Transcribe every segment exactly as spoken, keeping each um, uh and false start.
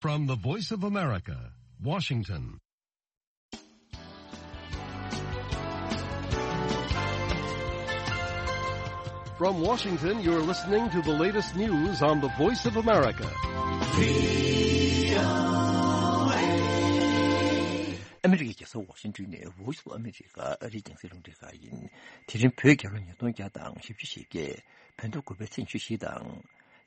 From the Voice of America, Washington. From Washington, you're listening to the latest news on the Voice of America. ཨ་མི་རི་ཀའི་རྒྱལ་ས་ཝ་ཤིང་ཏོན་ནས་Voice of America ཨ་རིའི་རྒྱང་སྲིང་རླུང་འཕྲིན་ཁང་ཡིན། དེ་རིང་བོད་རྒྱལ་ལོ་ཉིས་སྟོང་བརྒྱ་དང་བཞི་བཅུ་ཞེ་བརྒྱད། བོད་ཟླ་དགུ་པའི་ཚེས་ཉི་ཤུ་བཞི་དང་།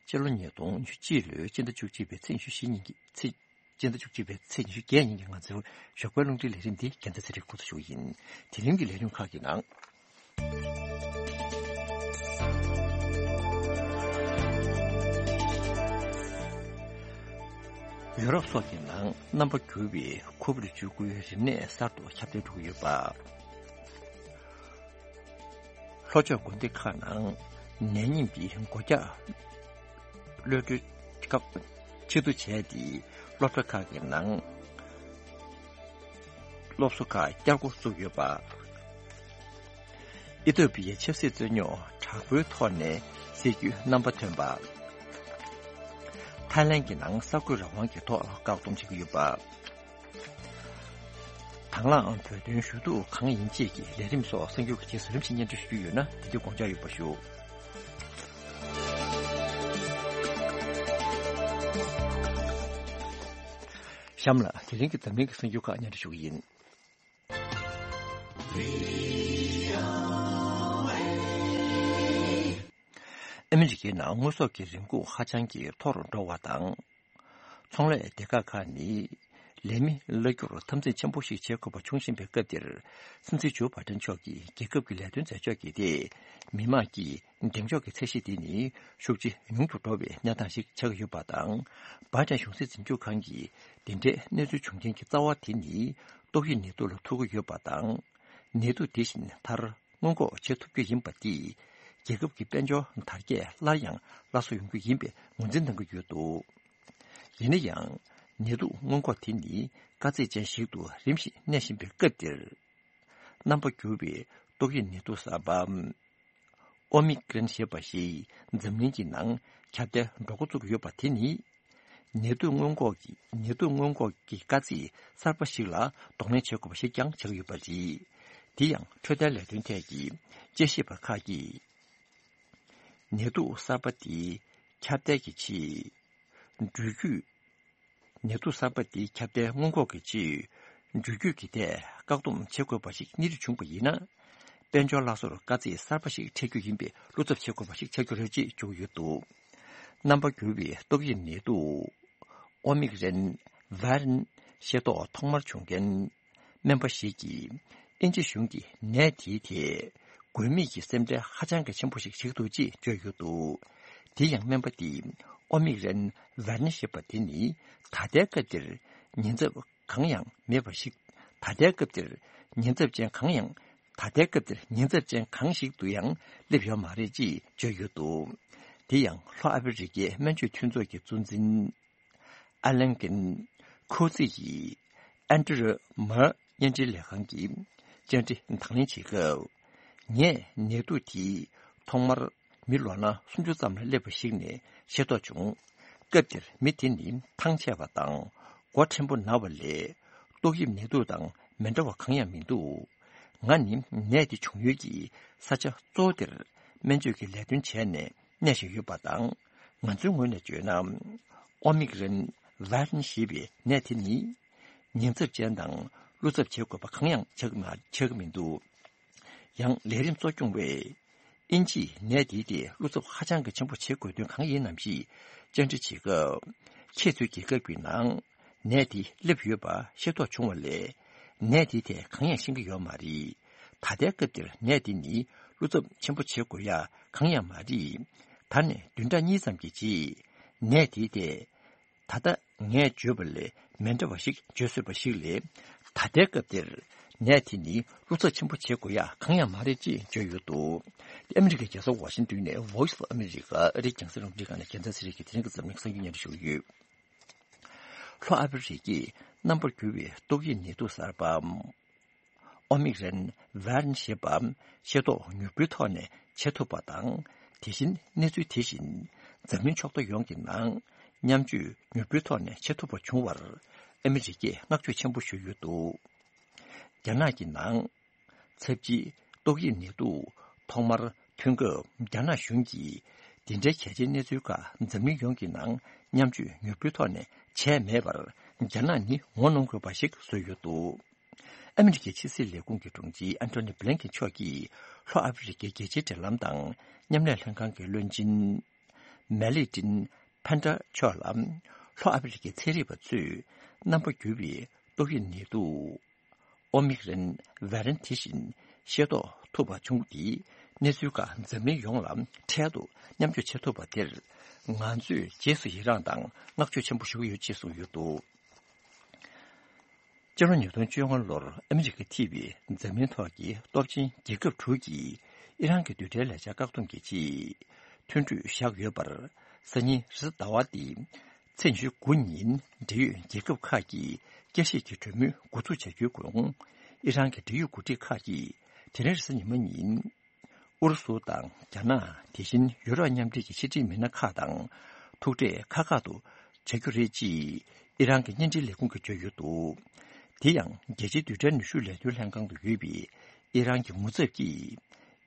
སྤྱི་ལོ་ཉིས་སྟོང་ཉི་ཤུ་གཅིག་ལོའི་སྤྱི་ཟླ་བཅུ་གཅིག་པའི་ཚེས་ཉི་ཤུ་བཞི་ཉིན་གྱི་ཚེས། སྤྱི་ཟླ་བཅུ་གཅིག་པའི་ཚེས་ཉི་ཤུ་བརྒྱད་ཉིན་གྱི་ང་ཚོའི་ཞོགས་པའི་རླུང་འཕྲིན་ལས་རིམ་འདི་རྒྱལ་མཚན་ཚེ་རིང་འགོ་འཛུགས་ཞུ་གི་ཡིན། དེ་རིང་གི་ལས་རིམ་ཁག་གི་ནང་། ཡོ་རོབ་སོགས་ཀྱི་ནང་རྣམ་པ་འགྱུར་བའི་ཁོ་བིཌ་བཅུ་དགུའི་རིམས་ནད་གསར་དུ་ཁྱབ་གདལ་འགྲོ་གི་ཡོད་པ། ལྷོ་ཕྱོགས་དགོན་སྡེ་ཁག་ནང་ནད་རྙིང་འདི་སྒོ་རྒྱག་གློད་གྲོལ་སྐབས་ཕྱིར་བསྡུ་བྱས་ཏེ་སློབ་གྲྭ་ཁག་གི་ནང་སློབ་གསོ་ཁག་བསྐྱར་འགོ་བཙུགས་ཡོད་པ། ཨི་ཐོ་པི་ཡའི་ཆབ་སྲིད་རྩོད་རྙོག་དྲག་པོའི་ཐོག་ནས་སྲིད་ཇུས་རྣམ་པ་ཐོན་པ། ཐའི་ལན་གྱི་ནང་གསར་འགོད་རང་དབང་གི་ཐོག་བཀག་སྡོམ་བྱེད་ཀྱི་ཡོད་པ། དང་བླངས་བོད་དོན་ཞུ་གཏུག་གང་ཡིན་བཅས་ཀྱི་ལས་རིམ་སོགས་གསར་འགྱུར་གྱི་རྗེས་སུ་རིམ་བཞིན་སྙན་སྒྲོན་ཞུ་རྒྱུ་ཡོད་ན་དེ་དུས་དགོངས་འཇགས་ཡོད་པ་ཞུ། གཤམ་ལ་དེ་རིང་གི་འཛམ་གླིང་གི་གསར་འགྱུར་ཁག་སྙན་སྒྲོན་ཞུ་གི་ཡིན། ཨ་མི་རི་ཀའི་ནང་དངོས་ཟོག་གི་རིན་གོང་ཧ་ཅང་གི་མཐོ་རུ་འགྲོ་བ་དང་། ཚོང་ལས་སྡེ་ཁག་ཁག་ནི་ལས་མི་གླ་རྒྱུར་འཐབ་འཛིང་ཆེན་པོ་ཞིག་བྱེད་དགོས་པ་བྱུང་བཞིན་པའི་སྐབས་འདིར། སྲིད་འཛིན་ཇོ་བྷའི་ཏན་མཆོག་གིས་རྒྱལ་ཁབ་ཀྱི་ལས་དོན་མཛད་ཕྱོགས་ཀྱི་ཐད། མི་དམངས་ཀྱི་གདེང་འཇོག་གི་ཚད་གཞི་དེ་ནི་ཤུགས་ཆེ་ཉུང་དུ་འགྲོ་བའི་གནས་སྟངས་ཤིག་ཆགས་ཀྱི་ཡོད་པ་དང་། བྷའི་ཏན་གཞུང་སྲིད་འཛིན་སྐྱོང་ཁང་གིས་འདི་འདྲའི་གནས་ཚུལ་བྱུང་རྐྱེན་གྱི་རྩ་བ་དེ་ནི་ཏོག་དབྱིབས་ནད་དུག་ལ་ཐུག་གི་ཡོད་པ་དང་། ནད་དུག་དེ་བཞིན་མཐར་སྔོན་འགོག་བྱེད་ཐུབ་རྒྱུ་ཡིན་པ་འདིས། རྒྱལ་ཁབ་ཀྱི་དཔལ་འབྱོར་དར་རྒྱས་སླར་ཡང་སླར་གསོ་ཡོང་རྒྱུ་ཡིན་པའི་ངོས་འཛིན་གནང་གི་ཡོད་འདུག་ཡིན་ན་ཡང་། ནད་དུག་སྔོན་འགོག་དེ་ནི་དཀའ་ཚེགས་ཅན་ཞིག་ཏུ་རིམ་བཞིན་གནས་བཞིན་པའི་སྐབས་འདིར། རྣམ་པ་འགྱུར་བའི་ཏོག་དབྱིབས་ནད་དུག་གསར་པ། ཨོ་མི་ཀྲན་ཞེས་པ་ཞིག་འཛམ་གླིང་གི་ནང་ཁྱབ་གདལ་འགྲོ་འགོ་བཙུགས་ཡོད་པ་དེ་ནི། ནད་དུག་སྔོན་འགོག་གི་ནད་དུག་སྔོན་འགོག་གི་དཀའ་ཚེགས་གསར་པ་ཞིག་ལ་གདོང་ལེན་བྱེད་དགོས་པ་ཞིག་ཀྱང་ཆགས་ཡོད་པ་རེད། དེ་ཡང་འཕྲོད་བསྟེན་ལས་དོན་ཐད་ཀྱི་དཔྱད་ཞིབ་པ་ཁག་གིས། ནད་དུག་གསར་པ་དེ་ཁྱབ་གདལ་གྱི་ཆེད། འགྲུལ་སྐྱོད། ནད་དུག་གསར་པ་འདིའི་ཁྱབ་གདལ་སྔོན་འགོག་གི་ཆེད། འགྲུལ་སྐྱོད་ཀྱི་ཐད་བཀག་སྡོམ་བྱེད་དགོས་པ་ཞིག་གཉེར་རྒྱུ་བྱུང་པ་ཡིན་ན། དཔལ་འབྱོར་སླར་གསོར་དཀའ་ཚེགས་གསར་པ་ཞིག་འཕྲད་རྒྱུ་ཡིན་པའི་བློ་འཚབ་བྱེད་དགོས་པ་ཞིག་ཆགས་རྒྱུ་རེད་ཅེས་བརྗོད་ཀྱི་ཡོད་འདུག་རྣམ་པ་འགྱུར་བའི་ཏོག་དབྱིབས་ནད་དུག་ཨོ་མིག་རན་ཝེ་རན་ཤེས་རྟོགས་ཐོག་མར་བྱུང་མཁན། སྨན་པ་ཞིག་གིས་དབྱིན་ཇི་གཞུང་གིས་ནད་དེའི་ཐད་དགོས་དམིགས་ཀྱི་སེམས་ཁྲལ་ཧ་ཅང་གི་ཆེན་པོ་ཞིག་བྱེད་ཀྱི་འདུག་ཅེས་བརྗོད་ཡོད་འདུག་དེ་ཡང་སྨན་པ་དེས་ཨོ་མིག་རན་ཝེ་རན་ཞེས་པ་དེ་ནི་ད་ལྟའི་སྐབས་འདིར་ཉེན་ཚབས་གང་ཡང་མེད་པ་ཞིག་ད་ལྟའི་སྐབས་འདིར་ཉེན་ཚབས་ཅན་གང་ཡང་ད་ལྟའི་སྐབས་འདིར་ཉེན་ཚབས་ཅན་གང་ཞིག་ཏུ་ཡང་སླེབས་ཡོད་མ་རེད་ཅེས་བརྗོད་ཡོད་འདུག་དེ་ཡང་ལྷོ་ཨ་ཧྥེ་རི་ཀའི་སྨན་བཅོས་མཐུན་ཚོགས་ཀྱི་གཙོ་འཛིན། ཨ་ལན་ཀིན་ཁོ་ཚེ་ཡིས་ཨན་ཏི་རུ་མར་བརྙན་འཕྲིན་ལས་ཁང་གི་བཅར་འདྲི་དང་ལེན་བྱེད་སྐབས། ངས་ནད་དུག་དེ་ཐོག་མར་མི་ལོ་ན་སུམ་ཅུ་ཙམ་ལ་སླེབས་པ་ཞིག་ནས་ཤེས་རྟོགས་བྱུང་། སྐབས་དེར་མི་དེ་ནི་ཐང་ཆད་པ་དང་མགོ་ཕྲན་བུ་ན་བ་ལས་ཏོག་དབྱིབས་ནད་དུག་དང་མི་འདྲ་བ་གང་ཡང་མི་འདུག་ང་ནི་ནད་དེ་བྱུང་ཡུལ་གྱི་ས་ཆ་གཙོ་བོ་དེར་སྨན་བཅོས་ཀྱི་ལས་དོན་བྱས་ནས། གནས་བཞིན་ཡོད་པ་དང་། ང་ཚོའི་ངོས་ནས་བརྗོད་ན། ཨོ་མིག་རན་ཝེ་རན་ཞེས་པའི་ནད་དེ་ནི། ཉེན་ཚབས་ཅན་དང་བློ་འཚབ་བྱེད་དགོས་པ་གང་ཡང་ཆགས་མ་ཆགས་ཀྱི་མི་འདུག་ཡང་ལས་རིམ་གཙོ་སྐྱོང་བས། དབྱིན་ཇིས་ནད་དེའི་ཐད་བློ་འཚབ་ཧ་ཅང་གི་ཆེན་པོ་བྱེད་དགོས་དོན་གང་ཡིན་ནམ་ཞེས་བཅར་འདྲི་བྱེད་སྐབས། ཁྱེད་ཚོའི་རྒྱལ་ཁབ་ཀྱི་ནང་། ནད་དེ་སླེབས་ཡོད་པ་ཤེས་རྟོགས་བྱུང་བ་ལས། ནད་དེའི་ཐད་གང་ཡང་ཤེས་ཀྱི་ཡོད་མ་རེད། ད་ལྟའི་སྐབས་འདིར་ནད་དེ་ནི་བློ་འཚབ་ཆེན་པོ་བྱེད་དགོས་ཡ་གང་ཡང་མ་རེད། ད་ནས་བདུན་ཕྲག་གཉིས་ཙམ་གྱི་རྗེས་ནད་དེའི་ཐད། ད་ལྟ་ངས་བརྗོད་པ་ལས་མི་འདྲ་བ་ཞིག་བརྗོད་སྲིད་པ་ཞིག་ལས། ད་ལྟའི་སྐབས་འདིར་ནད་དེ་ནི་བློ་འཚབ་ཆེན་པོ་བྱེད་དགོས་ཡ་གང་ཡང་མ་རེད་ཅེས་བརྗོད་ཡོད་འདུག་ཨ་མི་རི་ཀའི་རྒྱལ་ས་ཝ་ཤིང་ཏོན་ནས་Voice of America ཨ་རིའི་རྒྱང་སྲིང་རླུང་འཕྲིན་ཁང་ནས་རྒྱལ་མཚན་ཚེ་རིང་གིས་དེ་རིང་གི་འཛམ་གླིང་གསར་འགྱུར་སྙན་སྒྲོན་ཞུ་གི་ཡོད། ལྷོ་ཨ་ཧྥེ་རི་ཀའི་རྣམ་པར་འགྱུར་བའི་ཏོག་དབྱིབས་ནད་དུག་གསར་པ། ཨོ་མིག་རན་ཝེ་རན་ཞེས་པ་ཤེས་རྟོགས་མྱུར་པོའི་ཐོག་ནས་བྱེད་ཐུབ་པ་དང་། དེ་བཞིན་གནས་ཚུལ་དེ་བཞིན་འཛམ་གླིང་ཕྱོགས་མཐའ་ཡོངས་ཀྱི་ནང་ མཉམ་སྤྱོད་མྱུར་པོའི་ཐོག་ནས་བྱེད་ཐུབ་པ་བྱུང་བར་ཨ་མི་རི་ཀས་བསྔགས་བརྗོད་ཆེན་པོ་ཞུས་ཡོད་འདུག་རྒྱ་ནག་གི་ནང་ཚབས་ཆེའི་ཏོག་དབྱིབས་ནད་དུག་ཐོག་མར་ཐོན་སྐབས་རྒྱ་ནག་གཞུང་གིས་འདི་འདྲའི་གལ་ཆེའི་གནས་ཚུལ་ཁག་འཛམ་གླིང་ཡོངས་ཀྱི་ནང་མཉམ་སྤྱོད་མྱུར་པོའི་ཐོག་ནས་བྱས་མེད་པར་རྒྱ་ནག་ནི་ངོ་གནོང་དགོས་པ་ཞིག་བཟོས་ཡོད་འདུག་ཨ་མི་རི་ཀའི་ཕྱི་སྲིད་ལས་ཁུངས་ཀྱི་དྲུང་ཆེ་ཨན་ཐོ་ནི་བྷི་ལན་ཀེན་མཆོག་གིས་ལྷོ་ཨ་ཧྥེ་རི་ཀའི་རྒྱལ་སྤྱིའི་འབྲེལ་ལམ་དང་མཉམ་ལས་ལྷན་ཁང་གི་བློན་ཆེན་མེ་ལི་ཏིན་ཕན་ཏྲ་མཆོག་ལ་ལྷོ་ཨ་ཧྥེ་རི་ཀའི་ཚན་རིག་པ་ཚོས་རྣམ་པ་འགྱུར་བའི་ཏོག་དབྱིབས་ནད་དུག་ཨོ་མིག་རན་ཝེ་རན་ཊི་དེ་བཞིན་ཤེས་རྟོགས་ཐུབ་པ་བྱུང་སྟེ་གནས་ཚུལ་ཁག་འཛམ་གླིང་ཡོངས་ལ་འཕྲལ་དུ་མཉམ་སྤྱོད་བྱེད་ཐུབ་པ་དེར་ང་ཚོས་རྗེས་སུ་ཡི་རངས་དང་བསྔགས་བརྗོད་ཆེན་པོ་ཞུ་གི་ཡོད་ཅེས་གསུངས་ཡོད་འདུག་སྤྱི་ལོ་ཉིས་སྟོང་བཅོ་ལྔ་ལོར་ཨ་མི་རི་ཀ་ཐེ་བའི་འཛམ་གླིང་ཐོག་གི་སྟོབས་ཆེན་རྒྱལ་ཁབ་དྲུག་གིས་ཨི་རན་གྱི་རྡུལ་ཕྲན་ལས་འཆར་བཀག་སྡོམ་གྱི་ཆེད་མཐུན་གྲོས་བཞག་ཡོད་པར། སང་ཉིན་རེས་གཟའ་ཟླ་བ་སྟེ་ཚེས་ཉི་ཤུ་དགུ་ཉིན་འབྲེལ་ཡོད་རྒྱལ་ཁབ་ཁག་གིས་བསྐྱར་ཞིབ་ཀྱི་གྲོས་མོལ་འགོ་འཛུགས་བྱ་རྒྱུའི་གོང་། ཨི་རན་གྱི་འབྲེལ་ཡོད་འགོ་ཁྲིད་ཁག་གིས་དེ་རིང་རེས་གཟའ་ཉི་མ་ཉིན། ཨུ་རུ་སུ་དང་རྒྱ་ནག་དེ་བཞིན་ཡུ་རོབ་མཉམ་འབྲེལ་གྱི་ཕྱི་འབྲེལ་མི་སྣ་ཁག་དང་ཐུག་འཕྲད་ཁག་ཁག་ཏུ་བྱ་རྒྱུ་རེད་ཅེས་ཨི་རན་གྱི་བརྙན་འཕྲིན་ལས་ཁུངས་ཀྱིས་བརྗོད་ཡོད་འདུག་དེ་ཡང་རྒྱལ་སྤྱིའི་རྡུལ་ཕྲན་ནུས་ཤུགས་ལས་དོན་ལྷན་ཁང་དུ་ཡོད་པའི་ཨི་རན་གྱི་ངོ་ཚབ་ཀྱིས་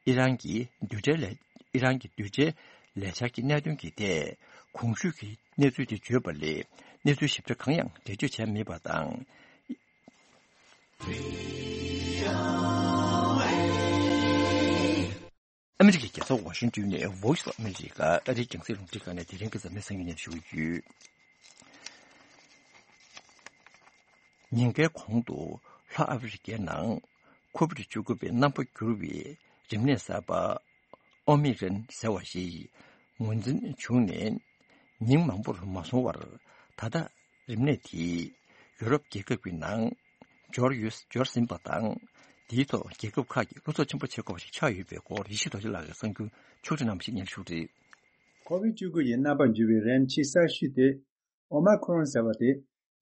ཨི་རན་གྱི་རྡུལ་ཕྲན་ལས་ཨི་རན་གྱི་རྡུལ་ཕྲན་ལས་འཆར་གྱི་གནད་དོན་གྱི་ཐད་གོང་ཞུས་ཀྱི་གནས་ཚུལ་དེ་བརྗོད་པ་ལས་གནས་ཚུལ་ཞིབ་ཕྲ་གང་ཡང་འགྲེལ་བརྗོད་བྱས་མེད་པ་དང་། ཨ་མི་རི་ཀའི་རྒྱལ་ས་ཝ་ཤིང་ཏོན་ནས་Voice of America ཨ་རིའི་རྒྱང་སྲིང་རླུང་འཕྲིན་ཁང་ནས་དེ་རིང་གི་འཛམ་གླིང་གསར་འགྱུར་སྙན་ཞུ་གི་ཡོད། ཉིན་འགའི་གོང་དུ་ལྷོ་ཨ་ཧྥེ་རི་ཀའི་ནང་ཁོ་བིད་བཅུ་དགུ་པའི་རྣམ་པ་འགྱུར་བའི་རིམས་ནད་གསར་པ་ཨོ་མི་རན་ཟེར་བ་ཞིག་ངོས་འཛིན་བྱུང་ནས་ཉིན་མང་པོར་མ་སོང་བར་ད་ལྟ་རིམས་ནད་དེས་ཡུ་རོབ་རྒྱལ་ཁབ་ཀྱི་ནང་འབྱོར་ཡོད་འབྱོར་ཟིན་པ་དང་། དེའི་ཐོག་རྒྱལ་ཁབ་ཁག་གིས་བློ་འཚབ་ཆེན་པོ་བྱེད་དགོས་པ་ཞིག་ཆགས་ཡོད་པའི་སྐོར་ཡེ་ཤེས་རྡོ་རྗེ་ལགས་ཀྱིས་གསར་འགྱུར་ཕྱོགས་སྒྲིག་གནང་བ་ཞིག་སྙན་ཞུ་རེད། ཁོ་བིད་བཅུ་དགུ་ཡི་རྣམ་པར་འགྱུར་བའི་རིམས་ཆེས་གསར་ཤོས་དེ་ཨོ་མ་ཁོ་རོན་ཟེར་བ་དེ་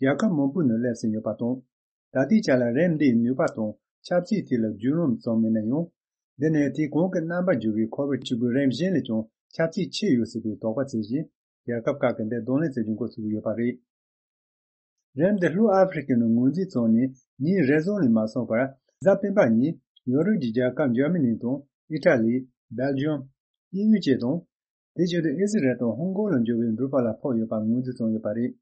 རྒྱལ་ཁབ་མང་པོའི་ནང་སླེབས་ཟིན་ཡོད་པ་དང་། ད་ལྟའི་ཆ་ལ་རིམས་འདིའི་ནུས་པ་དང་ཁྱབ་ཚད་ཐད་ལ་རྒྱུས་ལོན་ཙམ་མིན་ན་ཡང་། འདི་ནི་དེ་གོང་གི་རྣམ་པར་འགྱུར་བའི་ཁོ་བིད་བཅུ་དགུ་རིམས་གཞན་ལས་ཀྱང་ཁྱབ་ཚད་ཆེ་ཡོད་སྲིད་པའི་དོགས་པ་བྱེད་བཞིན། རྒྱལ་ཁབ་ཁག་གིས་འདི་གདོང་ལེན་བྱེད་རྒྱུ་འགོ་ཚུགས་ཡོད་པ་རེད། རིམས་འདི་ལྷོ་ཨ་ཧྥེ་རི་ཀའི་ནང་ངོས་འཛིན་བྱུང་ནས་ཉིན་རེ་ཟུང་ལས་མ་སོང་བར། གཟའ་སྤེན་པ་ཉིན་ཡོ་རོབ་ཀྱི་རྒྱལ་ཁབ་འཇར་མ་ནི་དང་ཨི་ཊ་ལི། སྦེལ་ཇམ། དབྱིན་ཡུལ་བཅས་དང་། དེ་བཞིན་དུ་ཨི་ཟི་རལ་དང་ཧོང་ཀོང་ལ་འབྱོར་བའི་འགྲུལ་པ་ལ་ཕོག་ཡོད་པ་ངོས་འཛིན་བྱུང་ཡོད་པ་རེད།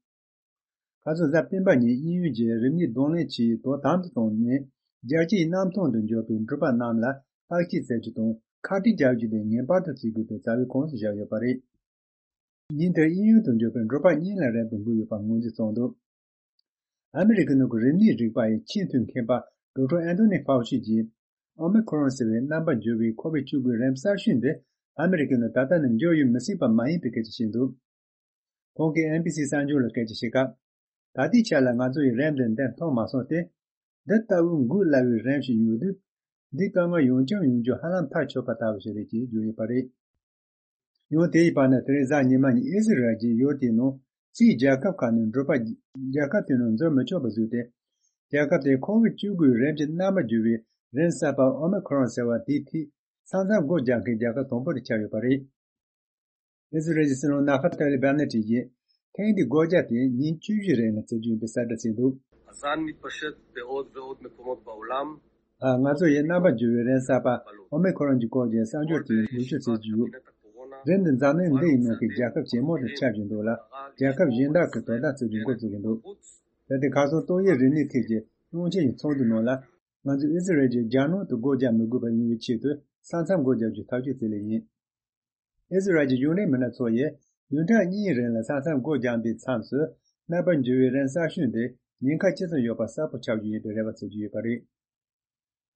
ཁ་སང་གཟའ་སྤེན་པ་ཉིན་དབྱིན་ཡུལ་གྱིས་རིམས་ནད་གདོང་ལེན་བྱེད་ཡུལ་དོ་དམ་དུ་བཏང་ནས། རྒྱལ་སྤྱིའི་གནམ་ཐང་དུ་འབྱོར་བའི་འགྲུལ་པ་རྣམས་ལ་བརྟག་དཔྱད་བྱ་རྒྱུ་དང་ཁ་གྲངས་བརྒྱབ་རྒྱུ་དེ་ངེས་པར་དུ་བྱེད་དགོས་པའི་རྩ་བའི་ཁོངས་སུ་བཞག་ཡོད་པ་རེད། ཉིན་དེར་དབྱིན་ཡུལ་དུ་འབྱོར་བའི་འགྲུལ་པ་གཉིས་ལ་རིམས་དེ་འགོས་ཡོད་པ་ངོས་འཛིན་བྱུང་འདུག་ཨ་མི་རི་ཀའི་ནང་གི་རིམས་ནད་རིག་པ་ཡི་ཆེས་མཐོའི་མཁས་པ་ཌོག་ཊར་ཨན་ཐོ་ནི་ཧྥའུ་ཆི་གྱིས། ཨོ་མི་ཁོ་རོན་ཟེར་བའི་རྣམ་པར་འགྱུར་བའི་ཁོ་བིད་བཅུ་དགུའི་རིམས་གསར་ཤོས་འདི་ཨ་མི་རི་ཀའི་ནང་ད་ལྟ་ནས་འབྱོར་ཡོད་མི་སྲིད་པ་མ་ཡིན་པའི་སྐད་ཆ་བཤད་འདུག་ཁོང་གིས་ཨེན་བྷི་སི་གསར་འགྱུར་ལ་སྐད་ཆ་བཤད་སྐབས། ད་ལྟའི་ཆ་ལ་ང་ཚོ་ཡིས་རིམས་འདི་འདེམས་ཐོན་མ་སོང་སྟེ། འདི་ལྟ་བུའི་འགོས་སླ་བའི་རིམས་ཤིག་ཡོད་དུས། འདིའི་དཀའ་ངལ་ཡོང་རྐྱང་ཡོང་རྒྱུ་ཧ་ལམ་ཐག་ཆོད་པ་ལྟ་བུ་ཞིག་རེད་ཅེས་བརྗོད་ཡོད་པ་རེད། ཡང་དེའི་བར་ན་དེ་རིང་གཟའ་ཉི་མ་ཉིན་ཨི་ཟི་རལ་གྱིས་ཡུལ་དེའི་ནང་གཅིག་རྒྱལ་ཁབ་ཁག་ནས་འགྲུལ་པ་རྒྱལ་ཁབ་དེའི་ནང་འཛུལ་མི་ཆོག་པ་བཟོས་ཏེ། རྒྱལ་ཁབ་དེས་ཁོ་བིད་བཅུ་དགུའི་རིམས་ཀྱི་རྣམ་པར་འགྱུར་བའི་རིམས་གསར་པ་ཨོ་མི་ཁོ་རོན་ཟེར་བ་དེའི་ཐད་ས་མཚམས་སྒོ་རྒྱག་མཁན་རྒྱལ་ཁབ་དང་པོ་དེ་ཆགས་ཡོད་པ་རེད། ཨི་ཟི་རལ་གྱི་སྲིད་བློན་ནཱ་ཧྥ་ཏཱ་ལི་བྷ་ནེ་ཏི་ཡིས་ཐེངས་འདིའི་སྒོ་རྒྱག་དེ་ཉིན་བཅུ་བཞི་རིང་ལ་བྱེད་རྒྱུ་ཡིན་པའི་གསལ་བསྒྲགས་བྱས་འདུག། הזן מתפשט בעוד ועוד מקומות בעולם. ང་ཚོ་ཡིས་རྣམ་པར་འགྱུར་བའི་རིམས་གསར་པ་ཨོ་མི་ཁོ་རོན་གྱི་སྐོར་གྱི་གསར་འགྱུར་དེ་ཉེ་ཤོས་བྱེད་ཀྱི་ཡོད། རིམས་འདི་འཛམ་གླིང་འདི་ཡི་ནང་གི་རྒྱལ་ཁབ་ཇེ་མང་དུ་ཁྱབ་བཞིན་འདུག་ལ། རྒྱལ་ཁབ་གཞན་དག་གིས་དོ་དམ་བྱེད་རྒྱུ་འགོ་བཙུགས་ཀྱི་འདུག། གལ་ཏེ་ཁ་སང་ཏོག་དབྱིབས་རིམས་ནད་ཐད་ཀྱི་སྔོན་ཆད་ཀྱི་ཚོགས་འདུ་ནང་ལ། ང་ཚོས་ཨི་ཟི་རལ་གྱིས་རྒྱ་ནང་དུ་སྒོ་རྒྱག་མི་དགོས་པ་ཡོང་བའི་ཆེད་དུ་ས་མཚམས་སྒོ་རྒྱག་རྒྱུའི་ཐག་གཅོད་བྱས་ལེ་ཡིན། ཨི་ཟི་རལ་གྱི་གཞུང་འབྲེལ་མི་སྣ་ཚོ་ཡིས་བདུན་ཕྲག་གཉིས་རིང་ལ་ས་མཚམས་སྒོ་རྒྱག་པའི་མཚམས་སུ། རྣམ་པར་འགྱུར་བའི་རིམས་གསར་ཤོས་འདི་ཉེན་ཁ་ཇི་ཙམ་ཡོད་པ་གསལ་པོ་ཆགས་རྒྱུ་ཡིན་པའི་རེ་བ་བྱེད་ཀྱི་ཡོད་པ་རེད།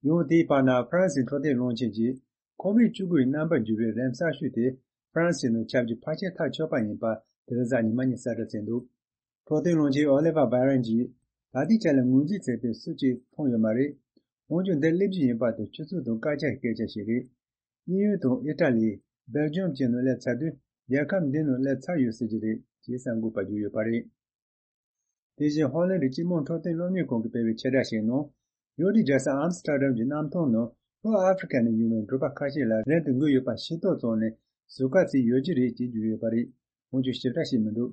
ཡང་དེའི་བར་ན་ཧྥ་རན་སིའི་འཕྲོད་བསྟེན་བློན་ཆེན་གྱིས། ཁོ་བིད་བཅུ་དགུའི་རྣམ་པར་འགྱུར་བའི་རིམས་གསར་ཤོས་དེ་ཧྥ་རན་སིའི་ནང་ཁྱབ་རྒྱུ་ཕལ་ཆེར་ཐག་ཆོད་པ་ཡིན་པ་དེ་རིང་གཟའ་ཉི་མ་ཉིན་གསལ་བསྒྲགས་བྱས་འདུག། འཕྲོད་བསྟེན་བློན་ཆེན་ཨོ་ལི་ཝར་བྷ་རན་གྱིས། ད་ལྟའི་ཆ་ལ་ངོས་འཛིན་བྱས་པའི་སུ་གཅིག་མཐོང་ཡོད་མ་རེད། འོན་ཀྱང་འདི་སླེབས་རྒྱུ་ཡིན་པ་དེ་སྤྱི་ཚོགས་དང་སྐད་ཆ་སྐད་ཆ་ཞིག་རེད། དབྱིན་ཡུལ་དང་ཨི་ཊ་ལི། སྦེལ་ཇམ་བཅས་ནང་སླེབས་ཚར་དུས་རྒྱལ་ཁབ་འདི་ནང་སླེབས་ཚར་ཡོད་སྲིད་ཀྱི་རེད་ཅེས་གསར་འགོད་པར་བརྗོད་ཡོད་པ་རེད། དེ་བཞིན་ཧོ་ལན་གྱི་སྤྱི་དམངས་འཕྲོད་བསྟེན་སློབ་གཉེར་ཁང་གིས་སྤེལ་བའི་ཆེད་བསྒྲགས་ཤིག་ནང་། ཡུལ་དེའི་རྒྱལ་ས་ཨམ་སི་ཏར་ཌམ་གྱི་གནམ་ཐང་ནང་ལྷོ་ཨ་ཧྥེ་རི་ཀ་ནས་ཡོང་བའི་འགྲུལ་པ་ཁ་ཤས་ལ་རིམས་དེ་འགོས་ཡོད་པ་ཤེས་རྟོགས་བྱུང་ནས་ཟུར་བཀག་བྱས་ཡོད་ཀྱི་རེད་ཅེས་བརྗོད་ཡོད་པ་རེད། འོན་ཀྱང་ཞིབ་ཕྲ་ཞིག་མི་འདུག།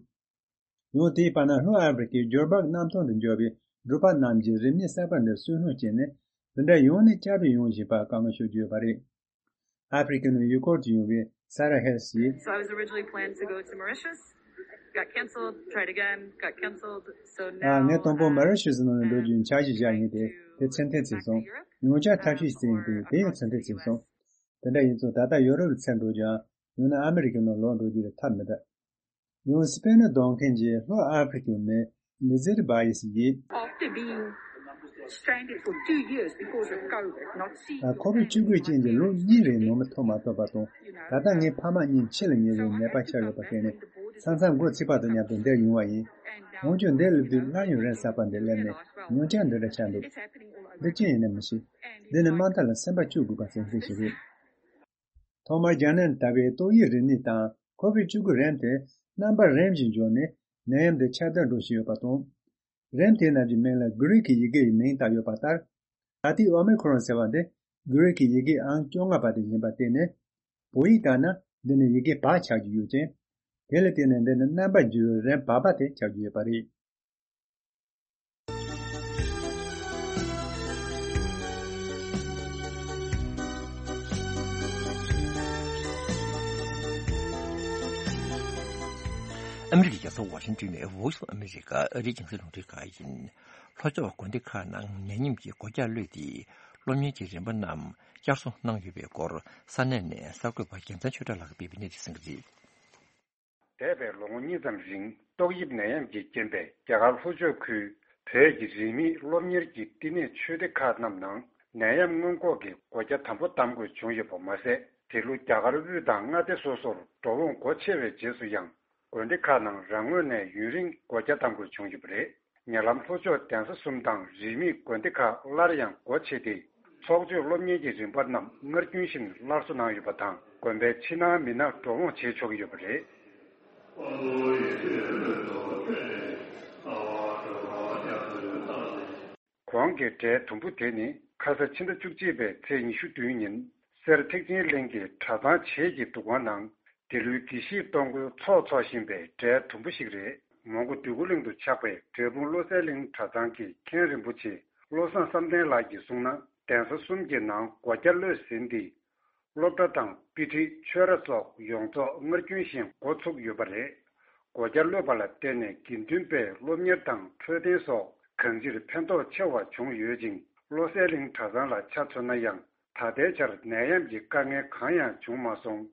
ཡང་དེའི་བར་ན་ལྷོ་ཨ་ཧྥེ་རི་ཁའི་འགྱུར་བག་གནམ་ཐང་དུ་འབྱོར་བའི་འབྲོག་པ་རྣམས་ཀྱིས་རིམས་ནད་གསར་པ་འདིར་སུན་སྣང་བྱས་ནས་འདི་འདྲ་ཡང་ནས་བསྐྱར་དུ་ཡོང་བཞིན་པར་དཀའ་ངལ་ཤོར་གྱི་ཡོད་པ་རེད། ཨ་ཧྥེ་རི་ཁའི་ནང་ཡུལ་སྐོར་དུ་ཡོང་བའི་Sarah Hess ཡིས། So I was originally planned to go to Mauritius, got cancelled, tried again, got cancelled. So ཨ། ངས་དང་པོ་མོ་རི་ཤི་སི་ནང་ལ་འགྲོ་རྒྱུའི་འཆར་གཞི་བཞག་ཡིན་ཏེ། དེ་ཚེ་འཕོས་ཟིན་སོང་། ཡང་བསྐྱར་ཐབས་ཤེས་བྱས་ཡིན་ཏེ། དེ་ཡང་ཚེ་འཕོས་ཟིན་སོང་། དེ་འདྲ་ཡིན་ཙང་ད་ལྟ་ཡོ་རོབ་ལ་ཚུར་འགྲོ་རྒྱུའམ། ཡང་ན་ཨ་མི་རི་ཀའི་ནང་ལོག་འགྲོ་རྒྱུ་ལ་ཐབས་མི་འདུག་ཡང་སི་པེན་ནང་སྡོད་མཁན་གྱི་ལྷོ་ཨ་ཧྥེ་རི་ཁའི་མི་Lizette Bayes ཡིས། After being stranded for two years because of COVID, not seeing ཁོ་བིད་བཅུ་དགུའི་རྐྱེན་གྱིས་ལོ་གཉིས་རིང་ནང་མི་ཐོན་མ་ཐུབ་པ་དང་། ད་ལྟ་ངའི་ཕ་མ་གཉིས་འཆི་ལ་ཉེ་བའི་ནད་པ་ཆགས་ཡོད་པ་དེ་ནི་མཚམས་མཚམས་འགོ་ཚུགས་པ་དང་མཉམ་དུ་འདིར་ཡོང་བ་ཡིན། འོན་ཀྱང་འདིར་སླེབས་དུས་སླར་ཡང་རིམས་གསར་པ་འདི་སླེབས་ནས་ཡང་བསྐྱར་འདི་འདྲ་ཆགས་འདུག་འདི་ཅི་ཡིན་ན་མི་ཤེས། འདི་ནི་དམའ་མཐའ་ལ་སེམས་པ་སྐྱོ་དགོས་པ་ཙམ་ཙམ་ཞིག་རེད། ཐོག་མར་རྒྱ་ནད་ལྟ་བུའི་ཏོག་དབྱིབས་རིམས་ནད་དང་ཁོ་བིད་བཅུ་དགུ་རིམས་དེ་རྣམ་པ་རིམ་བཞིན་འབྱུང་ནས་ནད་ཡམས་འདི་ཁྱབ་གདལ་འགྲོ་བཞིན་ཡོད་པ་དང་། རིམས་དེའི་རྣམས་ཀྱི་མིང་ལ་གྷི་རིག་གི་ཡི་གེ་ཡི་མིང་བཏགས་ཡོད་པ་ལྟར། ད་ལྟའི་ཨོ་མི་ཁོ་རོན་ཟེར་བ་འདི་གྷི་རིག་གི་ཡི་གེ་ཨང་བཅོ་ལྔ་པ་དེ་ཡིན་པ་དེ་ནི། བོད་ཡིག་ལྟར་ན་འདི་ནི་ཡི་གེ་བ་ཆགས་ཀྱི་ཡོད་ཅིང་། དེ་ལ་བརྟེན་ནས་འདི་ནི་རྣམ་པར་འགྱུར་བའི་རིམས་བ་བ་དེ་ཆགས་ཀྱི་ཡོད་པ་རེད། ཨ་མི་རི་ཀའི་རྒྱལ་ས་ཝ་ཤིང་ཏོན་ནས་Voice of America ཨ་རིའི་རྒྱང་སྲིང་རླུང་འཕྲིན་ཁང་ཡིན། ལྷོ་ཕྱོགས་དགོན་སྡེ་ཁག་ནང་ནད་ཡམས་ཀྱི་སྒོ་རྒྱག་གློད་དེ། སློབ་གཉེར་གྱི་རིམ་པ་རྣམས་བསྐྱར་གསོ་གནང་ཡོད་པའི་སྐོར་ས་གནས་ནས་གསར་འགོད་པ་རྒྱལ་མཚན་ཆོས་གྲགས་ལགས་ཀྱིས་སྤེལ་བའི་གནས་ཚུལ་གསན་གྱི་རེད། འདས་པའི་ལོ་ངོ་གཉིས་ཙམ་རིང་ཏོག་དབྱིབས་ནད་ཡམས་ཀྱི་རྐྱེན་པས་རྒྱ་གར་ལྷོ་ཕྱོགས་ཁུལ་བོད་ཀྱི་རིས་མེད་སློབ་གཉེར་གྱི་བསྟི་གནས་ཆོས་སྡེ་ཁག་རྣམས་ནང་ནད་ཡམས་སྔོན་འགོག་གི་སྒོ་རྒྱ་དམ་པོ་བསྡམ་དགོས་བྱུང་ཡོད་པ་མ་ཟད། དེ་ལོ་རྒྱ་གར་དབུས་དང་མངའ་སྡེ་སོ་སོར་འགྲོ་འོང་སྒོ་ཕྱེ་བའི་རྗེས་སུ་ཡང་། དགོན་སྡེ་ཁག་ནང་རང་ངོས་ནས་ཡུན་རིང་སྒོ་རྒྱ་བཏང་དགོས་བྱུང་ཡོད་པ་རེད། ཉེ་ལམ་ལྷོ་ཕྱོགས་གདན་ས་གསུམ་དང་རིས་མེད་དགོན་སྡེ་ཁག་སླར་ཡང་སྒོ་ཕྱེ་སྟེ། ཚོགས་ཆོས་སློབ་གཉེར་གྱི་རིམ་པ་རྣམས་སྔར་རྒྱུན་བཞིན་སླར་གསོ་གནང་ཡོད་པ་དང་། དགོན་པའི་ཕྱི་ནང་མི་སྣ་འགྲོ་འོང་བྱེད་ཆོག་གི་ཡོད་པ་རེད། གོང་གི་འབྲས་དུམ་བུ་དེ་ནི་ཁ་ས་ཕྱི་ཟླ་བཅུ་གཅིག་པའི་ཚེས་ཉི་ཤུ་བདུན་ཉིན་གསེར་ཐེག་ཆེན་གླིང་གི་གྲྭ་ཚང་བྱེས་ཀྱི་འདུ་ཁང་ནང་འདི་ལོའི་དགེ་བཤེས་གཏོང་སྒོའི་ཚོགས་འཚོགས་བཞིན་པའི་འབྲས་དུམ་བུ་ཞིག་རེད། མོན་གྷོ་འདོད་རྒུ་གླིང་དུ་ཆགས་པའི་འབྲས་སྤུངས་བློ་གསལ་གླིང་གྲྭ་ཚང་གི་མཁན་རིན་པོ་ཆེ་བློ་བཟང་བསམ་གཏན་ལགས་ཀྱིས་གསུངས་ན། གདན་ས་གསུམ་གྱི་ནང་སྒོ་རྒྱ་གློད་ཟིན་ཏེ། སློབ་གྲྭ་དང་དཔེ་ཁྲིད་ཆོས་ར་སོགས་ཡོངས་རྫོགས་སྔར་རྒྱུན་བཞིན་འགོ་ཚུགས་ཡོད་པ་རེད། སྒོ་རྒྱ་གློད་པ་ལ་བརྟེན་ནས་དགེ་འདུན་པའི་སློབ་གཉེར་དང་འཕྲོད་བསྟེན་སོགས་གང་ཅིར་ཕན་ཐོགས་ཆེ་བ་བྱུང་ཡོད་ཅིང་། བློ་གསལ་གླིང་གྲྭ་ཚང་ལ་ཆ་མཚོན་ན་ཡང་ད་ལྟའི་ཆར་ནད་ཡམས་ཀྱི་དཀའ་ངལ་གང་ཡང་བྱུང་མ་སོང་།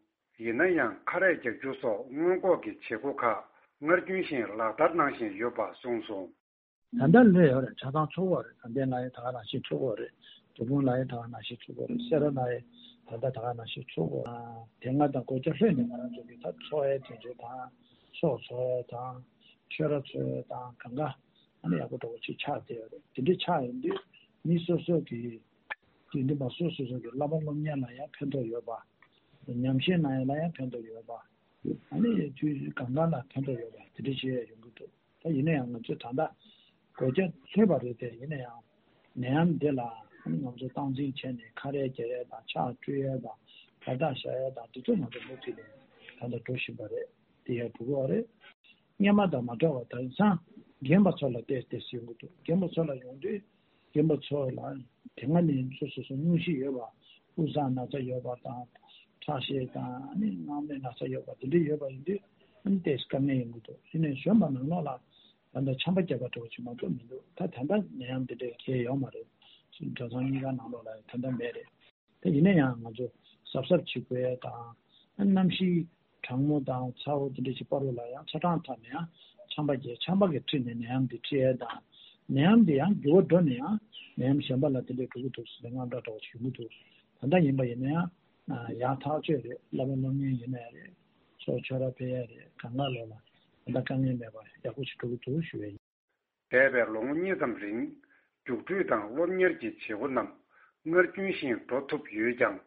ཡིན་ན་ཡང་ཁ་རས་རྒྱག་རྒྱུ་སོགས་སྔོན་འགོག་གི་བྱེད་སྒོ་ཁག་སྔར་རྒྱུན་བཞིན་ལག་བསྟར་གནང་བཞིན་ཡོད་པ་གསུངས་སོང་། ད་ལྟ་སླེབས་ཡོད་རེད། ཆ་ཚང་ཚུགས་ཡོད་རེད། དགའ་ལྡན་ལ་ཡང་ད་ག་ནང་བཞིན་ཚུགས་ཡོད་རེད། འབྲས་སྤུངས་ལ་ཡང་ད་ག་ནང་བཞིན་ཚུགས་ཡོད་རེད། སེ་ར་ལ་ཡང་ད་ལྟ་ད་ག་ནང་བཞིན་ཚུགས་ཡོད་རེད། དེ་སྔ་དང་སྒོ་རྒྱ་ལྷོད་ནས་ང་རང་ཚོ་གི་ད་འཚོ་བའི་དོན་ཚན་དང་། ཚོགས་འཚོགས་ཡས་དང་། ཆོས་ར་འཚོགས་ཡས་དང་། གང་ག་ཨ་ནི་ཡག་པོ་འདྲ་བོ་ཅིག་ཆགས་བསྡད་ཡོད་རེད། དེ་འདྲ་ཆགས་ཡོང་དུས་མི་སོ་སོ་གི་དགེ་འདུན་པ་སོ་སོ་སོ་གི་བསླབ་པ་སློབ་གཉེར་ལ་ཡང་ཕན་ཐོགས་ཡོད་པ། ཉམས་ཞིབ་གནང་ཡས་ལ་ཡང་ཕན་ཐོགས་ཡོད་པ། ཨ་ནི་དུས་གང་ག་ལ་ཕན་ཐོགས་ཡོད་པ་དེ་འདྲ་བྱས་ཡོང་གི་འདུག་ད་ཡིན་ན་ཡང་ང་ཚོས་ད་ལྟ་སྒོ་རྒྱ་ལྷོད་པ་རེད་དེ། ཡིན་ན་ཡང་ནད་ཡམས་འདི་ལ་ཨ་ནི་ང་ཚོ་སྟངས་འཛིན་བྱས་ནས་ཁ་རས་རྒྱག་ཡས་དང་། ཕྱག་བཀྲུ་ཡས་དང་། བར་ཐག་བཞག་ཡས་དང་། འདི་ཚོ་ང་ཚོ་མུ་མཐུད་ནས་ད་ལྟ་འགྲོ་བཞིན་པ་རེད། དེ་ཡང་འགྲོ་གི་ཡོད་རེད། སྔོན་མ་དང་མ་འདྲ་བ་དེང་སང་རྒན་པ་ཚོ་ལ་བལྟས་བལྟས་སུ་ཡོང་གི་འདུག་རྒན་པ་ཚོ་ལ་ཡོང་དུས་རྒན་པ་ཚོ་ལ་དེ་སྔ་ནས་སོ་སོ་སོ་སྙུང་གཞི་ཡོད་པ། དབུགས་བཟང་ན་ཚ་ཡོད་པ་དང་། ཁྲག་ཤེད་དང་། ཨ་ནི་སྔགས་མེད་ན་ཚ་ཡོད་པ་དེ་འདྲ་ཡོད་པ་ཡིན་དུས་ཨ་ནི་ཏོག་ཙམ་དཀའ་ངལ་ཡོང་གི་འདུག་དེ་ནས་གཞོན་པ་ནང་ལོགས་ལ་ད་ལྟ་ཆམ་པ་བརྒྱབ་པ་འདྲ་བོ་ཅིག་མ་གཏོགས་མི་འདུག་ད་ད་ལྟ་ནད་ཡམས་དེ་འདྲའི་གལ་ཡོད་མ་རེད། གྲྭ་ཚང་གཉིས་ཀ་ནང་ལོགས་ལ་ད་ལྟ་མེད་རེད། ད་ཡིན་ན་ཡང་ང་ཚོ་གཟབ་གཟབ་བྱེད་དགོས་ཡས་དང་། གནམ་གཤིས་གྲང་མོ་དང་ཚ་བོ་དེ་འདྲ་ཞིག་བར་དུ་ལ་ཡང་ཚ་གྲང་ཐོག་ནས་ཡང་ཆམ་པ་རྒྱག་ཆམ་པ་གི་འཁྲིས་ནས་ནད་ཡམས་འདི་འཁྲིད་ཡས་དང་། ནད་ཡམས་འདི་ཡང་འགྱུར་བ་འགྲོ་ནས་ཡང་ནད་ཡམས་གཞན་པ་ལ་དེ་འདྲ་འགྲོ་གི་འདུག་ཟེར་ནས་དངངས་སྐྲག་འདྲ་བོ་ཞིག་ཡོང་གི་འདུག་ད་ལྟ་ཡིན་པ་ཡིན་ན་ཡང་ཡག་ཐག་ཆོད་རེད། བསླབ་པ་སློབ་གཉེར་ཡིན་ན་ཡང་རེད། ཚོགས་ཆོས་ར་ཕེབས་ཡས་རེད། གང་ག་ལོགས་ལ་ད་ལྟ་དཀའ་ངལ་མེད་པར་ཡག་པོ་ཞིག་འགྲོ་གི་འདུག་ཞུ་ཡས་ཡིན། འདས་པའི་ལོ་ངོ་གཉིས་ཙམ་རིང་། རྒྱུགས་སྤྲོད་དང་སློབ་གཉེར་གྱི་བྱེད་སྒོ་རྣམས་སྔར་རྒྱུན་བཞིན་འགྲོ་ཐུབ་ཡོད་ཀྱང་།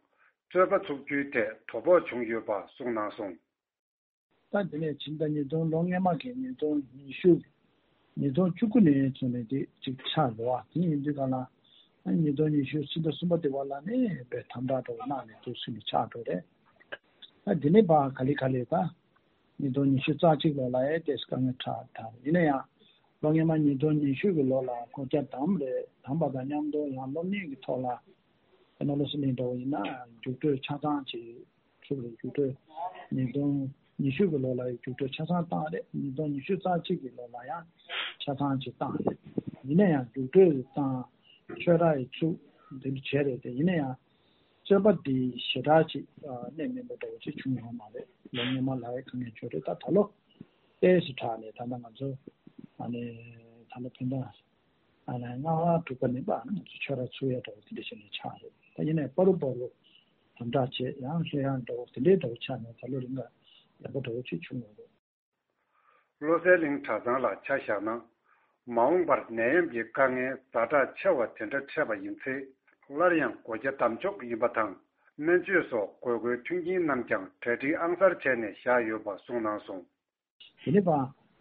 རྩོད་པ་ཚུགས་རྒྱུའི་ཐད་དོ་ཕོག་བྱུང་ཡོད་པ་གསུངས་གནང་སོང་། ད་དེ་ནས་ཕྱི་ཟླ་ཉིས་སྟོང་། ལོ་སྔོན་མ་གི་ཉིས་སྟོང་ཉི་ཤུ། ཉིས་སྟོང་བཅུ་དགུ་ནས་བཟུང་ནས་དེ་གཅིག་ཆགས་འགྲོ་བ་དེ་ཡིན་དུས་ག་ལ། ཉིས་སྟོང་ཉི་ཤུ་ཕྱི་ཟླ་གསུམ་པ་དེ་བར་ལ་ནས་དཔེ་དམ་དྲག་འགྲོ་གནང་ནས་དུས་ཚོད་ནས་ཆགས་འགྲོ་རེད། ད་དེ་ནས་ཕར་ག་ལེ་ག་ལེ་ད། ཉིས་སྟོང་ཉི་ཤུ་རྩ་གཅིག་ལོ་ལ་ཡང་ཏོག་ཙམ་དཀའ་ངལ་འཕྲད་དང་། ཡིན་ན་ཡང་ལོ་སྔོན་མ་ཉིས་སྟོང་ཉི་ཤུ་གི་ལོ་ལ་སྒོ་རྒྱ་བསྡམས་རེད། བསྡམས་པ་དང་མཉམ་དུ་ཡང་སློབ་གཉེར་གྱི་ཐོག་ལ་དཔེར་ན་བློ་གསལ་གླིང་འདྲ་བོ་ཡིན་ན་རྒྱུགས་སྤྲོད་ཆ་ཚང་ཅིག་ཚུགས་རེད། རྒྱུགས་སྤྲོད་ཉིས་སྟོང་ཉི་ཤུ་གི་ལོ་ལ་ཡང་རྒྱུགས་སྤྲོད་ཆ་ཚང་བཏང་རེད། ཉིས་སྟོང་ཉི་ཤུ་རྩ་གཅིག་གི་ལོ་ལ་ཡང་ཆ་ཚང་ཅིག་བཏང་རེད། ཡིན་ན་ཡང་རྒྱུགས་སྤྲོད་བཏང་། ཆོས་ར་ཡི་ཚུགས་འདི་འདྲ་བྱས་རེད་དེ། ཡིན་ན་ཡང་རྩོད་པ་འདི་ཞེ་དྲག་ཅིག་གནད་སྨིན་པ་འདྲ་བོ་ཅིག་བྱུང་ཡོད་མ་རེད། ལོ་སྔོན་མ་ལ་ཡང་དཀའ་ངལ་བྱུང་རེད། ད་ད་ལོ་ཏོག་ཙམ་དྲག་ནས་ད་ལྟ་ང་ཚོ་ཨ་ནི་ད་ལོ་ཕན་ཐོགས་ཨ་ནི་ལྔ་པ་དྲུག་པ་ནས་པ་ང་ཚོ་ཆོས་ར་ཚུགས་ཡ་འདྲ་བོ་དེ་འདྲ་བྱས་ནས་ཆགས་རེད། ད་ཡིན་ནའི་པ་རུ་པ་རུ་དམ་དྲག་བྱས་ཡང་ལྷོད་ཡངས་འདྲ་བོ་དེ་འདྲའི་འདྲ་བོ་ཆགས་ནས་ད་ལོ་རིང་ལ་ཡག་པོ་འདྲ་བོ་ཅིག་བྱུང་ཡོད་རེད། བློ་གསལ་གླིང་གྲྭ་ཚང་ལ་ཆ་བཞག་ན། མ་འོངས་པར་ནད་ཡམས་ཀྱི་དཀའ་ངལ་ཛ་དྲག་ཆེ་བ་དེ་འདྲ་འཕྲད་པ་ཡིན་ཚེ། སླར་ཡང་སྒོ་རྒྱ་བསྡམ་ཆོག་ཡིན་པ་དང་། སྨན་བཅོས་སོགས་དགོས་མཁོའི་མཐུན་རྐྱེན་རྣམས་ཀྱང་གྲ་སྒྲིག་ཨང་གསར་བྱས་ནས་བཞག་ཡོད་པ་གསུངས་གནང་སོང་། དེ་ནས་པ་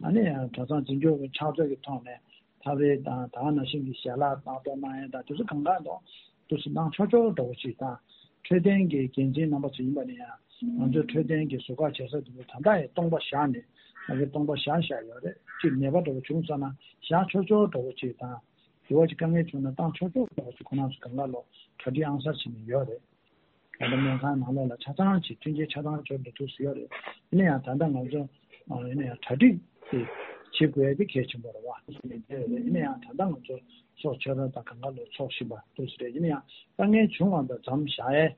ཨ་ནི་གྲྭ་ཚང་འཛིན་སྐྱོང་གི་ཕྱག་མཛོད་ཀྱི་ཐོག་ནས་ཐབ་རེས་དང་ད་ག་ནང་བཞིན་གྱི་ཞལ་ལག་བཏང་གཏོར་གནང་ཡས་དང་དེ་ཚོ་གང་ག་དང་དུས་སུ་གནང་ཆོག་ཆོག་འདྲ་བོ་ཅིག་དང་། འཕྲོད་བསྟེན་གྱི་འགན་འཛིན་རྣམ་པ་ཚོ་ཡིན་པ་ནི་ཡང་ང་ཚོའི་འཕྲོད་བསྟེན་གྱི་ཟུར་བཀག་བྱེད་ས་དེ་ཚོ་ད་ལྟ་ཡང་སྟོང་པ་བཞག་ནས་ང་ཚོས་སྟོང་པ་བཞག་བཞག་ཡོད་རེད། གཅིག་ནད་པ་འདྲ་བོ་བྱུང་ཙ་ན་བཞག་ཆོག་ཆོག་འདྲ་བོ་ཅིག་དང་། དེ་བ་ཅིག་དཀའ་ངལ་བྱུང་ན་བཏང་ཆོག་ཆོག་འདྲ་བོ་ཅིག་ཁོ་རང་ཚོ་གང་ག་ལོ་གྲ་སྒྲིག་ཨང་གསར་བྱས་ནས་ཡོད་རེད། ད་ལྟ་སྨན་ཁང་ནང་ལོགས་ལ་ཆ་ཚང་ཅིག་མཐུན་རྐྱེན་ཆ་ཚང་ཅིག་འགྲོ་ཐུབ་ཟིན་ཡོད་རེད། ཡིན་ན་ཡང་ད་ལྟ་ང་ཚོ་ཡིན་ན་ཡང་གྲ་སྒྲིག་དེ་བྱེད་དགོས་ཡ་དེ་གལ་ཆེན་པོ་རེད་བ། ཡིན་ན་ཡང་ད་ལྟ་ང་ཚོ་ཚོགས་ཆོས་ར་དང་གང་ག་ལོ་ཚོགས་བཞིན་པ་འདུག་ཟེར་རེད། ཡིན་ན་ཡང་དཀའ་ངལ་བྱུང་བ་དང་མཚམས་བཞག་ཡས་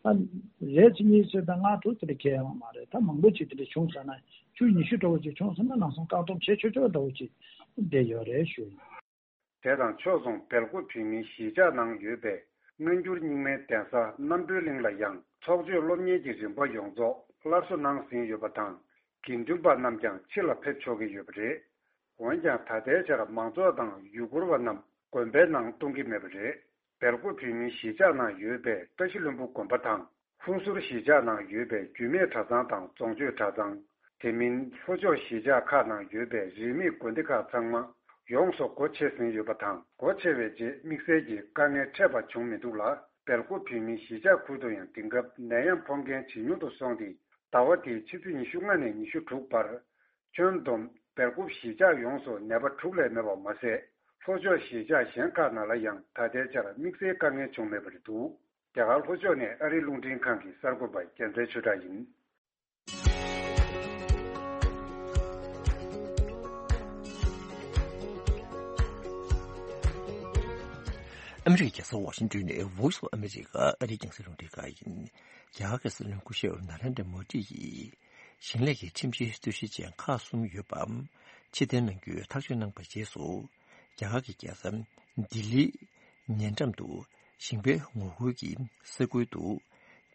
ད་རེད་ཚེ་གཉིས་ཚེ་དང་ལྔ་དྲུག་དེ་འདྲ་གལ་ཡོང་མ་རེད། ད་མང་པོ་ཅིག་དེ་འདྲ་བྱུང་ཟེར་ན་བཅུ་ཉི་ཤུ་འདྲ་བོ་ཅིག་བྱུང་ཟེར་ན་ལམ་སང་བཀག་སྡོམ་བྱེད་ཆོག་ཆོག་འདྲ་བོ་ཅིག་བསྡད་ཡོད་རེད་ཞུ་ཡིན། དེ་དང་ཕྱོགས་མཚུངས་སྦེལ་ཀོབ་བོད་མིའི་གཞིས་ཆགས་ནང་ཡོད་པའི་སྔ་འགྱུར་རྙིང་མའི་གདན་ས་རྣམ་གྲོལ་གླིང་ལ་ཡང་ཚོགས་ཆོས་སློབ་གཉེར་གྱི་རིམ་པ་ཡོངས་རྫོགས་སླར་གསོ་གནང་ཟིན་ཡོད་པ་དང་། དགེ་འདུན་པ་རྣམས་ཀྱང་ཕྱི་ལ་ཕེབས་ཆོག་གི་ཡོད་པ་རེད། འོན་ཀྱང་ད་ལྟའི་ཆར་མང་ཚོགས་དང་ཡུལ་སྐོར་བ་རྣམས་དགོན་པའི་ནང་གཏོང་གི་མེད་པ་རེད། སྦེལ་ཀོབ་བོད་མིའི་གཞིས་ཆགས་ནང་ཡོད་པའི་བཀྲ་ཤིས་ལྷུན་པོ་དགོན་པ་དང་། ཧུན་སུར་གཞིས་ཆགས་ནང་ཡོད་པའི་རྒྱུད་སྨད་གྲྭ་ཚང་དང་རྫོང་ཆོས་གྲྭ་ཚང་། དེ་མིན་ལྷོ་ཕྱོགས་གཞིས་ཆགས་ཁག་ནང་ཡོད་པའི་རིས་མེད་དགོན་སྡེ་ཁག་ཚང་མ་ཡོངས་སུ་སྒོ་ཕྱེ་ཟིན་ཡོད་པ་དང་། སྒོ་ཕྱེ་བའི་རྗེས་དམིགས་བསལ་གྱི་དཀའ་ངལ་འཕྲད་པ་བྱུང་མི་འདུག་ལ། སྦེལ་ཀོབ་བོད་མིའི་གཞིས་ཆགས་ཁུལ་དུ་ཡང་དེང་སྐབས་ནད་ཡམས་ཕོག་མཁན་ཇེ་ཉུང་དུ་སོང་སྟེ། ཟླ་བ་འདིའི་ཕྱི་ཚེས་ཉི་ཤུ་ལྔ་ནས་ཉི་ཤུ་དྲུག་བར། ཁྱོན་བསྡོམས་སྦེལ་ཀོབ་གཞིས་ཆགས་ཡོངས་སུ་ནད་པ་དྲུག་ལས་མེད་པ་མ་ཟད། ལྷོ་ཕྱོགས་གཞིས་ཆགས་གཞན་ཁག་ནང་ལ་ཡང་ད་ལྟའི་ཆར་དམིགས་བསལ་དཀའ་ངལ་བྱུང་མེད་པ་རེད་འདུག་རྒྱ་གར་ལྷོ་ཕྱོགས་ནས་ཨ་རིའི་རླུང་འཕྲིན་ཁང་གི་གསར་འགོད་པ་རྒྱལ་མཚན་ཆོས་གྲགས་ཡིན། ཨ་མི་རི་ཀའི་རྒྱལ་ས་ཝ་ཤིང་ཏོན་ནས་Voice of America ཨ་རིའི་རྒྱང་སྲིང་རླུང་འཕྲིན་ཁང་ཡིན། རྒྱ་གར་གྱི་སྲིད་བློན་སྐུ་ཞབས་ནཱ་རེན་དྲ་མོ་དི་ཡིས་ཞིང་ལས་ཀྱི་ཁྲིམས་གཞིའི་རྩོད་གཞི་ཅན་ཁག་གསུམ་ཡོད་པ་ཕྱིར་འཐེན་གནང་རྒྱུའི་ཐག་གཅོད་གནང་བའི་རྗེས་སུ། རྒྱ་གར་གྱི་རྒྱལ་ས་ལྡི་ལིའི་ཉེ་འགྲམ་དུ་ཞིང་པའི་ངོ་རྒོལ་གྱི་ས་ཁུལ་དུ་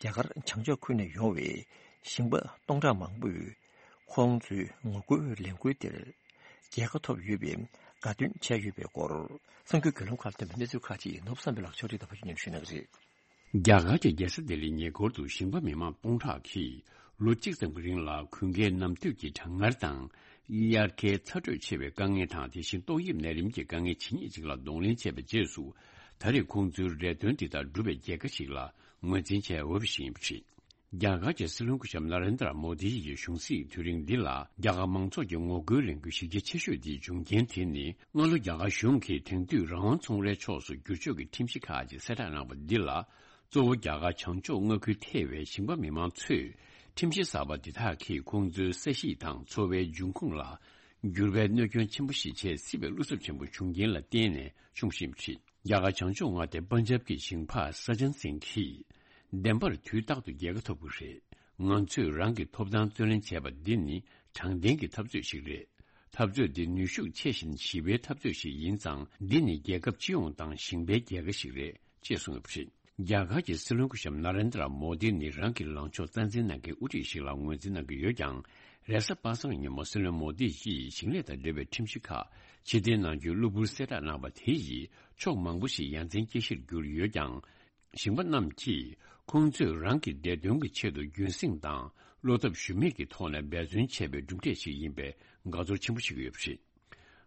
རྒྱ་གར་བྱང་ཕྱོགས་ཁུལ་ནས་ཡོང་བའི་ཞིང་པ་སྟོང་ཕྲག་མང་པོས་ཁོང་ཚོའི་ངོ་རྒོལ་ལས་འགུལ་དེར་རྒྱལ་ཁ་ཐོབ་ཡོད་པའི་དགའ་སྟོན་བྱས་ཡོད་པའི་སྐོར་གསར་འགྱུར་བརྒྱུད་ལམ་ཁག་ལ་ཐོན་པའི་གནས་ཚུལ་ཁག་ཅིག་ནོར་བུ་བསམ་འཕེལ་ལགས་ཕྱོགས་སྒྲིག་དང་ཕབ་སྒྱུར་སྙན་ཞུ་གནང་གི་རེད། རྒྱ་གར་གྱི་རྒྱལ་ས་ལྡི་ལིའི་ཉེ་འཁོར་དུ་ཞིང་པ་མི་མང་སྟོང་ཕྲག་གིས་ལོ་གཅིག་ཙམ་གྱི་རིང་ལ་གུང་ཁའི་གནམ་དུས་ཀྱི་གྲང་ངར་དང་། དབྱར་ཁའི་ཚ་དྲོད་ཆེ་བའི་དཀའ་ངལ་དང་། དེ་བཞིན་ཏོག་དབྱིབས་ནད་རིམས་ཀྱི་དཀའ་ངལ་ཇི་སྙེད་ཅིག་ལ་གདོང་ལེན་བྱས་པའི་རྗེས་སུ། ད་རེས་ཁོང་ཚོའི་རེ་འདུན་འདི་དག་འགྲུབ་པའི་རྒྱལ་ཁ་ཞིག་ལ་ངོས་འཛིན་བྱས་འོས་པ་ཞིག་ཡིན་པ་རེད། རྒྱ་གར་གྱི་སྲིད་བློན་སྐུ་ཞབས་ནཱ་རེན་དྲ་མོ་དི་ཡི་གཞུང་སྲིད་དུས་རིང་འདི་ལ་རྒྱ་གར་མང་ཚོགས་ཀྱི་ངོ་རྒོལ་ལས་འགུལ་གཞི་རྒྱ་ཆེ་ཤོས་དེའི་འབྱུང་རྐྱེན་དེ་ནི། སྔ་ལོ་རྒྱ་གར་གཞུང་གིས་དེང་དུས་རང་དབང་ཚོང་རའི་ཕྱོགས་སུ་བསྒྱུར་བཅོས་ཀྱི་ཁྲིམས་གཞི་ཁག་ཅིག་གསལ་བསྒྲགས་གནང་བ་འདི་ལ། གཙོ་བོ་རྒྱ་གར་བྱང་ཕྱོགས་མངའ་ཁུལ་ཐེ་བའི་ཞིང་པ་མི་མང་ཚོས་ཁྲིམས་གཞི་གསར་པ་འདི་དག་གིས་ཁོང་ཚོའི་ས་གཞིས་དང་འཚོ་བའི་འབྱུང་ཁུངས་ལ་འགྱུར་བའི་གནོད་སྐྱོན་ཆེན་པོ་ཞིག་བྱེད་སྲིད་པའི་བློ་འཚབ་ཆེན་པོ་བྱུང་རྐྱེན་ལ་བརྟེན་ནས་བྱུང་བཞིན་པ་རེད། རྒྱ་གར་བྱང་ཕྱོགས་མངའ་སྡེ་པན་ཇབ་ཀྱི་ཞིང་པ་ས་ཅན་སིང་གིས། བདེན་པར་དུས་རྟག་ཏུ་རྒྱལ་ཁ་ཐོབ་ཀྱི་རེད། ང་ཚོས་རང་གི་ཐོབ་ཐང་རྩོད་ལེན་བྱས་པ་འདི་ནི་དྲང་བདེན་གྱི་འཐབ་རྩོད་ཞིག་རེད། འཐབ་རྩོད་འདི་ནུས་ཤུགས་ཆེ་ཞིང་ཞི་བའི་འཐབ་རྩོད་ཞིག་ཡིན་ཙང་། འདི་ནི་རྒྱལ་ཁབ་སྤྱི་ཡོངས་དང་ཞིང་པའི་རྒྱལ་ཁ་ཞིག་རེད། ཅེས་གསུངས་ཡོད་པ་རེད། རྒྱ་གར་གྱི་སྲིད་བློན་སྐུ་ཞབས་ནཱ་རེན་དྲ་མོ་དི་ནི་རང་གི་ལངས་ཕྱོགས་རྩ་འཛིན་གནང་མཁན་དབུ་ཁྲིད་ཞིག་ལ་ངོས་འཛིན་གནང་གི་ཡོད་ཀྱང་། རེས་གཟའ་པ་སངས་ཉིན་མོ་སྲིད་བློན་མོ་དི་ཡིས་ཞིང་ལས་དང་འབྲེལ་བའི་ཁྲིམས་གཞི་ཁག་ཕྱིར་འཐེན་གནང་རྒྱུའི་གློ་བུར་གསལ་བསྒྲགས་གནང་བ་དེ་ཡིས་ཕྱོགས་མང་པོ་ཞིག་ཡ་མཚན་སྐྱེ་གཞིར་གྱུར་ཡོད་ཀྱང་། ཞིང་པ་རྣམས་ཀྱིས་ཁོང་ཚོས་རང་གི་བདེ་དོན་གྱི་ཆེད་དུ་རྒྱུན་སྲིང་དང་བློ་འཐབ་ཞུམ་མེད་ཀྱི་ཐོག་ནས་འབད་བརྩོན་བྱས་པའི་གྲུབ་འབྲས་ཤིག་ཡིན་པའི་དགའ་ཚོར་ཆེན་པོ་བྱེད་ཀྱི་ཡོད་པ་རེད།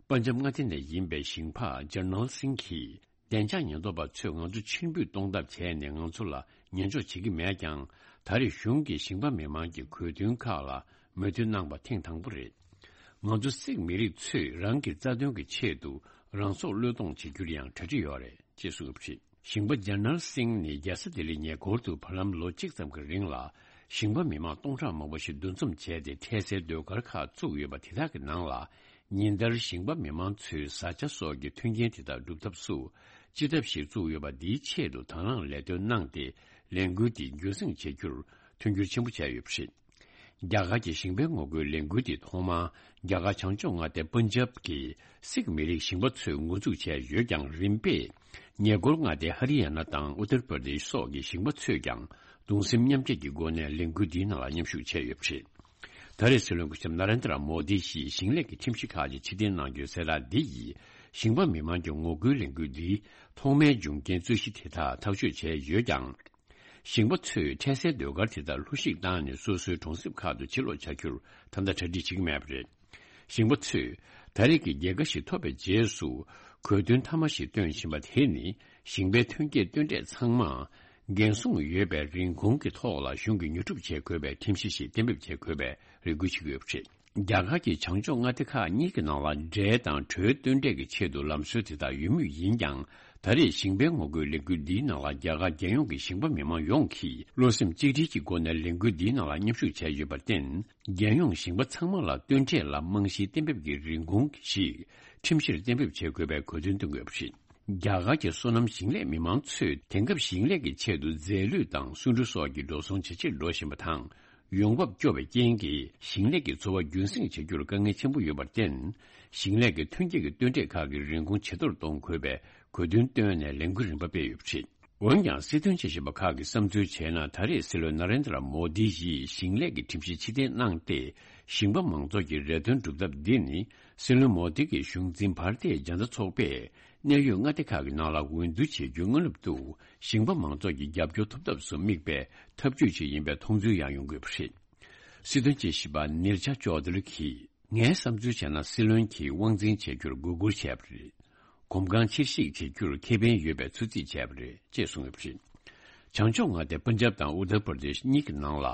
པན་ཇབ་མངའ་སྡེ་ནས་ཡིན་པའི་ཞིང་པ་ཇར་ནལ་སིང་གིས། བདེ་འཇགས་ཉེན་རྟོག་པ་ཚོས་ང་ཚོ་ཕྱིར་འབུད་གཏོང་ཐབས་བྱས་ནས་ང་ཚོ་ལ་ཉན་འཇོག་བྱེད་ཀྱི་མེད་ཀྱང་། ད་རེས་གཞུང་གིས་ཞིང་པ་མི་མང་གི་དགོས་འདུན་ཁག་ལ་ མོས་མཐུན་གནང་པ་ཐེངས་དང་པོ་རེད། ང་ཚོ་སིག་མི་རིགས་ཚོས་རང་གི་རྩ་དོན་གྱི་ཆེད་དུ་རང་སྲོག་བློས་གཏོང་བྱེད་རྒྱུར་ཡང་གྲ་སྒྲིག་ཡོད་རེད་ཅེས་གསུངས་ཡོད་པ་རེད། ཞིང་པ་ཇར་ནལ་སིང་ནི་རྒྱལ་ས་ལྡི་ལི་ཉེ་འཁོར་དུ་བར་ལམ་ལོ་གཅིག་ཙམ་གྱི་རིང་ལ་ཞིང་པ་མི་མང་སྟོང་ཕྲག་མང་པོ་ཞིག་འདུ་འཛོམས་བྱས་ཏེ་འཕྲལ་སེལ་ཟློས་གར་ཁག་བཙུགས་ཡོད་པ་དེ་དག་གི་ནང་ལ། ཉིན་ལྟར་ཞིང་པ་མི་མང་ཚོས་བཟའ་བཅའ་སོགས་ཀྱི་མཐུན་རྐྱེན་དེ་དག་སྒྲུབ་ཐབས་སུ་སྤྱི་ཐབ་ཞིག་བཙུགས་ཡོད་པ་འདིའི་ཆེད་དུ་དང་བླངས་ལས་དོན་གནང་སྟེ་ལས་འགུལ་འདི་རྒྱུན་སྲིང་བྱེད་རྒྱུར་མཐུན་འགྱུར་ཆེན་པོ་བྱས་ཡོད་པ་རེད། རྒྱ་གར་གྱི་ཞིང་པའི་ངོ་རྒོལ་ལས་འགུལ་འདི་ཐོག་མར་རྒྱ་གར་བྱང་ཕྱོགས་མངའ་སྡེ་པན་ཇབ་ཀྱི་སིག་མི་རིགས་ཞིང་པ་ཚོས་འགོ་འཛུགས་བྱས་ཡོད་ཀྱང་རིམ་པས་ཉེ་འཁོར་མངའ་སྡེ་ཧ་རི་ཡ་ན་དང་ཨུ་ཏར་པར་དེཤ་སོགས་ཀྱི་ཞིང་པ་ཚོས་ཀྱང་གདུང་སེམས་མཉམ་སྐྱེད་ཀྱི་སྒོ་ནས་ལས་འགུལ་འདིའི་ནང་ལ་མཉམ་ཞུགས་བྱས་ཡོད་པ་རེད། ད་རེས་སྲིད་བློན་སྐུ་ཞབས་ན་རེན་དྲ་མོ་དི་ཡིས་ཞིང་ལས་ཀྱི་ཁྲིམས་གཞི་ཁག་ཅིག་ཕྱིར་འཐེན་གནང་རྒྱུའི་གསལ་བསྒྲགས་འདི་ཡིས་ཞིང་པ་མི་མང་གི་ངོ་རྒོལ་ལས་འགུལ་འདིའི་ཐོག་མའི་འབྱུང་རྐྱེན་རྩོད་གཞི་དེ་དག་ཐག་གཅོད་བྱས་ཡོད་ཀྱང་། ཞིང་པ་ཚོས་འཕྲལ་སེལ་ཟློས་གར་དེ་དག་ལྷོད་ཞིག་བཏང་ནས་སོ་སོའི་གྲོང་གསེབ་ཁག་ཏུ་ཕྱིར་ལོག་བྱ་རྒྱུར་ད་ལྟ་གྲ་སྒྲིག་བྱེད་ཀྱི་མེད་པ་རེད། ཞིང་པ་ཚོས་ད་རེས་ཀྱི་རྒྱལ་ཁ་ཞིག་ཐོབ་པའི་རྗེས་སུ་གོ་སྟོན་མཐའ་མ་ཞིག་བཏོན་བཞིན་པ་དེ་ནི་ཞིང་པའི་ཐོན་སྐྱེད་བཏོན་འབྲས་ཚང་མ་འགན་སྲུང་ཡོད་པའི་རིན་གོང་གི་ཐོག་ལ་གཞུང་གིས་ཉོ་སྒྲུབ་བྱེད་དགོས་པའི་ཁྲིམས་གཞི་ཞིག་གཏན་འབེབས་བྱེད་དགོས་པའི་རེ་སྐུལ་བྱེད་ཀྱི་ཡོད་པ་རེད། རྒྱ་གར་གྱི་བྱང་ཕྱོགས་མངའ་སྡེ་ཁག་གཉིས་ཀྱི་ནང་ལ་འབྲས་དང་གྲོའི་སྟོན་འབྲས་ཀྱི་ཆེད་དུ་ལམ་སྲོལ་དེ་དག་ཡོད་མུས་ཡིན་ཀྱང་། ད་རེས་ཞིང་པའི་ངོ་རྒོལ་ལས་འགུལ་འདིའི་ནང་ལ་རྒྱ་གར་རྒྱལ་ཡོངས་ཀྱི་ཞིང་པ་མི་མང་ཡོངས་ཀྱིས་བློ་སེམས་གཅིག་སྒྲིལ་གྱི་སྒོ་ནས་ལས་འགུལ་འདིའི་ནང་ལ་མཉམ་ཞུགས་བྱས་ཡོད་པར་བརྟེན། རྒྱལ་ཡོངས་ཞིང་པ་ཚང་མ་ལ་སྟོན་འབྲས་ལ་རྨང་གཞིའི་གཏན་འབེབས་ཀྱི་རིན་གོང་ཞིག་ཁྲིམས་གཞིར་གཏན་འབེབས་བྱེད་དགོས་པའི་དགོས་འདུན་བཏོན་དགོས་པ་རེད། རྒྱ་གར་གྱི་སོ་ནམ་ཞིང་ལས་མི་མང་ཚོས་དེང་སྐབས་ཞིང་ལས་ཀྱི་ཆེད་དུ་རྫས་ལུད་དང་སོན་འབྲུ་སོགས་ཀྱི་འགྲོ་སོང་ཇེ་ཆེར་འགྲོ་བཞིན་པ་དང་། ཡོང་འབབ་སྐྱོ་བའི་རྐྱེན་གྱིས་ཞིང་ལས་ཀྱི་འཚོ་བ་རྒྱུན་སྲིང་བྱ་རྒྱུར་དཀའ་ངལ་ཆེན་པོ་ཡོད་པར་བརྟེན། ཞིང་ལས་ཀྱི་ཐོན་སྐྱེད་ཀྱི་སྟོན་འབྲས་ཁག་གི་རིན་གོང་ཇེ་མཐོར་གཏོང་དགོས་པའི་དགོས་འདུན་བཏོན་ནས་ལས་འགུལ་རིམ་པ་སྤེལ་ཡོད་པ་རེད། འོན་ཀྱང་སྲིད་དོན་དཔྱད་ཞིབ་པ་ཁག་གིས་བསམ་ཚུལ་བྱས་ན། ད་རེས་སྲིད་བློན་ན་རེན་དྲ་མོ་དི་ཡིས་ཞིང་ལས་ཀྱི་ཁྲིམས་གཞི་ཕྱིར་འཐེན་གནང་སྟེ། ཞིང་པ་མང་ཚོགས་ཀྱི་རེ་འདུན་སྒྲུབ་ཐབས་འདི་ནི་སྲིད་བློན་མོ་དི་གི་གཞུང་འཛིན་བྷར་ཏི་ཡ་ཇན་ད་ཚོགས་པས་གནད་ཡོད་མངའ་སྡེ་ཁག་གི་ནང་ལ་འོས་བསྡུ་བྱེད་རྒྱུའི་སྔ་ནུབ་ཏུ་ཞིང་པ་མང་ཚོགས་ཀྱི་རྒྱབ་སྐྱོར་ཐོབ་ཐབས་སུ་དམིགས་པའི་ཐབས་ཇུས་ཤིག་ཡིན་པའི་མཐོང་ཚུལ་ཡང་ཡོང་གི་ཡོད་པ་རེད། སྲིད་དོན་དཔྱད་ཞིབ་པ་ནིར་ཆ་ཅོ་དྷ་རི་གིས། ངའི་བསམ་ཚུལ་བྱས་ན། སྲིད་བློན་གྱིས་དབང་འཛིན་བྱེད་རྒྱུར་འགོད་སྐུལ་བྱས་པ་རེད། གོམ་གང་ཕྱིར་བཤིག་བྱེད་རྒྱུར་ཁེ་ཕན་ཡོད་པའི་ཚོད་རྩིས་བྱས་པ་རེད་ཅེས་གསུངས་ཡོད་པ་རེད། བྱང་ཕྱོགས་མངའ་སྡེ་པན་ཇབ་དང་ཨུ་ཏར་པར་དེཤ་གཉིས་ཀྱི་ནང་ལ་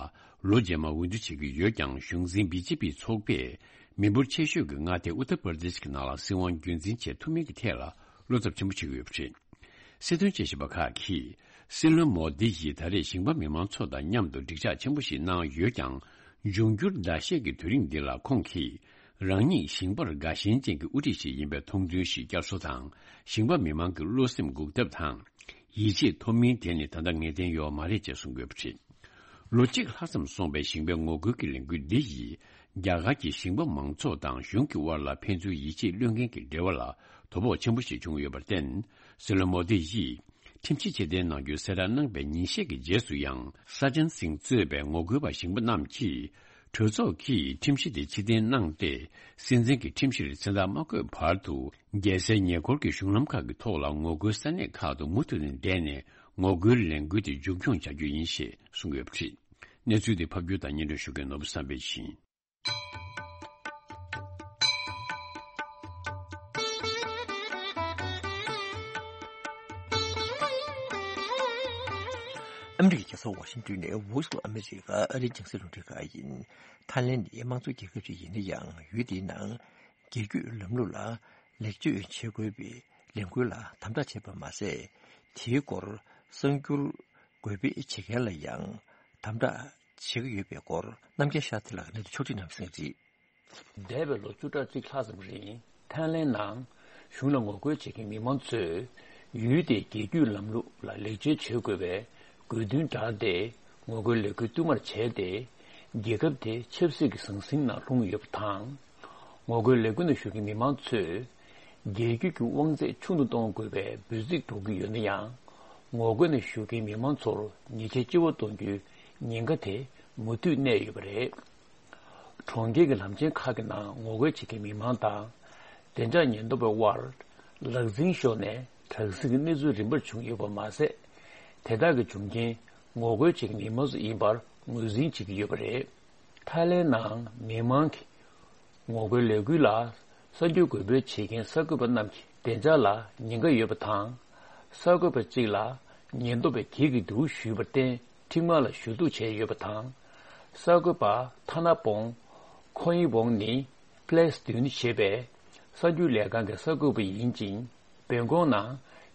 ལོ་རྗེས་མར་འོས་བསྡུ་བྱེད་ཀྱི་ཡོད་ཀྱང་། གཞུང་འཛིན་བི་ཇེ་པི་ཚོགས་པས་མི་འབོར་ཆེ་ཤོས་ཀྱི་མངའ་སྡེ་ཨུ་ཏར་པར་དེཤ་གི་ནང་ལ་སྲིད་དབང་རྒྱུན་འཛིན་བྱེད་ཐུབ་མིན་གྱི་ཐད་ལ་བློ་འཚབ་ཆེན་པོ་བྱེད་ཀྱི་ཡོད་པ་རེད། སྲིད་དོན་དཔྱད་ཞིབ་པ་ཁག་གིས། སྲིད་བློན་མོ་དི་ཡིས་ད་རེས་ཞིང་པ་མི་མང་ཚོ་དང་མཉམ་དུ་འགྲིག་འཇགས་ཆེན་པོ་ཞིག་གནང་ཡོད་ཀྱང་། འབྱུང་འགྱུར་ཟླ་ཤས་ཀྱི་དུས་རིང་འདི་ལ་ཁོང་གིས། རང་ཉིད་ཞིང་པར་དགའ་ཞེན་ཅན་གྱི་དབུ་ཁྲིད་ཞིག་ཡིན་པའི་མཐོང་ཚུལ་ཞིག་བསྐྱར་གསོ་དང་། ཞིང་པ་མི་མང་གི་བློ་སེམས་འགུག་ཐབས་དང་། ཡིད་ཆེས་ཐོབ་མིན་དེ་ནི་ད་ལྟ་ངེས་གཏན་ཡོད་མ་རེད་ཅེས་གསུངས་ཡོད་པ་རེད། ལོ་གཅིག་ལྷག་ཙམ་སོང་པའི་ཞིང་པའི་ངོ་རྒོལ་གྱི་ལས་འགུལ་འདི་ཡིས། རྒྱ་གར་གྱི་ཞིང་པ་མང་ཚོགས་དང་གཞུང་གི་དབར་ལ་ཕན་ཚུན་ཡིད་ཆེས་བློས་འགེལ་གྱི་འབྲེལ་བ་ལ་དོ་ཕོག་ཆེན་པོ་ཞིག་བྱུང་ཡོད་པར་བརྟེན། སྲིད་བློན་མོ་དི་ཡིས་ཁྲིམས་གཞི་ཕྱིར་འཐེན་གནང་རྒྱུའི་གསལ་བསྒྲགས་གནང་པའི་ཉིན་ཤས་ཀྱི་རྗེས་སུ་ཡང་། ས་ཅན་སིང་གཙོས་པའི་ངོ་རྒོལ་པ་ཞིང་པ་རྣམས་ཀྱིས་གྲོས་ཚོགས་ཀྱིས་ཁྲིམས་གཞི་དེ་ཕྱིར་འཐེན་གནང་སྟེ། སྲིད་འཛིན་གྱི་ཁྲིམས་གཞིར་མཚན་རྟགས་མ་བཀོད་བར་དུ། རྒྱལ་སའི་ཉེ་འཁོར་གྱི་གཞུང་ལམ་ཁག་གི་ཐོག་ལ་ངོ་རྒོལ་ས་གནས་ཁག་ཏུ་མུ་མཐུད་ནས་བསྡད་ནས། ངོ་རྒོལ་ལས་འགུལ་དེ་མཇུག་སྐྱོང་བྱ་རྒྱུ་ཡིན་ཞེས་གསུངས་ཡོད་པ་རེད། གནས་ཚུལ་དེ་ཕབ་སྒྱུར་དང་སྙན་སྒྲོན་ཞུ་མཁན་ནོར་བུ་བསམ་འཕེལ་ཡིན། ཨ་མི་རི་ཀའི་རྒྱལ་ས་ཝ་ཤིང་ཏོན་ནས་Voice of America ཨ་རིའི་རྒྱང་སྲིང་རླུང་འཕྲིན་ཁང་ཡིན། ཐའི་ལེན་ནི་དམངས་གཙོ་རྒྱལ་ཁབ་ཅིག་ཡིན་ན་ཡང་། ཡུལ་དེའི་ནང་རྒྱལ་རྒྱུད་ལམ་ལུགས་ལ་ལེགས་བཅོས་བྱེད་དགོས་པའི་ལས་འགུལ་ལ་དམ་དྲག་བྱས་པ་མ་ཟད། དེའི་སྐོར་གསར་འགྱུར་འགོད་སྤེལ་བྱེད་མཁན་ལ་ཡང་དམ་དྲག་བྱེད་ཀྱི་ཡོད་པའི་སྐོར། རྣམ་རྒྱལ་ཤཱ་སྟྲི་ལགས་ནས་ཕྱོགས་སྒྲིག་གནང་གསན་གྱིས། འདས་པའི་ལོ་བཅུ་ཕྲག་གཅིག་ལྷག་ཙམ་རིང་། ཐའི་ལེན་ནང་གཞུང་ལ་ངོ་རྒོལ་བྱེད་མཁན་མི་མང་ཚོས་ཡུལ་དེའི་རྒྱལ་རྒྱུད་ལམ་ལུགས་ལ་ལེགས་བཅོས་བྱེད་དགོས་པའི་དགོས་འདུན་བསྒྲགས་ཏེ། ངོ་རྒོལ་ལས་འགུལ་བསྟུད་མར་བྱས་ཏེ། རྒྱལ་ཁབ་དེ་ཆབ་སྲིད་ཀྱི་ཟང་ཟིང་ནང་ལྷུང་ཡོད་པ་དང་། ངོ་རྒོལ་ལས་འགུལ་ནང་ཞུགས་མཁན་མི་མང་ཚོས། རྒྱལ་རྒྱུད་ཀྱི་དབང་ཚད་ཆུང་དུ་གཏོང་དགོས་པའི་འབོད་ཚིག་སྒྲོག་གི་ཡོད་ན་ཡང་། ངོ་རྒོལ་ནང་ཞུགས་མཁན་མི་མང་ཚོར་ཉེས་ཆད་ལྕི་བ་གཏོང་རྒྱུའི་ཉེན་ཁ་དེ་མུ་མཐུད་གནས་ཡོད་པ་རེད། གྲོང་ཁྱེར་གྱི་ལམ་ཆེན་ཁག་གི་ནང་ངོ་རྒོལ་བྱེད་མཁན་མི་མང་དང་། བདེ་འཇགས་ཉེན་རྟོག་པའི་དབར་ལག་འཛིང་ཤོར་ནས་དྲག་ཟིང་གི་གནས་ཚུལ་རིམ་པར་བྱུང་ཡོད་པ་མ་ཟད། དེ་དག་གི་བྱུང་རྐྱེན་ངོ་རྒོལ་བྱེད་མཁན་མི་མང་ཚོ་ཡིན་པར་ངོས་འཛིན་བྱེད་ཀྱི་ཡོད་པ་རེད། ཐའི་ལེན་ནང་མི་མང་གི་ངོ་རྒོལ་ལས་འགུལ་ལ་གསར་འགྱུར་འགོད་སྤེལ་བྱེད་མཁན་གསར་འགོད་པ་རྣམས་ཀྱི་བདེ་འཇགས་ལ་ཉེན་ཁ་ཡོད་པ་དང་། གསར་འགོད་པ་གཅིག་ལ་ཉེན་རྟོག་པས་འགྱེད་ཀྱི་འདུག་ཞུས་པར་བརྟེན། ཁྲིམས་ཁང་ལ་ཞུ་གཏུག་བྱས་ཡོད་པ་དང་། གསར་འགོད་པ་ཐ་ན་བོང་ ཁོ་ཡི་ཝོང་ནི་ཕ་ལེ་སི་ཏུན་ཞེས་པའི་གསར་འགྱུར་ལས་ཁང་གི་གསར་འགོད་པ་ཡིན་ཅིང་། བན་ཀོག་ནང་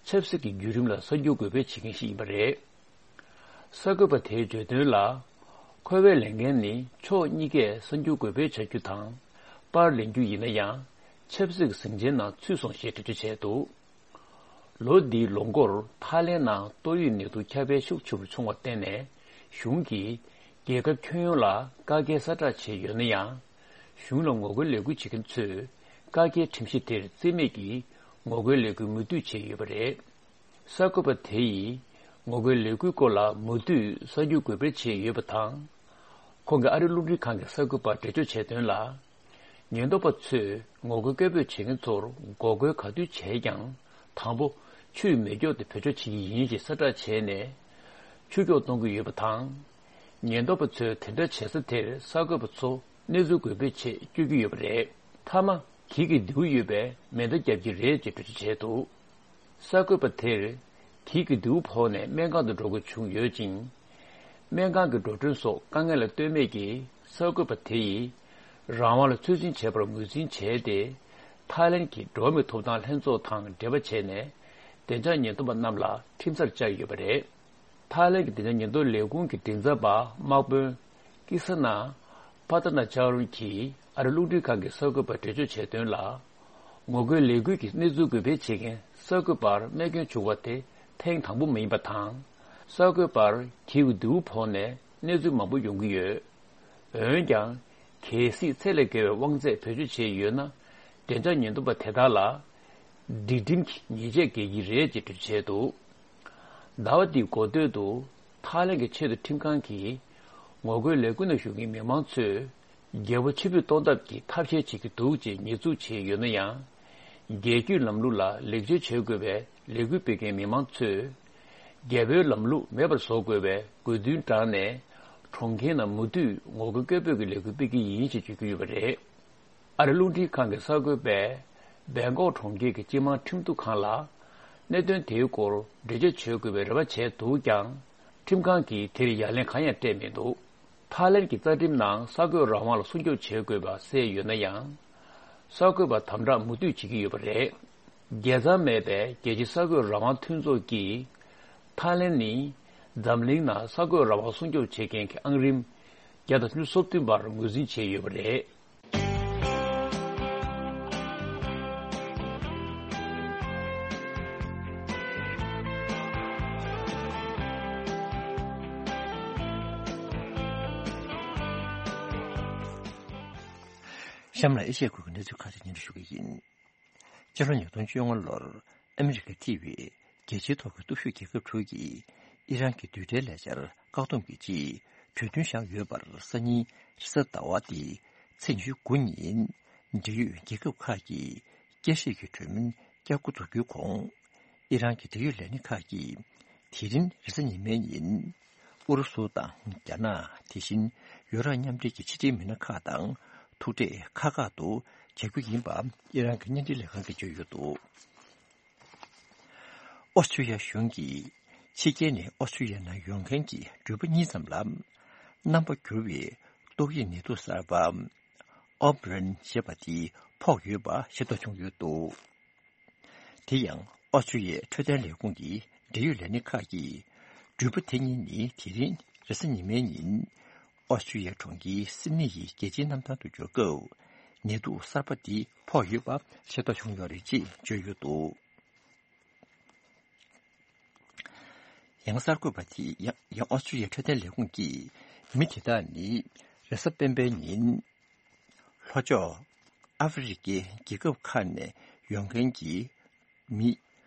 ཆབ་སྲིད་ཀྱི་བརྒྱུད་རིམ་ལ་གསར་འགྱུར་འགོད་སྤེལ་བྱེད་མཁན་ཞིག་ཡིན་པ་རེད། གསར་འགོད་པ་དེས་བརྗོད་དོན་ལ། ཁོ་བས་ལས་འགན་ནི་ཕྱོགས་གཉིས་ཀས་གསར་འགྱུར་འགོད་སྤེལ་བྱ་རྒྱུ་དང་། པར་ལེན་རྒྱུ་ཡིན་ན་ཡང་ཆབ་སྲིད་ཀྱི་ཟིང་ཆའི་ནང་ཚུད་སོང་ཞེས་འགྲེལ་བརྗོད་བྱས་འདུག་ལོ་འདིའི་ལོ་འགོར་ཐའི་ལེན་ནང་ཏོག་དབྱིབས་ནད་དུག་ཁྱབ་སྤེལ་ཤུགས་ཆེ་རུ་བྱུང་བར་བརྟེན་ནས། གཞུང་གིས་རྒྱལ་ཁབ་ཁྱོན་ཡོངས་ལ་བཀག་རྒྱའི་གསལ་བསྒྲགས་བྱས་ཡོད་ན་ཡང་། གཞུང་ལ་ངོ་རྒོལ་ལས་འགུལ་བྱེད་མཁན་ཚོས་བཀག་རྒྱའི་ཁྲིམས་གཞི་དེར་རྩིས་མེད་ཀྱིས་ངོ་རྒོལ་ལས་འགུལ་མུ་མཐུད་བྱས་ཡོད་པ་རེད། གསར་འགོད་པ་དེ་ཡིས་ངོ་རྒོལ་ལས་འགུལ་སྐོར་ལ་མུ་མཐུད་གསར་འགྱུར་འགོད་སྤེལ་བྱས་ཡོད་པ་དང་། ཁོང་གིས་ཨ་རིའི་རླུང་འཕྲིན་ཁང་གི་གསར་འགོད་པར་འགྲེལ་བརྗོད་བྱས་དོན་ལ། ཉེན་རྟོག་པ་ཚོས་ངོ་རྒོལ་སྐད་འབོད་བྱེད་མཁན་ཚོར་འགོག་རྒོལ་ག་དུས་བྱས་ཀྱང་། དང་པོ། ཆུས་མེ་སྒྱོགས་ཏེ་བེད་སྤྱོད་བྱེད་ཀྱི་ཡིན་ཞེས་གསལ་བསྒྲགས་བྱས་ནས། ཆུ་སྒྱོགས་གཏོང་གི་ཡོད་པ་དང་། ཉེན་རྟོག་པ་ཚོས་དེ་འདྲ་བྱེད་ས་དེར་གསར་འགོད་པ་ཚོ་གནས་ཚུལ་འགོད་སྤེལ་ཆེད་སྤྱོད་ཀྱི་ཡོད་པ་རེད། མཐའ་མ། གྱི་གི་རྡེའུ་ཡོད་པས་མེ་མདའ་བརྒྱབ་ཀྱི་རེད་ཅེས་འགྲེལ་བརྗོད་བྱས་འདུག་གསར་འགོད་པ་དེར། གྱི་གི་རྡེའུ་ཕོག་ནས་སྨན་ཁང་དུ་འགྲོ་དགོས་བྱུང་ཡོད་ཅིང་། སྨན་ཁང་གི་འགྲོ་གྲོན་སོགས་དཀའ་ངལ་ལ་ལྟོས་མེད་ཀྱིས་གསར་འགོད་པ་དེ་ཡིས། རང་དབང་ལ་ཚོད་འཛིན་བྱས་པར་ངོས་འཛིན་བྱས་ཏེ། ཐའི་ལེན་གྱི་འགྲོ་བ་མིའི་ཐོབ་ཐང་ལྷན་ཚོགས་དང་འབྲེལ་བ་བྱས་ནས། བདེ་འཇགས་ཉེན་རྟོག་པ་རྣམས་ལ་ཁྲིམས་སར་བཅར་ཡོད་པ་རེད། ཐའི་ལེན་གྱི་བདེ་འཇགས་ཉེན་རྟོག་ལས་ཁུངས་ཀྱི་མགྲིན་ཚབ་པ་དམག་དཔོན་ཀི་ས་ན་པ་ཏ་ན་ཅཱ་རུན་གྱིས་ཨ་རི་རླུང་འཕྲིན་ཁང་གི་གསར་འགོད་པར་འགྲེལ་བརྗོད་བྱས་དོན་ལ། ངོ་རྒོལ་ལས་འགུལ་གྱི་གནས་ཚུལ་འགོད་སྤེལ་བྱེད་མཁན་གསར་འགོད་པར་རྨས་སྐྱོན་བྱུང་བ་དེ་ཐེངས་དང་པོ་མིན་པ་དང་། གསར་འགོད་པར་གྱི་གི་རྡེའུ་ཕོག་ནས་གནས་ཚུལ་མང་པོ་ཡོང་གི་ཡོད། འོན་ཀྱང་། གལ་སྲིད་ཚད་ལས་བརྒལ་བའི་དབང་ཚད་བེད་སྤྱོད་བྱས་ཡོད་ན། བདེ་འཇགས་ཉེན་རྟོག་པ་དེ་དག་ལ། སྒྲིག་ཁྲིམས་ཀྱི་ཉེས་ཆད་འགེལ་གྱི་རེད་ཅེས་འགྲེལ་བརྗོད་བྱས་འདུག་ཟླ་བ་འདིའི་འགོ་སྟོད་དུ། ཐའི་ལེན་གྱི་ཆེས་མཐོ་ཁྲིམས་ཁང་གིས། ངོ་རྒོལ་ལས་འགུལ་ནང་ཞུགས་མཁན་མི་མང་ཚོས། རྒྱལ་པོ་ཕྱིར་འབུད་གཏོང་ཐབས་ཀྱི་ཐབས་ཤེས་བྱེད་ཀྱི་འདུག་ཅེས་ཉེས་འཛུགས་བྱས་ཡོད་ན་ཡང་། རྒྱལ་རྒྱུད་ལམ་ལུགས་ལ་ལེགས་བཅོས་བྱེད་དགོས་པའི་ལས་འགུལ་སྤེལ་མཁན་མི་མང་ཚོས། རྒྱལ་པོའི་ལམ་ལུགས་མེད་པར་བཟོ་དགོས་པའི་དགོས་འདུན་དྲངས་ནས། གྲོང་ཁྱེར་ནང་མུ་མཐུད་ངོ་རྒོལ་སྐད་འབོད་ཀྱི་ལས་འགུལ་སྤེལ་གྱི་ཡིན་ཞེས་བརྗོད་ཀྱི་ཡོད་པ་རེད། ཨ་རི་རླུང་འཕྲིན་ཁང་གི་གསར་འགོད་པས། སྦེང་ཀོག་གྲོང་ཁྱེར་གྱི་སྤྱི་དམངས་ཁྲིམས་གཏུག་ཁང་ལ། གནད་དོན་དེའི་སྐོར་འགྲེལ་བརྗོད་བྱེད་དགོས་པའི་རེ་བ་བྱས་འདུག་ཀྱང་། ཁྲིམས་ཁང་གིས་དེར་ཡ་ལན་གང་ཡང་སྤྲད་མི་འདུག་ཐའི་ལེན་གྱི་རྩ་ཁྲིམས་ནང་གསར་འགོད་རང་དབང་ལ་སྲུང་སྐྱོབ་བྱེད་དགོས་པ་གསལ་ཡོད་ན་ཡང་། གསར་འགོད་པ་དམ་དྲག་མུ་མཐུད་བྱེད་ཀྱི་ཡོད་པ་རེད། རྒྱལ་མཚམས་མེད་པའི་རྒྱལ་སྤྱིའི་གསར་འགོད་རང་དབང་མཐུན་ཚོགས་ཀྱིས། ཐའི་ལེན་ནི། འཛམ་གླིང་ནང་གསར་འགོད་རང་དབང་སྲུང་སྐྱོབ་བྱེད་མཁན་གྱི་ཨང་རིམ་བརྒྱ་དང་སུམ་ཅུ་སོ་བདུན་པར་ངོས་འཛིན་བྱས་ཡོད་པ་རེད། གཤམ་ལ་ཨེ་ཤ་ཡའི་ཁུལ་གྱི་གནས་ཚུལ་ཁག་ཅིག་སྙན་སྒྲོན་ཞུ་གི་ཡིན། ཕྱི་ལོ་ཉིས་སྟོང་བཅོ་ལྔ་ལོར་ཨ་མི་རི་ཀ་ཐེ་བའི་རྒྱལ་སྤྱིའི་ཐོག་གི་སྟོབས་ཤུགས་རྒྱལ་ཁབ་དྲུག་གིས་ཨི་རན་གྱི་རྡུལ་ཕྲན་ལས་འཆར་བཀག་སྡོམ་གྱི་ཆེད་གྲོས་མཐུན་བཞག་ཡོད་པར་སང་ཉིན་རེས་གཟའ་ཟླ་བ་སྟེ་ཚེས་ཉི་ཤུ་དགུ་ཉིན་འབྲེལ་ཡོད་རྒྱལ་ཁབ་ཁག་གིས་བསྐྱར་ཞིབ་ཀྱི་གྲོས་མོལ་བསྐྱར་འགོ་འཛུགས་རྒྱུའི་གོང་། ཨི་རན་གྱི་འབྲེལ་ཡོད་ལས་སྣེ་ཁག་གིས་དེ་རིང་རེས་གཟའ་ཉི་མའི་ཉིན། ཨུ་རུ་སུ་དང་རྒྱ་ནག་དེ་བཞིན་ཡུ་རོབ་མཉམ་འབྲེལ་གྱི་ཕྱི་འབྲེལ་མི་སྣ་ཁག་དང་ཐུག་འཕྲད་ཁག་ཁག་ཏུ་བྱ་རྒྱུ་ཡིན་པ་ཨི་རན་གྱི་བརྙན་འཕྲིན་ལས་ཁང་གིས་བརྗོད་ཡོད་འདུག་ཨོ་སི་ཀྲི་ཡ་གཞུང་གིས་ཕྱི་རྒྱལ་ནས་ཨོ་སི་ཀྲི་ཡ་ནང་ཡོང་མཁན་གྱི་འགྲུལ་པ་གཉིས་ཙམ་ལ་རྣམ་པ་འགྱུར་བའི་ཏོག་དབྱིབས་ནད་དུག་གསར་པ་ཨོ་མི་ཀྲོན་ཞེས་པ་དེ་ཕོག་ཡོད་པ་ཤེས་རྟོགས་བྱུང་ཡོད་འདུག་དེ་ཡང་ཨོ་སི་ཀྲི་ཡའི་འཕྲོད་བསྟེན་ལས་ཁུངས་ཀྱི་འབྲེལ་ཡོད་ལས་སྣེ་ཁག་གིས་འགྲུལ་པ་དེ་གཉིས་ནི་དེ་རིང་རེས་གཟའ་ཉི་མའི་ཉིན་ཨོ་སི་ཀྲི་ཡའི་གྲོང་ཁྱེར་སིད་ནི་ཡི་རྒྱལ་སྤྱིའི་གནམ་ཐང་དུ་འབྱོར་སྐབས་ནད་དུག་གསར་པ་འདི་ཕོག་ཡོད་པ་ཤེས་རྟོགས་བྱུང་ཡོད་རེད་ཅེས་བརྗོད་ཡོད་འདུག་ཡང་གསར་འགོད་པ་དེས་ཡང་ཡང་ཨོ་སི་ཀྲི་ཡའི་འཕྲོད་བསྟེན་ལས་ཁུངས་ཀྱིས་མི་དེ་དག་ནི་རེས་གཟའ་སྤེན་པའི་ཉིན་ལྷོ་ཕྱོགས་ཨ་ཧྥེ་རི་ཁའི་རྒྱལ་ཁབ་ཁག་ནས་ཡོང་མཁན་གྱི་མི་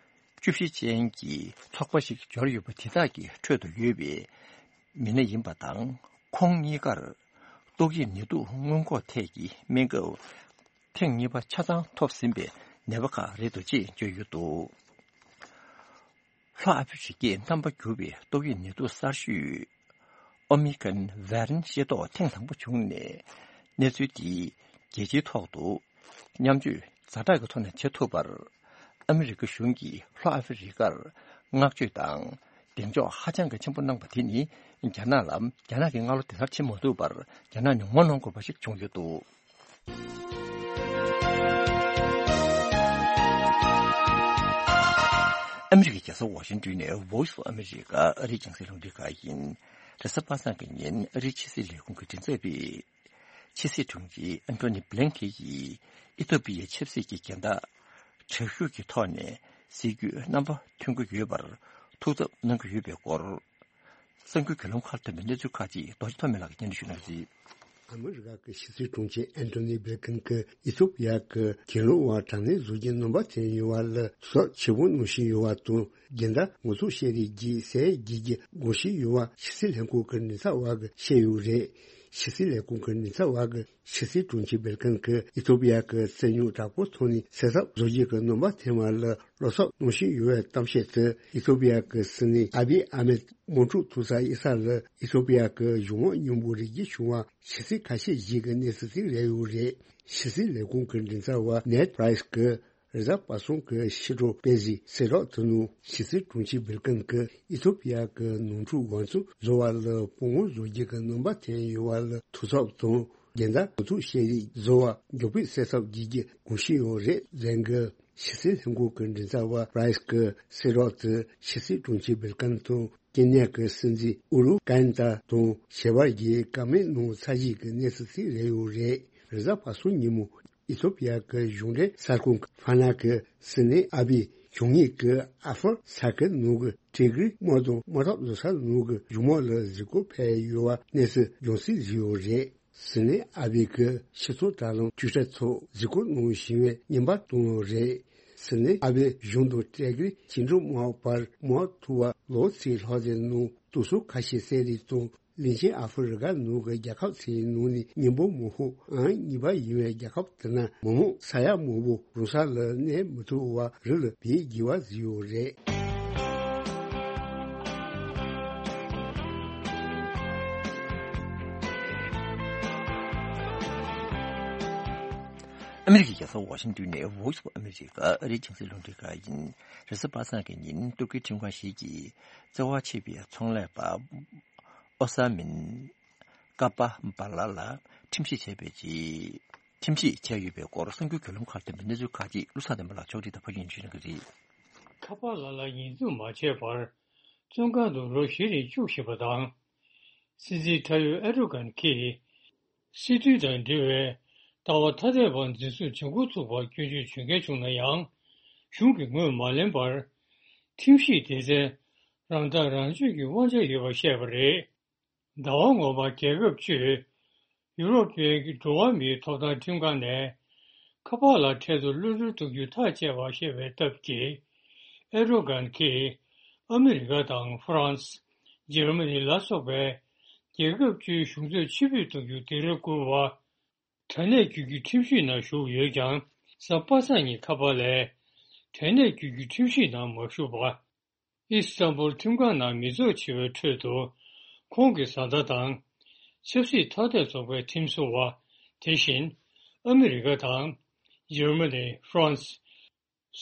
བཅུ་བཞི་ཅན་གྱི་ཚོགས་པ་ཞིག་འབྱོར་ཡོད་པ་དེ་དག་གི་ཁྲོད་དུ་ཡོད་པའི་མི་སྣ་ཡིན་པ་དང་། ཁོང་གཉིས་ཀར་ཏོག་དབྱིབས་ནད་དུག་སྔོན་འགོག་ཐད་ཀྱི་སྨན་ཁབ་ཐེངས་གཉིས་པ་ཆ་ཚང་ཐོབ་ཟིན་པའི་ནད་པ་ཁག་རེད་འདུག་ཅེས་བརྗོད་ཡོད་འདུག་ལྷོ་ཨ་ཧྥེ་རི་ཁའི་རྣམ་པ་འགྱུར་བའི་ཏོག་དབྱིབས་ནད་དུག་གསར་ཤོས་ཨོ་མི་ཀྲོན་ཝེ་རིན་ཤེས་རྟོགས་ཐེངས་དང་པོ་བྱུང་ནས། གནས་ཚུལ་འདི་རྒྱལ་སྤྱིའི་ཐོག་ཏུ་མཉམ་སྤྱོད་ཛ་དྲག་གི་ཐོག་ནས་བྱེད་ཐུབ་པར་ཨ་མི་རི་ཀ་གཞུང་གིས་ལྷོ་ཨ་ཧྥེ་རི་ཀར་བསྔགས་བརྗོད་དང་གདེང་འཇོག་ཧ་ཅང་གི་ཆེན་པོ་གནང་པ་དེ་ནི། རྒྱ་ནག་ལ་རྒྱ་ནག་གི་མངའ་ལོ་དེ་ལྟར་བྱེད་མ་ཐུབ་པར་རྒྱ་ནག་ནས་ངོ་གནོང་དགོས་པ་ཞིག་བྱུང་ཡོད་འདུག་ཨ་མི་རི་ཀའི་རྒྱལ་ས་ཝ་ཤིང་ཏོན་ནས་Voice of America ཨ་རིའི་རྒྱང་སྲིང་རླུང་འཕྲིན་ཁང་ཡིན། རེས་གཟའ་པ་སངས་ཀྱི་ཉིན་ཨ་རིའི་ཕྱི་སྲིད་ལས་ཁུངས་ཀྱི་མགྲིན་ཚབ་པས། ཕྱི་སྲིད་དྲུང་ཆེ་ཨན་ཐོ་ནི་བྷི་ལིན་ཁེན་གྱིས་ཨི་ཐོ་པི་ཡའི་ཆབ་སྲིད་ཀྱི་འགལ་ཟླ་དྲག་ཤུགས་ཀྱི་ཐོག་ནས་སེལ་རྒྱུའི་རྣམ་པ་ཐོན་གྱི་ཡོད་པར་ཐུགས་འཚབ་གནང་གི་ཡོད་པའི་སྐོར། གསར་འགྱུར་བརྒྱུད་ལམ་ཁག་ཐོན་པའི་གནས་ཚུལ་ཁག་ཅིག་རྡོ་རྗེ་ཐོགས་མེད་ལགས་ཀྱིས་སྙན་སྒྲོན་ཞུ་གནང་གི་རེད། ཨ་མི་རི་ཀ་གི་ཕྱི་སྲིད་དྲུང་ཆེ་ཨན་ཐོ་ནི་བྷི་ལིན་ཁེན་གྱིས་ཨི་ཐོ་པི་ཡ་གི་གྱེན་ལོག་པ་དྲག་གནོན་བཟོ་རྒྱུའི་སྣོན་པ་འཐེན་ཡོད་པ་ལ་ཐུགས་འཚབ་ཆེན་པོ་གནང་བཞིན་ཡོད་པ་དང་། འགལ་ཟླ་ངོ་ཚ་ཤེས་རིག་བརྒྱུད་སེལ་བྱེད་རྒྱུའི་དགོངས་བཞེས་ཡོད་པ་ཕྱི་སྲིད་ལྷན་ཁང་གི་མགྲིན་ཚབ་པ་གིས་བཤད་ཡོད་རེད། ཕྱི་སྲིད་ལས་ཁུངས་ཀྱི་མགྲིན་ཚབ་པ་གིས་ཕྱི་སྲིད་དྲུང་ཆེ་བྷི་ལིན་ཁེན་གྱིས་ཨི་ཐོ་པི་ཡ་གི་རྩོད་རྙོག་དྲག་པོ་ཐོག་ནས་སེལ་ཐབས་བཟོ་རྒྱུ་གི་སྣོན་པ་འཐེན་པ་ལ་བློ་འཚབ་གནང་བཞིན་ཡོད་པའི་གཏམ་བཤད་དེ་ཨི་ཐོ་པི་ཡ་གི་སྲིད་བློན་ཨ་བི་ཨ་མེད་དམག་འཁྲུག་ཐུག་ས་དབྱི་ས་ལ་ཨི་ཐོ་པི་ཡ་གི་གཞུང་དམག་མཉམ་སྤོ་རེ་རྒྱུ་བྱུང་བ་ཕྱི་ཚེས་ཁ་ཤས་ཤིག་གི་གནས་ཚུལ་ཞིག་རེད་ཡོད་རེད། ཕྱི་སྲིད་ལས་ཁུངས་ཀྱི་མགྲིན་ཚབ་པ་ནེད་པ་རའི་སི་གིས་རེས་གཟའ་པ་སངས་ཀྱི་ཕྱི་དྲོ་པེ་ཟི་གསལ་བསྒྲགས་དེ་ནང་ཕྱི་སྲིད་དྲུང་ཆེ་བྷི་ལིན་ཁེན་གྱིས་ཨི་ཐོ་པི་ཡ་གི་ནོར་འཁྲུལ་དབང་ཚད་བཟོ་བ་ལ་དཔུང་དམག་བཟོ་རྒྱུ་གི་སྣོན་པ་འཐེན་ཡོད་པ་ལ་ཐུགས་འཚབ་དང་། འགལ་ཟླ་ངོ་ཚ་ཤེས་རིག་བཟོ་བ་མགྱོགས་པོས་སེལ་ཐབས་བྱེད་རྒྱུའི་དགོངས་བཞེས་ཡོད་རེད་ཟེར་གི། ཕྱི་སྲིད་ལྷན་ཁང་གི་མགྲིན་ཚབ་པ་པ་རའི་སི་གིས་གསལ་བསྒྲགས་དེ་ཕྱི་སྲིད་དྲུང་ཆེ་བྷི་ལིན་ཁེན་དང་ཀེན་ཡ་གི་སྲིད་འཛིན་ཨུ་རུ་ཀན་ཏ་དང་ཞལ་པར་གྱི་བཀའ་མོལ་གནང་ཚར་རྗེས་ཀྱི་གནས་ཚུལ་ཞིག་རེད་ཡོད་རེད། རེས་གཟའ་པ་སངས་ཉིན་མོ་ཨི་ཐོ་པི་ཡ་གི་གཞུང་འབྲེལ་གསར་ཁང་གི་ཧྥ་ན་གི་སྲིད་བློན་ཨ་བི་བྱུང་ཡུལ་གྱི་ཨ་ཧྥོར་ས་ཁུལ་ནང་གི་ཊི་གྷི་རི་དམག་དོན་དམག་འཐབ་བཟོ་ས་ནང་གི་གཞུང་དམག་ལ་གཟིགས་སྐོར་ཕེབས་ཡོད་པ་གནས་ཚུལ་རྒྱང་སྲིང་བཟོས་ཡོད་རེད། སྲིད་བློན་ཨ་བི་གིས་སྤྱི་ཚོགས་དྲ་ལམ་ཊུའི་ཊར་ཐོག་གཟིགས་སྐོར་གནང་བཞིན་པའི་བརྙན་པར་བཏོན་ཡོད་རེད། སྲིད་བློན་ཨ་བི་གཞུང་དང་ཊི་གྷི་རི་ཊི་གྷི་རི་དམག་དམག་དམག་འཐབ་པ་ལོ་ཚིགས་ལྷག་ཙམ་ནང་དུག་སྲུང་ཁ་ཤས་བསད་རིགས་དང་། གླིང་ཆེན་ཨ་ཧྥེ་རི་ཁ་ནང་གི་རྒྱལ་ཁབ་ཚོའི་ནང་ནས་སྙིང་པོ་མང་པོ་ཨང་གཉིས་པ་ཡིན་པའི་རྒྱལ་ཁབ་དེ་ན་མི་མང་ས་ཡ་མང་པོ་རང་ས་ལ་གནས་མི་ཐུབ་པར་རི་ལ་བལ་འགྱེལ་བ་བཟོས་ཡོད་རེད། ཨ་མི་རི་ཀའི་རྒྱལ་ས་ཝ་ཤིང་ཏོན་ནས་Voice of America ཨ་རིའི་རྒྱང་སྲིང་རླུང་འཕྲིན་ཁང་ཡིན། རེས་གཟའ་པ་སངས་ཀྱི་ཉིན་ཏུར་ཀིའི་ཁྲིམས་ཁང་ཞིག་གིས་བཙན་དབང་ཆད་པའི་ཚོང་ལས་པ་ཨོ་ས་མིན་ཀ་པ་བྷ་ལ་ལ་ཁྲིམས་ཞིབ་བྱས་པའི་རྗེས། ཁྲིམས་ཞིབ་བྱས་ཡོད་པའི་སྐོར་གསར་འགྱུར་བརྒྱུད་ལམ་ཁག་ཐོན་པའི་གནས་ཚུལ་ཁག་ཅིག་བློ་བཟང་བསྟན་པ་ལགས་ཕྱོགས་སྒྲིག་དང་ཕབ་སྒྱུར་ཞུ་གནང་གི་རེད། ཁ་པ་ལ་ལ་ཉེས་འཛུགས་མ་བྱས་པར་བཙོན་ཁང་དུ་ལོ་བཞི་རིང་བཅུག་བཞིན་པ་དང་། སྲིད་འཛིན་ཁྲ་ཡོ་ཨེར་ཏོ་གྷན་གྱིས་སྲིད་དོན་དང་འབྲེལ་བའི་ལྟ་བ་ཐ་དད་པ་འཛིན་བཟུང་བྱེད་འགོ་ཚུགས་པར་སྐྱོན་བརྗོད་བྱེད་མཁན་བྱུང་ན་ཡང་། གཞུང་གིས་ངོས་མ་ལེན་པར། ཁྲིམས་ཞིབ་སྡེ་ཚན་རང་ཐག་རང་གཅོད་ཀྱི་དབང་ཆ་ཡོད་པ་བཤད་པ་རེད། ཟླ་བ་སྔོན་མ་རྒྱལ་ཁབ་སྤྱིའི་ཡུ་རོབ་པའི་འགྲོ་བ་མིའི་ཐོབ་ཐང་ཁྲིམས་ཁང་ནས་ཁ་པ་ལ་འཕྲལ་དུ་གློད་གྲོལ་གཏོང་རྒྱུ་ཐག་བཅད་པ་ཞེས་པའི་སྟབས་ཀྱིས། ཨེར་ཏོ་གྷན་གྱིས་ཨ་མི་རི་ཀ་དང་ཧྥ་རན་སི། འཇར་མ་ནི་ལ་སོགས་པའི་རྒྱལ་ཁབ་བཅུའི་གཞུང་ཚབ་ཕྱིར་འབུད་གཏོང་རྒྱུ་སྡིགས་ར་བསྐུལ་བ། དྲང་གནས་བརྒྱུད་རྒྱུའི་ཁྲིམས་ཞིབ་ནང་ཞུགས་ཡོད་ཀྱང་། གཟའ་པ་སངས་ཉིན་ཁ་པ་ལས་དྲང་གནས་བརྒྱུད་རྒྱུའི་ཁྲིམས་ཞིབ་ནང་མ་ཞུགས་པ། ཨི་སི་ཐན་བུལ་ཁྲིམས་ཁང་ནང་མི་ཚོགས་ཆེ་བའི་ཁྲོད་དུ། ཁོང་གི་བཟའ་ཟླ་དང་། ཆབ་སྲིད་ཐ་དད་ཚོགས་པའི་ཁྲིམས་བཟོ་བ། དེ་བཞིན་ཨ་མི་རི་ཀ་དང་། འཇར་མ་ནི། ཧྥ་རན་སི།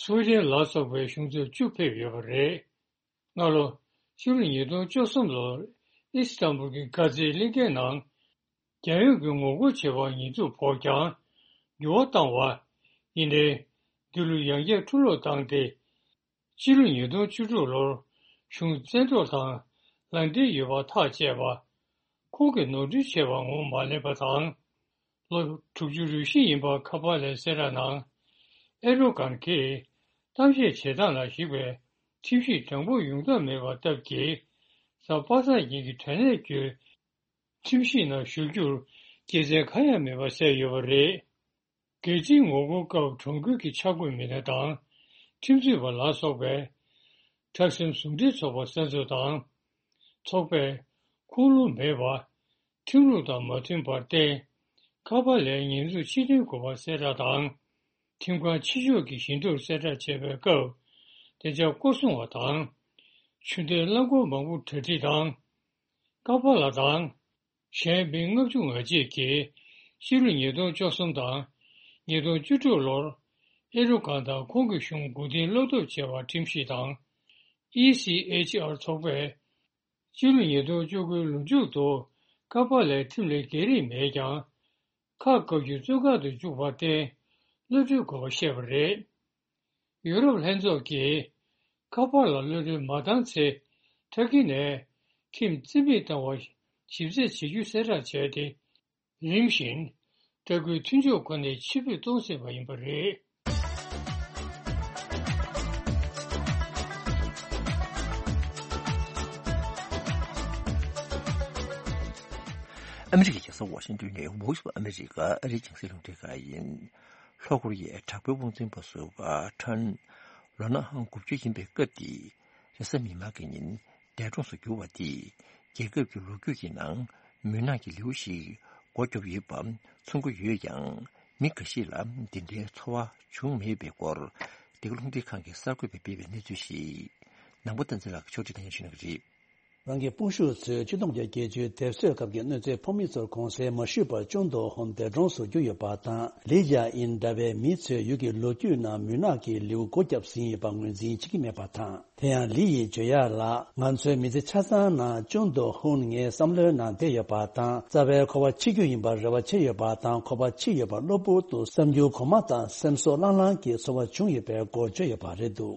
སུའེ་ཏན་ལ་སོགས་པའི་གཞུང་ཚབ་བཅུ་ཕེབས་ཡོད་པ་རེད། སྔ་ལོ། ཕྱི་ལོ་ཉིས་སྟོང་བཅུ་གསུམ་ལོར་ཨི་སི་ཐན་བུལ་གྱི་དཀར་མཛེས་གླིང་ཁའི་ནང་། རྒྱལ་ཡོངས་ཀྱི་ངོ་རྒོལ་བྱེད་པར་ཉེས་འཛུགས་ཕོག་ཀྱང་། འགྱུར་བ་བཏང་བ། ཡིན་ནའི། འདི་ལོ་ཡང་བསྐྱར་འཁྲུག་སློང་བཏང་སྟེ། ཕྱི་ལོ་ཉིས་སྟོང་བཅུ་དྲུག་ལོར་གཞུང་བཙན་འཕྲོག་དང་ལམ་སྟོན་ཡོད་པ་ཐག་བཅད་པ། ཁོང་གིས་ནོར་འཁྲུལ་བྱས་པ་ངོས་མ་ལེན་པ་དང་། ལོ་དྲུག་ཅུ་རེ་བཞི་ཡིན་པ་ཁ་པ་ལའི་གསལ་བསྒྲགས་ནང་། ཨེར་ཏོ་གྷན་གྱིས་གཏམ་བཤད་བྱེད་སྟངས་ལ་གཞིགས་པའི་ཁྲིམས་ཞིབ་དྲང་པོ་ཡོང་ཐབས་མེད་པ་སྟབས་ཀྱིས། གཟའ་པ་སངས་ཉིན་གྱི་དྲང་གནས་བརྒྱུད་ཁྲིམས་ཞིབ་ནང་ཞུགས་རྒྱུར་དགེ་མཚན་གང་ཡང་མེད་པ་གསལ་ཡོད་པ་རེད། རྒྱལ་སྤྱིའི་ངོ་རྒོལ་སྐབས་གྲོང་ཁྱེར་གྱི་འཆར་འགོད་མི་སྣ་དང་། ཁྲིམས་རྩོད་པ་ལ་སོགས་པའི་ཁྲག་ཟིང་ཟུང་འབྲེལ་ཚོགས་པ་སོ་སོ་དང་། ཚོགས་པས་ཁུངས་ལུང་མེད་པ། ཁྲིམས་ལུགས་དང་མ་མཐུན་པར་བརྟེན། ཁ་པ་ལའི་ཉེས་འཛུགས་ཕྱིར་འཐེན་དགོས་པ་གསལ་བསྒྲགས་དང་། ཁྲིམས་ཁང་ཕྱི་ཕྱོགས་ཀྱི་ཞལ་འདེབས་གསལ་བསྒྲགས་བྱས་པའི་སྐབས། བདེ་འཇགས་སྐོར་སྲུང་བ་དང་། ཆུ་འདེད་རླངས་འཁོར་མང་པོ་གྲ་སྒྲིག་དང་། ཀ་པ་ལ་དང་། གཞན་མི་ལྔ་བཅུ་ང་གཅིག་གིས་ཕྱི་ལོ་ཉིས་སྟོང་བཅུ་གསུམ་དང་ཉིས་སྟོང་བཅུ་དྲུག་ལོར་ཨེ་རོ་གྷན་དང་ཁོང་གི་གཞུང་མགོ་རྟིང་སློག་ཐབས་བྱས་པར་ཁྲིམས་ཞིབ་དང་། ཨི་སི་ཨེཆ་ཨར་ཚོགས་པས་ཕྱི་ལོ་ཉིས་སྟོང་བཅུ་དགུའི་ལོ་མཇུག་ཏུ་ཀ་པ་ལའི་ཁྲིམས་ལས་འགལ་རིགས་མེད་ཀྱང་། ཁ་བཀབ་རྒྱུ་གཙོས་ཁ་དུ་བཅུག་པར་བརྟེན་གློད་གྲོལ་དགོས་པ་བཤད་པ་རེད། ཡུ་རོབ་ལྷན་ཚོགས་ཀྱིས་ཁ་པར་ལ་གློད་གྲོལ་མ་བཏང་ཚེ་ཊར་ཀི་ནས་ཁྱིམ་རྩིས་མེད་བཏང་བ་ཞིབ་རྩད་བྱེད་རྒྱུ་གསལ་བསྒྲགས་བྱས་ཏེ། རིམ་བཞིན་ལྟ་སྐུལ་མཐུན་སྦྱོར་ཁོ་ནས་ཕྱིར་འབུད་གཏོང་སྲིད་པ་ཡིན་པ་རེད། ཨ་མི་རི་ཀའི་རྒྱལ་ས་ཝ་ཤིང་ཏོན་ནས་Voice of America ཨ་རིའི་རྒྱང་སྲིང་རླུང་འཕྲིན་ཁང་ཡིན། ལྷོ་ཀོ་རི་ཡའི་དྲག་པོའི་དབང་འཛིན་པ་ཟུར་པ་ཁྲོན་ལོ་ན་ཧང་དགུ་བཅུ་ཡིན་པའི་སྐབས་འདི། རེས་གཟའ་མིག་དམར་གྱི་ཉིན་འདས་གྲོངས་སུ་གྱུར་བ་དེས་རྒྱལ་ཁབ་ཀྱི་ལོ་རྒྱུས་ཀྱི་ནང་མུན་ནག་གི་ལེའུ་ཞིག་སྒོ་བརྒྱབ་ཡོད་པ་མཚོན་གྱི་ཡོད་ཀྱང་། མི་འགའ་ཞིག་ལ་འདི་འདྲའི་ཚོར་བ་བྱུང་མེད་པའི་སྐོར། འདི་ག་རླུང་འཕྲིན་ཁང་གི་གསར་འགོད་པས་སྤེལ་བའི་གནས་ཚུལ་ཞིག་ནང་པ་བསྟན་འཛིན་ལགས་ཀྱིས་ཕྱོགས་སྒྲིག་གནང་ཞུ་གནང་གི་རེད། རང་གི་སྤུན་ཤུགས་ཚོས་ཆིག་སྟོང་དགུ་བརྒྱ་བརྒྱད་ཅུའི་དེབ་གསོད་སྐབས་ཀྱི་གནོད་འཚེའི་ཕོག་མི་ཚོར་དགོངས་སེལ་མ་ཞུས་པར་ཅུན་དོ་ཧོན་འདས་གྲོངས་སུ་གྱུར་ཡོད་པ་དང་། ལི་ཇཱ་ཨིན་འདྲ་བའི་མི་ཚོས་ཡུལ་གྱི་ལོ་རྒྱུས་ནང་མུན་ནག་གི་ལེའུ་སྒོ་བརྒྱབ་ཟིན་ཡོད་པ་ངོས་འཛིན་བྱེད་ཀྱི་མེད་པ་དང་། དེ་ཡང་ལི་ཡིས་བརྗོད་ཡག་ལ། ང་ཚོའི་མི་ཚེ་ཆ་ཚང་ནང་ཅུན་དོ་ཧོན་ངའི་བསམ་བློའི་ནང་བསྡད་ཡོད་པ་དང་། རྩ་བའི་ཁོ་པ་འཆི་རྒྱུ་ཡིན་པར་རེ་བ་བྱས་ཡོད་པ་དང་། ཁོ་པ་འཆི་ཡོད་པ་གློ་བུར་དུ་བསམ་རྒྱུ་གོང་མ་དང་སེམས་གསོ་ལྷང་ལྷང་གི་ཚོར་བ་བྱུང་ཡོད་པའི་སྐོར་བརྗོད་ཡོད་པ་རེད་འདུག་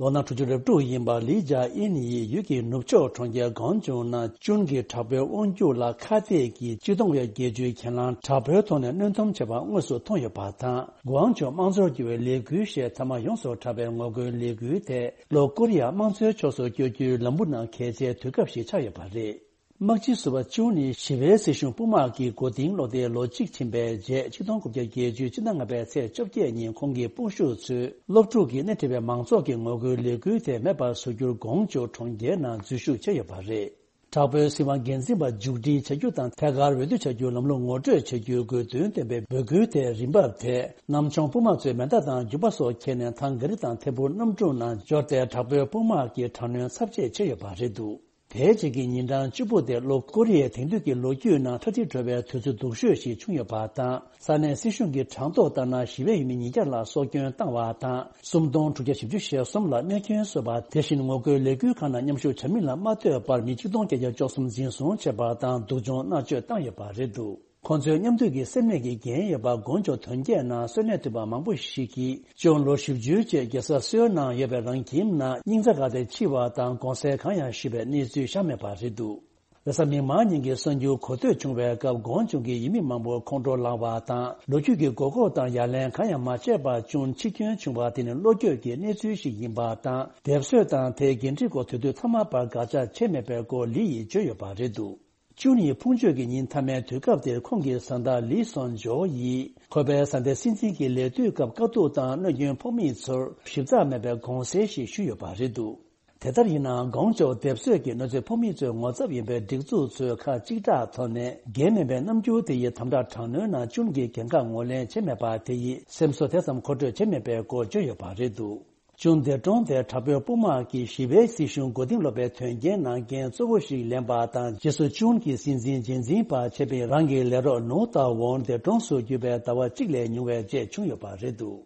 ལོ་ན་དྲུག་ཅུ་རེ་དྲུག་ཡིན་པ་ལི་ཇཱ་ཨིན་ཡིས་ཡུལ་གྱི་ནུབ་ཕྱོགས་གྲོང་ཁྱེར་གོང་ཅུང་ནང་ཅུན་གྱི་དྲག་པོའི་དབང་སྒྱུར་ལ་ཁ་གཏད་ཀྱིས་ཆིག་སྟོང་དགུ་བརྒྱ་བརྒྱད་ཅུའི་གྱེན་ལངས་དྲག་པོའི་ཐོག་ནས་གནོན་སྡོམ་བྱས་པ་དངོས་སུ་མཐོང་ཡོད་པ་དང་། གོང་ཅུང་དམངས་གཙོར་བསྒྱུར་བའི་ལས་འགུལ་ཞེས་མཐའ་མ་ཡོངས་སུ་གྲགས་པའི་ངོ་རྒོལ་ལས་འགུལ་དེ་ལྷོ་ཀོ་རི་ཡ་དམངས་གཙོའི་ཕྱོགས་སུ་བསྐྱོད་རྒྱུའི་ལམ་བུ་ནང་འགལ་ཆེའི་དུས་སྐབས་ཤིག་ཆགས་ཡོད་པ་རེད། དམག་སྤྱི་ཟུར་པ་ཅུན་ནི་ཞི་བའི་སྲིད་གཞུང་དཔུང་དམག་གི་མགོ་རྟིང་སློག་སྟེ་ལོ་གཅིག་ཕྱིན་པའི་རྗེས། ཆིག་སྟོང་དགུ་བརྒྱ་བརྒྱད་ཅུའི་ཕྱི་ཟླ་ལྔ་པའི་ཚེས་བཅོ་བརྒྱད་ཉིན་ཁོང་གི་སྤུན་ཤུགས་ཚོས་སློབ་ཕྲུག་གིས་སྣེ་ཁྲིད་པའི་མང་ཚོགས་ཀྱི་ངོ་རྒོལ་ལས་འགུལ་དེ་མེད་པར་བཟོ་རྒྱུར་གོང་ཅུང་གྲོང་ཁྱེར་ནང་འཛུལ་ཞུགས་བྱས་ཡོད་པ་རེད། དྲག་པོའི་སྲིད་དབང་སྒེར་འཛིན་པ་མཇུག་སྒྲིལ་བྱ་རྒྱུ་དང་། ཐད་ཀར་འོས་བསྡུ་བྱ་རྒྱུའི་ལམ་ལུགས་ངོ་སྤྲོད་བྱ་རྒྱུའི་དགོས་འདུན་བཏོན་པའི་འབོད་སྐུལ་དེ་རིན་འབབ་དེ་གནམ་མཆོང་དཔུང་དམག་ཚོས་མེ་མདའ་དང་རྒྱུག་པ་སོགས་ཁྱེར་ནས་ཐང་ག་རི་དང་ཐད་འཕུར་གནམ་གྲུ་ནང་འབྱོར་ཏེ། དྲག་པོའི་དཔུང་དམག་གིས་དྲག་གནོན་ཚབས་ཆེ་བྱས་ཡོད་པ་རེད་འདུག་དེའི་རྗེས་ཀྱི་ཉིན་གྲངས་བཅུ་པོ་དེ་ལྷོ་ཀོ་རི་ཡའི་དེང་དུས་ཀྱི་ལོ་རྒྱུས་ནང་ཁྲ་ཁྲིག་འགྲོ་བའི་དུས་ཚོད་སྡུག་ཤོས་ཤིག་བྱུང་ཡོད་པ་དང་། ས་གནས་སྲིད་གཞུང་གིས་གྲངས་ཐོ་ལྟར་ན་ཞི་བའི་ཡུལ་མི་ཉིས་བརྒྱ་ལ་སྲོག་སྐྱོན་བཏང་བ་དང་། སུམ་སྟོང་དྲུག་བརྒྱ་བཞི་བཅུ་ཞེ་གསུམ་ལ་རྨས་སྐྱོན་བཟོས་པ། དེ་བཞིན་ངོ་རྒོལ་ལས་འགུལ་ཁག་ནང་མཉམ་ཞུགས་བྱ་མི་ལ་མ་ལྟོས་པར་མི་ཆིག་སྟོང་བརྒྱད་བརྒྱ་བཅུ་གསུམ་འཛིན་བཟུང་བྱས་པ་དང་། སྡུག་སྦྱོང་མནར་གཅོད་བཏང་ཡོད་པ་རེད་འདུག་ཁོང་ཚོའི་མཉམ་འདུས་ཀྱི་སེམས་ནད་ཀྱི་འགན་ཡོད་པ་གོང་ཅུང་དོན་རྐྱེན་ནང་གསོན་གནས་ཐུབ་པ་མང་པོ་ཞིག་གིས། ཅུན་ལོ་བཞི་བཅུའི་རྗེས་རྒྱལ་ས་སེའོལ་ནང་ཡོད་པའི་རང་ཁྱིམ་ནང་སྙིང་རྩ་འགག་སྟེ་འཆི་བ་དང་དགོངས་སེལ་གང་ཡང་ཞུས་པའི་གནས་ཚུལ་བཞག་མེད་པ་རེད་འདུག་རེས་གཟའ་མིག་དམར་ཉིན་གྱི་གསར་འགྱུར་གོ་ཐོས་བྱུང་བའི་སྐབས། གོང་ཅུང་གི་ཡུལ་མི་མང་པོ་ཁོང་ཁྲོ་ལངས་པ་དང་། ལོ་རྒྱུས་ཀྱི་མགོ་སྐོར་དང་ཡ་ལན་གང་ཡང་མ་བྱས་པར་ཅུན་འཆི་སྐྱོན་བྱུང་བ་དེ་ནི་བློ་འགྱོད་ཀྱི་གནས་ཚུལ་ཞིག་ཡིན་པ་དང་། སྡེབ་གསོད་དང་དེའི་འགན་འཁྲི་སྐོར་དེ་དུས་ཚང་མ་བར་དགག་བྱ་བྱས་མེད་པའི་སྐོར་ལི་ཡིས་བརྗོད་ཡོད་པ་རེད་འདུག་ཅུན་ཡི་ཕུང་མཆོད་ཀྱི་ཉིན་མཐའ་མའི་དུས་སྐབས་དེར་ཁོང་གི་བཟའ་ཟླ་ལི་སོན་ཇོ་ཡིས་ཁོ་པའི་བཟའ་ཟླའི་སྲིད་འཛིན་གྱི་ལས་དུས་སྐབས་དཀའ་སྡུག་དང་གནོད་སྐྱོན་ཕོག་མི་ཚོར་ཞིབ་ཚགས་མེད་པའི་དགོངས་སེལ་ཞིག་ཞུས་ཡོད་པ་རེད་འདུག་དེ་ལྟར་ཡིན་ནའང་། གོང་ཅུང་སྡེབ་གསོད་ཀྱི་གནོད་འཚེ་ཕོག་མི་ཚོའི་ངོ་ཚབ་ཡིན་པའི་སྒྲིག་འཛུགས་ཚོས་ཁག་གཅིག་གྲགས་ཐོག་ནས་འགན་མིན་པའི་རྣམ་འགྱུར་དེ་ཡིས་དམ་དྲག་དྲག་གནོན་ནང་ཅུན་གྱི་འགན་ཁག་ངོས་ལེན་བྱས་མེད་པ་དེ་ཡིས་སེམས་གསོ་དེ་ཙམ་མཁོ་སྤྲོད་བྱས་མེད་པའི་སྐོར་བརྗོད་ཡོད་པ་རེད་འདུག་ཅུན་འདས་གྲོངས་དེ་དྲག་པོའི་དཔུང་དམག་གིས་ཞི་བའི་སྲིད་གཞུང་མགོ་རྟིང་སློག་པའི་དོན་རྐྱེན་ནང་འགན་གཙོ་བོ་ཞིག་ལེན་པ་དང་། རྗེས་སུ་ཅུན་གྱི་སྲིད་འཛིན་རྗེས་འཛིན་པ་བྱས་པའི་རང་གི་ལས་རོགས་ནོ་ཏཱ་ཝོན་འདས་གྲོངས་སུ་གྱུར་པའི་ཟླ་བ་གཅིག་ལས་ཉུང་བའི་རྗེས་བྱུང་ཡོད་པ་རེད་འདུག་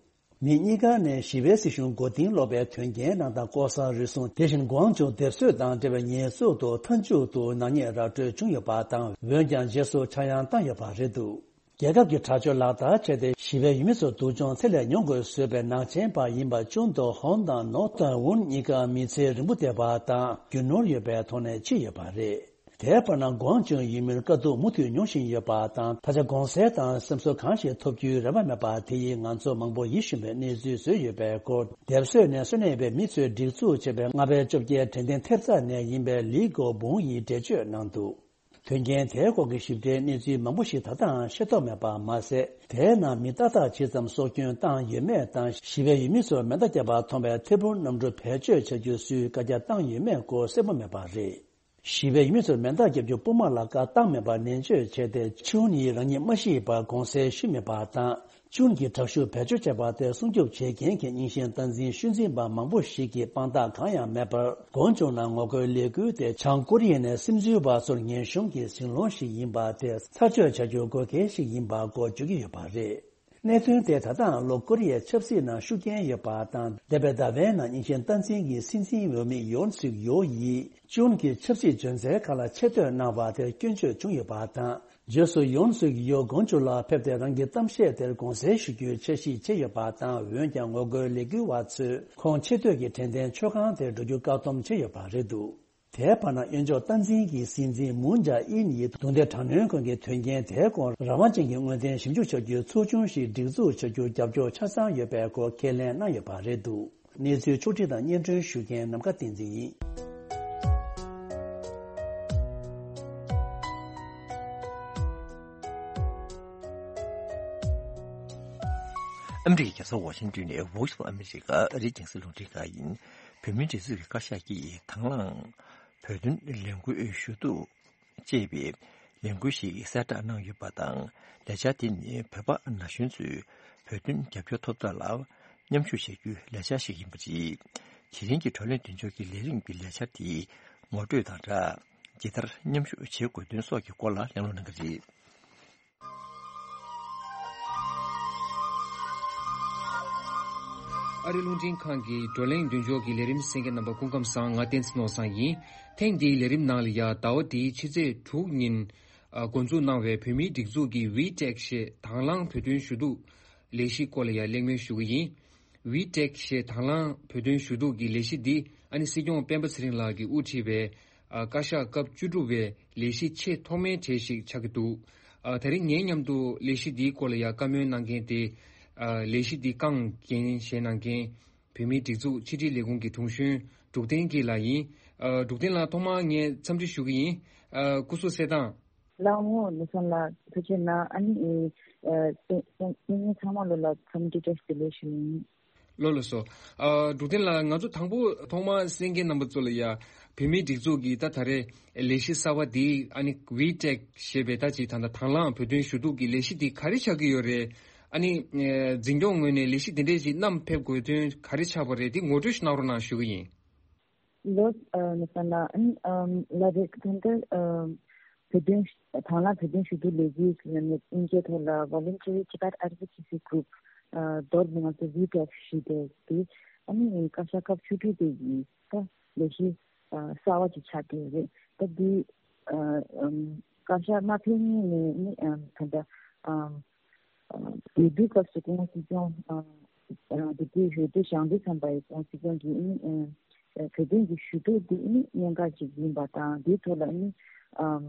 མི་གཉིས་ཀ་ནས་ཞི་བའི་སྲིད་གཞུང་མགོ་རྟིང་སློག་པའི་དོན་རྐྱེན་ནང་དང་། ལྐོག་ཟ་རུལ་སུངས། དེ་བཞིན་གོང་ཅུང་སྡེབ་གསོད་དང་འབྲེལ་བའི་ཉེས་འཛུགས་ཐོག་མཐའ་མཇུག་ཏུ་ནག་ཉེས་ར་སྤྲོད་བྱུང་ཡོད་པ་དང་། འོན་ཀྱང་རྗེས་སུ་ཆག་ཡང་བཏང་ཡོད་པ་རེད་འདུག་རྒྱལ་ཁབ་ཀྱི་དྲག་སྤྱོད་ལག་བསྟར་བྱས་ཏེ། ཞི་བའི་ཡུལ་མི་ཚོར་སྡུག་སྦྱོང་ཚད་ལས་ཉུང་དགོས་བཟོས་པའི་ནག་ཅན་པ་ཡིན་པ་ཅུན་དོ་ཧོན་དང་ནོ་ཏཱ་ཝུན་གཉིས་ཀ་མི་ཚེ་རིང་པོ་བསྡད་པ་དང་། རྒྱུ་ནོར་ཡོད་པའི་ཐོག་ནས་འཆི་ཡོད་པ་རེད། དེའི་བར་ན་གོང་ཅུང་ཡུལ་མིར་དཀའ་སྡུག་མུ་མཐུད་མྱོང་བཞིན་ཡོད་པ་དང་། ད་ཆ་དགོངས་སེལ་དང་སེམས་གསོ་གང་ཞིག་ཐོབ་རྒྱུའི་རེ་བ་མེད་པ་དེ་ཡིས་ང་ཚོ་མང་པོ་ཡིད་ཞུམ་པའི་གནས་ཚུལ་བཟོས་ཡོད་པའི་སྐོར། སྡེབ་གསོད་ནས་གསོན་གནས་ཡོད་པའི་མི་ཚོས་སྒྲིག་འཛུགས་བྱས་པའི་ལྔ་པའི་བཅོ་བརྒྱད་དྲན་རྟེན་ཐེབས་རྩ་ནས་ཡིན་པའི་ལི་གོ་བུང་ཡིས་འགྲེལ་བརྗོད་གནང་འདུག་དོན་རྐྱེན་དེའི་སྐོར་གྱི་ཞིབ་ཕྲའི་གནས་ཚུལ་མང་པོ་ཞིག་ད་ལྟའང་ཤེས་རྟོགས་མེད་པ་མ་ཟད། དེའི་ནང་མི་ཏག་ཏག་ཇི་ཙམ་སྲོག་སྐྱོན་བཏང་ཡོད་མེད་དང་། ཞི་བའི་ཡུལ་མི་ཚོར་མེ་མདའ་བརྒྱབ་པ་མཐོང་བའི་ཐད་འཕུར་གནམ་གྲུ་བེད་སྤྱོད་བྱ་རྒྱུ་སུས་བཀའ་རྒྱ་བཏང་ཡོད་མེད་སྐོར་གསལ་པོ་མེད་པ་རེད། ཞི་བའི་ཡུལ་མི་ཚོར་མེ་མདའ་བརྒྱབ་རྒྱུ་དཔུང་དམག་ལ་བཀའ་བཏང་མེད་པར་ནན་བརྗོད་བྱས་ཏེ། ཆིའུ་ནི་རང་ཉིད་མ་ཤི་བར་དགོངས་སེལ་ཞུས་མེད་པ་དང་། ཅུན་གྱིས་དྲག་ཤུགས་བེད་སྤྱོད་བྱས་པ་དེ་སྲུང་སྐྱོབ་བྱེད་མཁན་གྱི་རྙིང་ཞེན་སྟངས་འཛིན་ཤུལ་འཛིན་པ་མང་པོ་ཞིག་གིས་དཔང་རྟགས་གང་ཡང་མེད་པར། གོང་ཅུང་ནང་ངོ་རྒོལ་ལས་འགུལ་དེ་བྱང་ཀོ་རི་ཡ་ནས་སིམ་འཛུལ་བ་ཚོར་ངན་གཤོམ་གྱི་ཟིང་སློང་ཞིག་ཡིན་པ་དེ་ཚར་གཅོད་བྱ་རྒྱུ་དགོས་གལ་ཞིག་ཡིན་པ་སྐོར་བརྗོད་ཀྱི་ཡོད་པ་རེད། གནད་དོན་དེ་ད་ལྟའང་ལྷོ་ཀོ་རི་ཡའི་ཆབ་སྲིད་ནང་ཤུགས་རྐྱེན་ཡོད་པ་དང་། འདས་པའི་ཟླ་བའི་ནང་རྙིང་ཞེན་སྟངས་འཛིན་གྱི་སྲིད་འཛིན་འོས་མི་ཡོན་སུག་ཡོལ་ཡིས་ཅུན་གྱི་ཆབ་སྲིད་འཇོན་ཚད་ཁག་ལ་ཆེ་བསྟོད་གནང་བ་དེར་སྐྱོན་བརྗོད་བྱུང་ཡོད་པ་དང་། རྗེས་སུ་ཡོན་སུག་ཡོལ་ཀོང་ཇོ་ལ་ཕེབས་ཏེ་རང་གི་གཏམ་བཤད་དེར་དགོངས་སེལ་ཞུ་རྒྱུའི་འཆར་གཞི་བྱས་ཡོད་པ་དང་། འོན་ཀྱང་ངོ་རྒོལ་ལས་འགུལ་བ་ཚོས་ཁོང་ཆེ་བསྟོད་ཀྱི་དྲན་རྟེན་མཆོད་ཁང་དེར་འགྲོ་རྒྱུ་བཀག་སྡོམ་བྱས་ཡོད་པ་རེད་འདུག། དེའི་བར་ན་གཡོན་ཕྱོགས་སྟངས་འཛིན་གྱི་སྲིད་འཛིན་མུན་ཇཱ་ཨིན་ཡིས་རྡུང་རྡེག་དྲག་གནོན་ཁང་གི་དོན་རྐྱེན་དེའི་སྐོར་རང་དབང་ཅན་གྱི་དངོས་བདེན་ཞིབ་འཇུག་བྱ་རྒྱུའི་ཚོགས་ཆུང་ཞིག་སྒྲིག་འཛུགས་བྱ་རྒྱུར་རྒྱབ་སྐྱོར་ཆ་ཚང་ཡོད་པའི་སྐོར་ཁས་ལེན་གནང་ཡོད་པ་རེད་འདུག། གནས་ཚུལ་ཕྱོགས་བསྒྲིགས་དང་སྙན་སྒྲོན་ཞུ་མཁན་ནམ་མཁའ་བསྟན་འཛིན་ཡིན། ཨ་མི་རི་ཀའི་རྒྱལ་ས་ཝ་ཤིང་ཏོན་ནས་Voice of America ཨ་རིའི་རྒྱང་སྲིང་རླུང་འཕྲིན་ཁང་ཡིན། བོད་མིའི་སྒྲིག་འཛུགས་ཀྱི་བཀའ་ཤག་གིས་དང་བླངས་བོད་དོན་ལས་འགུལ་ཞུ་གཏུག་ཅེས་པའི་ལས་འགུལ་ཞིག་གསལ་བསྒྲགས་གནང་ཡོད་པ་དང་། ལས་འཆར་དེ་ནི་བོད་པ་ན་གཞོན་ཚོས་བོད་དོན་རྒྱབ་སྐྱོར་ཐོབ་ཐབས་ལ་མཉམ་ཞུགས་བྱ་རྒྱུའི་ལས་འཆར་ཞིག་ཡིན་པ་རེད། དེ་རིང་གི་བགྲོ་གླེང་མདུན་ལྕོག་གི་ལས་རིམ་གྱི་ལས་འཆར་དེ་ངོ་སྤྲོད་དང་སྦྲགས། ཇི་ལྟར་མཉམ་ཞུགས་བྱེད་དགོས་དོན་སོགས་ཀྱི་སྐོར་ལ་གླེང་སློང་གནང་གི་རེད། ཨ་རིའི་རླུང་འཕྲིན་ཁང་གི་བགྲོ་གླེང་མདུན་ལྕོག་གི་ལས་རིམ་གསན་མཁན་རྣམ་པ་སྐུ་ཁམས་བཟང་། ང་བསྟན་འཛིན་ནོར་བཟང་ཡིན། ཐེངས་འདིའི་ལས་རིམ་ནང་ལ་ཡ་ཟླ་བ་འདིའི་ཕྱི་ཚེས་དྲུག་ཉིན་ཨ་འགོ་འཛུགས་གནང་བའི་བོད་མིའི་སྒྲིག་འཛུགས་ཀྱི་ཝི་ཊེག་ཞེས་དང་བླངས་བོད་དོན་ཞུ་གཏུག་ལས་གཞིའི་སྐོར་ལ་ཡ་གླེང་མོལ་ཞུ་གི་ཡིན། ཝི་ཊེག་ཞེས་དང་བླངས་བོད་དོན་ཞུ་གཏུག་གི་ལས་གཞི་འདི་ཨ་ནི་སྲིད་སྐྱོང་སྤེན་པ་ཚེ་རིང་ལགས་ཀྱིས་དབུ་ཁྲིད་པའི་ཨ་བཀའ་ཤག་སྐབས་བཅུ་དྲུག་པའི་ལས་གཞི་ཆེས་ཐོག་མའི་གྲས་ཤིག་ཆགས་ཀྱི་འདུག། ཨ་དེ་རིང་ངའི་མཉམ་དུ་ལས་གཞི་འདིའི་སྐོར་ལ་ཡང་བཀའ་མོལ་གནང་མཁན་དེ་ཨ་ལས་གཞི་འདི་རྐང་འགན་བཞེས་གནང་མཁན་བོད་མིའི་སྒྲིག་འཛུགས་ཕྱི་དྲིལ་ལས་ཁུངས་ཀྱི་དྲུང་གཞོན་འབྲུག་བསྟན་སྐྱིད་ལགས་ཡིན། ཨ་འབྲུག་བསྟན་ལགས་ཐོག་མར་ངས་འཚམས་འདྲི་ཞུ་གི་ཡིན། ཨ་སྐུ་གཟུགས་གསལ་ཐང་། ལགས་འོང་། ནོར་བཟང་ལགས་ཐུགས་རྗེ་གནང་། ཨ་ནི་ཨེ་ཨེ་བསྟན་ཚང་མ་ལོ་ལ་འཚམས་འདྲི་བཀྲ་ཤིས་བདེ་ལེགས་ཞུ་ཡིན། ལགས་ལགས་སོ། ཨ་འབྲུག་བསྟན་ལགས། ང་ཚོ་དང་པོ་ཐོག་མར་གསན་མཁན་རྣམ་པ་ཚོ་ལ་ཡ་བོད་མིའི་སྒྲིག་འཛུགས་ཀྱི་ད་ད་རེས་ལས་གཞི་གསར་བ་འདི་ཨ་ནི་ཝི་ཊེག་ཞེས་པའི་ད་ཅིག་ད་ལྟ་དང་བླངས་བོད་དོན་ཞུ་གཏུག་གི་ལས་གཞི་འདི་ག་རེ་ཆགས་ཀྱི་ཡོད་རེད། ཨ་ནི་ཨེ་འཛིན་སྐྱོང་ངོས་ནས་ལས་གཞི་འདི་འདྲས་ཅིག་བསྣམས་ཕེབས་དགོས་དོན་ག་རེ་ཆགས་པ་རེད། འདི་ངོ་སྤྲོད་ཞིག་གནང་རོགས་གནང་ཞུ་གི་ཡིན། ལགས་སོ། ཨ་ནི་ལགས་རེད། ད་ལྟ་ཨ་བོད་དོན་དང་བླངས་བོད་དོན་ཞུ་གཏུག་ལས་འགུལ་ཟེར་ནས་དབྱིན་སྐད་ཐོག་ལ་Voluntary Tibet Advocacy Group ཨ་མདོར་ན་ང་ཚོ་ཝི་ཊེག་ཞུས་པའི་དེ་ཨ་ནི་བཀའ་ཤག་སྐབས་བཅུ་དྲུག་པའི་ཡི་ད་ལས་གཞི་ཨ་གསར་བ་ཅིག་ཆགས་བསྡད་ཡོད་རེད། ད་འདི་ཨ་ཨམ་བཀའ་ཤག་མ་ཕེབས་སྔོན་ནས་ནི་ཨམ་ད་ལྟ་ཨམ་ཨ་འོས་བསྡུའི་སྐབས་སུ་སྐུ་ངོ་སྲིད་སྐྱོང་ཨ་ཨ་དེ་དུས་འོས་བསྡུ་བཞེངས་དུས་ཙམ་པ་ཡི་སྐུ་ངོ་སྲིད་སྐྱོང་གིས་ནི་ཨ་ཨ་བོད་དོན་གྱི་ཞུ་གཏུག་འདི་ནི་གནད་འགག་ཅིག་ཡིན་པ་དང་། འདིའི་ཐོག་ལ་ནི་ཨམ་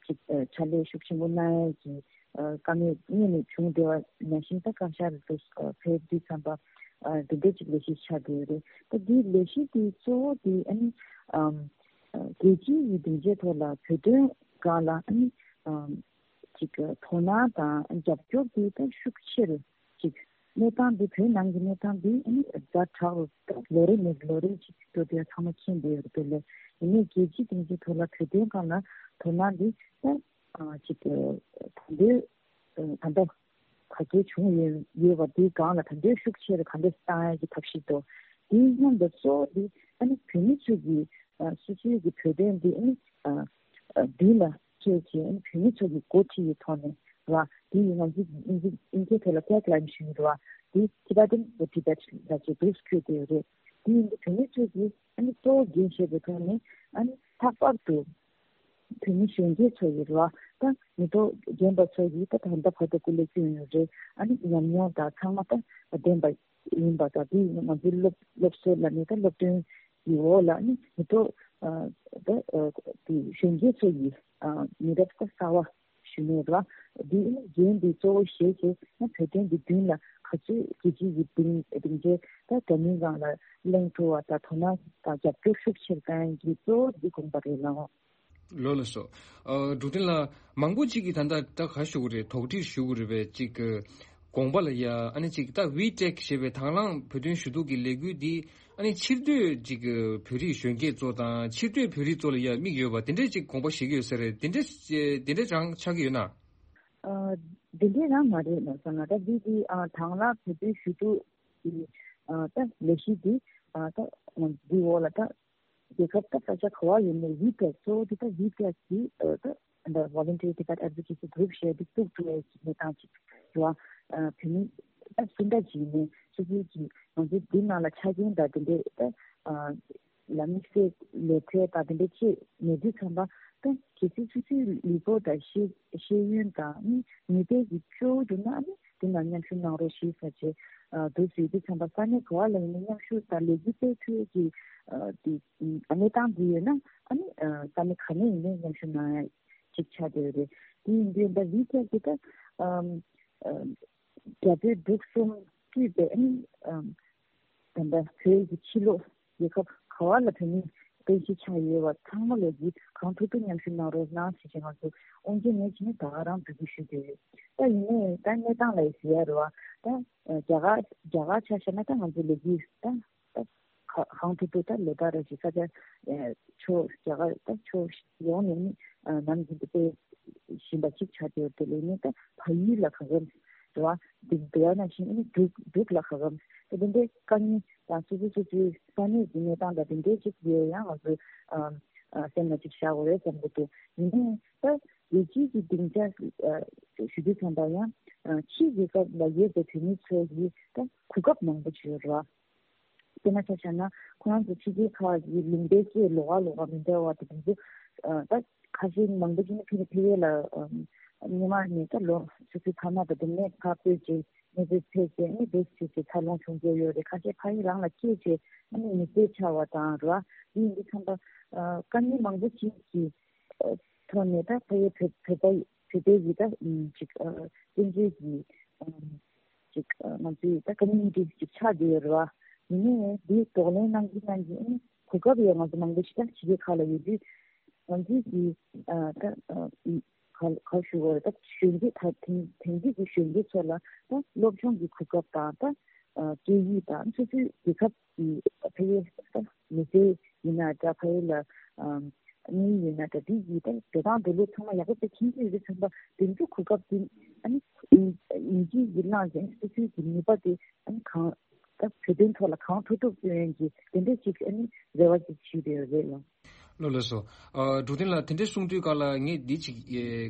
ཅིག་ཨ་ཕྱག་ལས་ཤུགས་ཆེན་པོ་གནང་ཡས་ཀྱི་ཨ་བཀའ་མོལ་སྔོན་ནས་བྱུང་བསྡད་པ་ནང་བཞིན། ད་བཀའ་ཤག་ལ་དུ་ཨ་ཕེབས་དུས་ཙམ་པ་ཨ་འདི་འདྲ་ཅིག་ལས་གཞི་ཆགས་བསྡད་ཡོད་རེད། ད་འདིའི་ལས་གཞི་འདི་གཙོ་བོ་འདི་ཨ་ནི་ཨམ་ཨ་རྒྱལ་སྤྱིའི་སྡིངས་ཆའི་ཐོག་ལ་བོད་དོན་སྒང་ལ་ཨ་ནི་ཨམ་ཅིག་དོ་སྣང་དང་རྒྱབ་སྐྱོར་དེ་ད་ཤུགས་ཆེ་རུ་ཅིག་གནས་སྟངས་འདི་བོད་ནང་གི་གནས་སྟངས་འདི་ཨ་ནི་ཛ་དྲག་རུ་ད་ལོ་རེ་ནས་ལོ་རེ་ཅིག་འགྲོ་དེ་ཚང་མ་མཁྱེན་བསྡད་ཡོད་རེད། དེ་ལས་ཡིན་ནའི་རྒྱལ་སྤྱིའི་སྡིངས་ཆའི་ཐོག་ལ་བོད་དོན་སྒང་ལ་དོ་སྣང་འདི་ད་ཅིག་ད་འདོད་ད་ལྟ་ག་ཚོད་བྱུང་ཡོད་ཡོད་པ་འདིའི་སྒང་ལ་ད་འདོད་ཤུགས་ཆེ་རུ་ག་འདྲས་བཏང་ཡ་གི་ཐབས་ཤེས་འདུག། དེའི་མཉམ་དུ་གཙོ་བོ་འདི་ཨ་ནི་བོད་མི་ཚོ་གི་ཨ་སོ་སོའི་གི་བོད་དོན་འདི་ཨ་ནི་ཨ་མདུན་ལ་ཁྱེར་བྱས་ཨ་ནི་བོད་མི་ཚོ་གི་འགོ་ཁྲིད་ཀྱི་ཐོག་ནས་རེད་བ། དེ་ཡིན་ང་ཚོ་ཨིན་ཇི་ཨིན་ཇིའི་ཐོག་ལ་ཊེག་ལའིན་ཞུ་ཡི་རེད་བ། དེ་Tibetan for Tibet ལབ་བྱས་འདུག་བཀོད་དེ་ཡོད་རེད། དེ་ཡིན་དུས་བོད་མི་ཚོ་གི་ཨ་ནི་གཙོ་བོ་འགན་བཞེས་པའི་ཐོག་ནས་ཨ་ནི་ལྷག་པར་དུ་བོད་མི་གཞོན་སྐྱེས་ཚོ་ཡི་རེད་བ། ད་མི་ཐོག་རྒན་པ་ཚོ་ཡིས་ད་ད་ལྟ་བར་དུ་སྐུ་ལས་བསྐྱོན་ཡོད་རེད། ཨ་ནི་ཉམས་མྱོང་དང་ཚང་མ་ད་ལྡན་པ་ཡིན་པ་དང་། དེ་ཡིན་ང་ཚོའི་སློབ་སློབ་གསོ་ལ་ནི་ད་སློབ་སྟོན་གྱི་འོག་ལ་ནི་མི་ཐོག་ཨ་ད་ཨ་དེ་གཞོན་སྐྱེས་ཚོ་ཡིས་ཨ་མི་རབས་ད་གསར་བ་ཞུ་ནས་རེད་བ། དེ་ནི་འགན་འདི་གཙོ་བོ་བཞེས་བྱས་ན་བོད་དོན་གྱི་མདུན་ལ་ག་ཚོད་རྒྱལ་སྤྱི་ཡི་སྡིངས་སྡིངས་ཆའི་ད་འདྲ་མིན་སྒང་ལ་གླེང་ཐུབ་པ་དང་དོ་སྣང་དང་རྒྱབ་སྐྱོར་ཤུགས་ཆེར་གཏང་ཡ་གི་གཙོ་བོ་འདི་དགོངས་པ་རེད་ལགས། ལགས་ལགས་སོ། ཨ་འབྲུག་བསྟན་ལགས། མང་པོ་ཅིག་གིས་ད་ལྟ་ད་ག་ཞུ་གི་རེད། དོགས་འདྲི་ཞུ་གི་རེད་པས། ཅིག་གི་དགོངས་པ་ལ་ཡ་ཨ་ནི་ཅིག་ད་ཝི་ཊེག་ཞེས་པའི་དང་བླངས་བོད་དོན་ཞུ་གཏུག་གི་ལས་འགུལ་འདི་ཨ་ནི་ཕྱིར་སྡོད་ཅིག་གི་བོད་རིགས་གཞོན་སྐྱེས་ཚོ་དང་ཕྱིར་སྡོད་བོད་རིགས་ཚོ་ལ་ཡ་དམིགས་ཡོད་པ་དེ་འདྲས་ཅིག་དགོངས་པ་བཞེས་ཀྱི་ཡོད་ས་རེད། དེ་འདྲས་དེ་འདྲས་རང་ཆགས་ཀྱི་ཡོད་ན། ཨ་དེ་འདྲས་རང་མ་རེད་ལགས་སོ། ང་ད་འདི་འདི་ཨ་དང་བླངས་བོད་དོན་ཞུ་གཏུག་གི་ཨ་ད་ལས་གཞི་འདི་ཨ་ད་འདི་འོག་ལ་ད་རྒྱལ་ཁབ་ད་ས་ཆ་ག་བ་ཡིན་ནའི་ཝི་ཊེག་གཙོ་བོ་དེ་ད་ཝི་ཊེག་གི་ཨ་ད་ད་Voluntary Tibet Advocacy Group ཞེས་དེ་བཙུགས་ཐུབ་ཡས་ཀྱི་གནས་སྟངས་ཅིག་རེད་བ། ཨ་བོད་མི་ ད་སུ་འདྲ་ཅིག་ནས་སོ་སོའི་གི་ང་ཚོའི་འདི་ནང་ལ་ཆ་རྐྱེན་དང་དེ་འདྲའི་ད་ལ་དམིགས་བསལ་ལས་འཕྲོ་དང་དེ་འདྲ་ཅིག་མེད་དུས་ཙམ་པ་ད་གལ་སྲིད་སོ་སོའི་ལུས་པོ་དང་ཤེས་ཤེས་ཡོན་དང་ནི་ནུས་པའི་གི་སྤྲོ་བོ་འདུག་ན་ནི་དེ་ནང་མཉམ་ཞུགས་གནང་རོགས་ཞེས་ཟེར་བྱས་འདུག་ཟེར་དུས་ཙམ་པ་ས་གནས་ག་བ་ལ་ཡིན་ནའི་མཉམ་ཞུགས་དང་ལས་འགུལ་སྤེལ་ཐུབ་ཀྱི་དེ་གནས་སྟངས་འདི་ཡོད་ན་ཨ་ནི་ས་གནས་ག་ནས་ཡིན་ནའི་མཉམ་ཞུགས་གནང་ཡ་ཅིག་ཆགས་བསྡད་ཡོད་རེད། དེ་ཡིན་དུས་ད་ལི་ཀྱ་གི་ད་རྒྱ་བོད་འབྲུག་གསུམ་སྤྲུལ་པའི་ཨ་ནི་ད་ལྟ་བོད་ཀྱི་ཕྱི་ལོགས་རྒྱལ་ཁབ་ག་བ་ལ་བོད་མི་རྟེན་གཞི་ཆགས་ཡོད་པ་ཚང་མ་ལོ་རྒྱུས་གང་ཐུབ་ཐུབ་མཉམ་ཞུགས་གནང་རོགས་གནང་ཞེས་བྱས་ང་ཚོ་དབུ་འབྱེད་ནས་བྱས་ནས་ད་ག་རང་འབོད་སྐུལ་ཞུ་གི་ཡོད། ད་ཡིན་ནའི་ད་གནས་སྟངས་ལ་ཡི་ཟེར་ཡ་རེད་བ། ད་རྒྱ་གར་རྒྱ་གར་ཆ་བཞག་ན་ད་ང་ཚོ་ལོ་རྒྱུས་ད་ད་ག་གང་ཐུབ་ཐུབ་ད་ལོ་ལྟར་རེ་བཞིན་ས་ཆ་ཕྱོགས་རྒྱ་གར་ད་ཕྱོགས་ཡོངས་ནས་ནི་ནམ་རྒྱུན་དུ་སྤེལ་བཞིན་པ་གཅིག་ཆགས་ཡོད་དེ་ལས་ནི་ད་ཕ་ཡུལ་ལ་ག་གམ་རེད་བ། འདི་འདི་ཡ་ན་བཞིན་ཨ་ནི་འབྲུག་འབྲུག་ལ་ག་གམ་ད་དེ་འདྲའི་དཀའ་ངལ་དང་སོ་སོ་སོ་སོའི་ས་གནས་ཀྱི་གནས་སྟངས་དང་དེ་འདྲའི་གཅིག་ཡོད་ཡང་ང་ཚོ་སེམས་ལ་གཅིག་བཞག་དགོས་རེད་བསམ་གྱི་འདུག་ཡིན་ནའི་ད་ལས་བྱེད་ཀྱི་སྡིངས་ཆ་ཞུ་དུས་ཙམ་པ་ཡང་ཕྱིའི་རྒྱལ་ཁབ་ལ་ཡོད་པའི་བོད་མི་ཚོ་ཡིས་ད་གོ་སྐབས་མང་པོ་ཅིག་ཡོད་རེད་བ། དཔེར་ན་ཆ་བཞག་ན་ཁོ་རང་ཚོ་ཕྱི་རྒྱལ་ཁག་གི་ལུང་པའི་སྐད་ལོགས་ཀ་ལོགས་ཀ་མི་འདྲ་བ་དེ་དུས་ཚོད་ད་ཁ་ཤས་ནི་མང་པོ་ཞིག་ནི་ཕ་གི་ཕ་གི་ལ་སྔོན་མ་ནས་ད་ལོ་སོ་སོའི་ཕ་མ་དང་དེ་ནས་ཕར་བོད་ཀྱི་གནས་ཚུལ་ཐོས་རྗེས་ནི་བོད་ཀྱི་ཀྱི་འཚར་ལོངས་བྱུང་རྒྱུ་ཡོད་རེད། ཁ་ཤས་ཕ་གི་རང་ལ་སྐྱེས་རྗེས་ནི་མི་ཚེ་ཆགས་པ་དང་རེད་བ། འདི་ཡིན་དུས་ཙམ་པ་དཀའ་ངལ་མང་པོ་ཞིག་གི་ཐོག་ནས་ད་ཕ་གི་བོད་བོད་པ་བོད་པའི་གི་ད་ཅིག་བཙན་བྱོལ་གྱི་ཅིག་ང་ཚོའི་ད་ཀོ་མུ་ནི་ཊི་ཅིག་ཆགས་བསྡད་ཡོད་རེད་བ། ཡིན་ནའི་འདི་གདོང་ལེན་གནང་གི་གནང་གི་ཨ་ནི་གོ་སྐབས་ཡང་ང་ཚོ་མང་པོ་ཞིག་ད་ཕྱི་རྒྱལ་ཁག་ལ་ཡོད་དུས་ང་ཚོའི་གི་ད་ག་ག་ཞུ་དགོས་རེད། ད་གཞོན་སྐྱེས་ད་དེང་དེང་དུས་ཀྱི་གཞོན་སྐྱེས་ཚོ་ལ་ད་སློབ་སྦྱོང་གི་གོ་སྐབས་དང་ད་སྐད་ཡིག་དང་སོ་སོའི་རྒྱལ་ཁབ་ཀྱི་ཕ་གི་ད་མི་ཚེ་ཡིན་ན་འདྲ་ཕ་གི་ལ་དངུལ་ཡིན་ན་འདྲ་དེ་ཡིས་ད་འགྲོ་སྟངས་འགྲོ་ལུགས་ཚང་མ་ཡག་པོ་དཔེ་མཁྱེན་གྱི་ཡོད་པའི་ཚན་པ་དེ་ཚོ་གོ་སྐབས་དེ་ཨ་ནི་ཡིན་གྱི་ཡིན་ན་ཡང་སོ་སོའི་གི་ནུས་པ་དེ་ཨ་ནི་གང་ད་བོད་དོན་ཐོག་ལ་གང་ཐུབ་ཐུབ་སྐྱོན་ཡོང་གི་དེ་འདྲས་ཅིག་ཨ་ནི་རེ་བ་ཅིག་བྱེད་བསྡད་ཡོད་རེད་ལ། ལགས་ལགས་སོ། འབྲུག་བསྟན་ལགས་དེ་འདྲས་གསུང་དུས་སྐབས་ལ་ངས་འདི་ཅིག་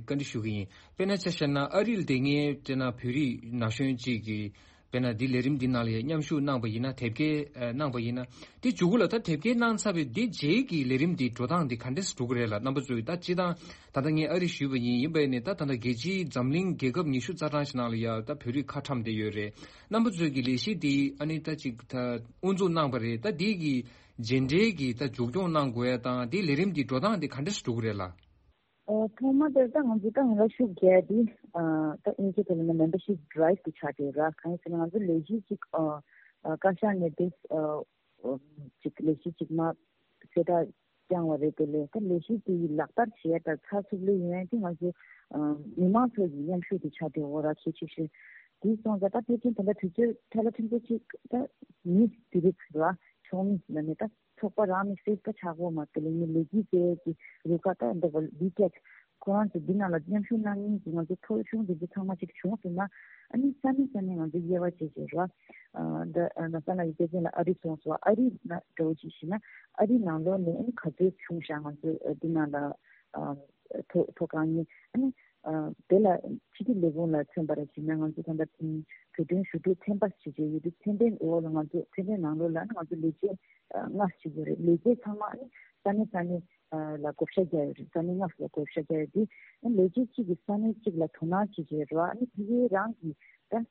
བཀའ་འདྲི་ཞུ་གི་ཡིན། དཔེར་ན་ཆ་བཞག་ན་ཨ་རི་ལ་བསྡད་མཁན་དཔེར་ན་བོད་རིགས་ན་གཞོན་ཅིག་གིས་དཔེར་ན་འདི་ལས་རིམ་འདི་ནང་ལ་ཡང་མཉམ་ཞུགས་གནང་པ་ཡིན་ན་དེབ་སྐྱེལ་གནང་པ་ཡིན་ན་དེ་མཇུག་གུ་ལ་ད་དེབ་སྐྱེལ་གནང་ཚར་བའི་འདི་རྗེས་ཀྱི་ལས་རིམ་འདི་འགྲོ་སྟངས་འདི་ག་འདྲས་འགྲོ་གི་རེད་ལ། རྣམ་པ་ཚོས་ད་སྤྱིར་བཏང་ད་ལྟ་ངས་ཨ་རི་ཞུས་པ་ཡིན། ཡིན་པས་ནི་ད་ད་ལྟ་རྒྱལ་སྤྱིའི་འཛམ་གླིང་རྒྱལ་ཁབ་ཉི་ཤུ་རྩ་གྲངས་ཤིག་ནང་ལ་ཡང་ད་བོད་རིགས་ཁ་ཁྲམ་བསྡད་ཡོད་རེད། རྣམ་པ་ཚོས་ཀྱི་ལས་གཞི་འདི་ཨ་ནི་ད་ཅིག་ད་དབུ་འཛུགས་གནང་པ་རེད། ད་འདི་གི་རྗེས་འབྲེལ་གྱི་ད་མཇུག་སྐྱོང་གནང་དགོས་ཡ་དང་འདི་ལས་རིམ་འདི་འགྲོ་སྟངས་འདི་ག་འདྲས་སེ་འགྲོ་གི་རེད་ལ། ཨོ། ཐོག་མ་དེར་ད་ང་ཚོ་ད་ང་ལ་ཤུགས་རྒྱག་དེ་ད་དབྱིན་ཇི་ཐོག་ལ་ན་མེམ་བར་ཤིབ་ཌི་རའིབ་དེ་ཆགས་བསྡད་ར། གང་ཡིན་ཟེར་ན་ང་ཚོ་ལས་གཞི་གཅིག་བཀའ་ཤག་ནས་དེ་གཅིག་ལས་གཞི་གཅིག་མ་གསལ་བསྒྲགས་བསྐྱངས་པ་རེད། དེ་ལས་ད་ལས་གཞི་དེ་ཡི་ལག་བསྟར་བྱེད་ཡ་ད་ཚགས་ཚུད་ལོས་ཡོང་ཡ་དེ་ང་ཚོ་མི་མང་ཚོ་ཡི་མཉམ་ཞུགས་དེ་ཆགས་བསྡད་འོ་ར། གལ་ཆེ་ཤོས་དེ་སོང་ཙང་ད་ཕལ་ཆེར་ད་ལྟ་དུས་ཚོད་ཐལ་ལ་ཕྲན་བུ་གཅིག་ད་མི་དེ་རིགས་ར་ཚོགས་མི་ལ་ནས་ད་ཚོགས་པ་རང་ནས་གསལ་ཁ་ཆགས་པོ་མ་དེ་ལས་ངས་ལས་འགུལ་སྤེལ་གྱི་རུ་ཁག་ད་འདི་བ་ལི་ཀེག་ཁོ་རང་ཚོ་འདི་ནང་ལ་མཉམ་ཞུགས་གནང་མཁན་གྱི་ང་ཚོ་ཐོ་གཞུང་འདི་ཚོ་ཚང་མ་ཅིག་བྱུང་ཟིན་ན་ཨ་ནི་ས་གནས་ས་གནས་ང་ཚོ་དབྱེ་བ་ཕྱེ་བྱས་ར། འདི་ན་ས་ན་ཡི་སྐད་ཆ་ལ་ཨ་རི་སོང་སོ། ཨ་རི་ན་འདྲ་བོ་ཅིག་ཤི་ན་ཨ་རི་ནང་ལོགས་ནས་ཨ་ནི་ག་ཚོད་བྱུང་ཤག་ང་ཚོ་འདི་ནང་ལ་ཐོ་ཐོ་གང་ཡིན་ཨ་ནི། དེ་ལ་ཕྱི་དྲིལ་ལས་ཁུངས་ལ་མཚོན་པར་བྱས་ན་ང་ཚོ་ད་ལྟ་བོད་དོན་ཞུ་གཏུག་ཚན་པ་ཞིག་བྱས་ཡོད་དུས་ཚན་པའི་འོག་ལ་ང་ཚོ་ཚན་པའི་ནང་ལོགས་ལ་ང་ཚོ་ལས་བྱེད་ལྔ་ཞིག་ཡོད་རེད། ལས་བྱེད་ཚང་མ་ས་གནས་ས་གནས་ལ་བགོ་བཤའ་རྒྱག་ཡོད་རེད། ས་གནས་ལྔ་ལ་བགོ་བཤའ་རྒྱག་ཡོད་དུས་ལས་བྱེད་གཅིག་གིས་ས་གནས་གཅིག་ལ་དོ་སྣང་བྱེད་བྱས་རེད་བ། ཨ་ནི་ཕ་གི་རང་གི་ད་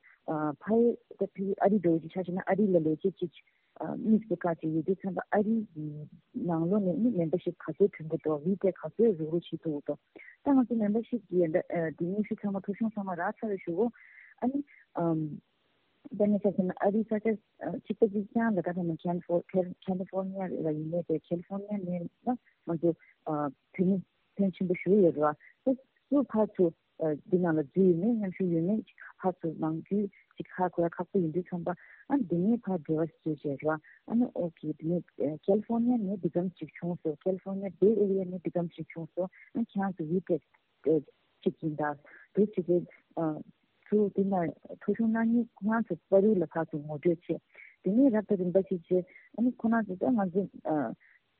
ཕ་གི་ད་ཕ་གི་ཨ་རི་འདྲ་བོ་ཅིག་ཆ་བཞག་ན་ཨ་རི་ལ་ལས་བྱེད་གཅིག་དམིགས་སུ་བཀར་ཏེ་ཡོད་དུས་ཙམ་པ་ཨ་རི་ནང་ལོགས་ནས་ནི་མེམ་བར་ཤིབ་ག་ཚོད་ཐོན་གྱི་འདུག་ཝི་ཊེག་ག་ཚོད་རུག་རུག་བྱེད་ཐུབ་ཀྱི་འདུག་ད་ང་ཚོ་མེམ་བར་ཤིབ་ཀྱི་འདི་སྙན་ཞུ་ཚང་མ་ཐོ་གཞུང་ཚང་མ་རག་ཚར་བའི་གཞུག་གུ་ཨ་ནི་ཨམ་དཔེར་ན་ཆ་བཞག་ན་ཨ་རི་ས་ཆ་གཅིག་པ་གཅིག་རྐྱང་ལ་ད་ཐ་ན་ཁལ་ཧྥོ་ཁལ་ཁལ་ཧྥོར་ནི་ཡ་ལ་ཡིན་ནའི་དེ་ཁལ་ཧྥོར་ནི་ཡ་ནས་ན་ང་ཚོ་ཨ་བོད་མི་ཕོན་ཆེན་པོ་ཞིག་ཡོད་རེད་བ། ད་སུ་ཕར་ཚུར་འདི་ནང་ལ་འཛུལ་ཡོད་མེད་མཉམ་ཞུགས་ཡོད་མེད་ཅིག་ཧ་ཚོ་ནང་རྒྱུས་ཅིག་ཧ་གོ་ཡ་ཁག་པོ་ཡིན་དུས་ཙམ་པ་ཨ་འདི་ནས་ཕར་འབྲེལ་བ་བཟོས་བྱས་ར། ཨ་ནི་ཨོ་ཁེ་འདི་ནས་ཁལ་ཧྥོར་ནི་ཡ་ནས་འདི་གམ་ཅིག་བྱུང་སོང་། ཁལ་ཧྥོར་ནི་ཡ་བེ་ཨེ་རི་ཡ་ནས་འདི་གམ་ཅིག་བྱུང་སོང་། ཨ་ཁྱེད་རང་ཚོ་ཝི་ཊེག་ཅིག་ཡིན་ད་འདུག་ཅིག་གི་ཚུར་འདི་ན་ཐོ་གཞུང་གནང་མཁན་ཁོ་རང་ཚོ་པ་རུ་ལ་ཕར་ཚུར་ངོ་སྤྲོད་བྱས། དེ་ནས་རབ་དང་རིམ་པ་ཅིག་བྱས་ཨ་ནི་ཁོ་རང་ཚོ་ད་ང་ཚོ་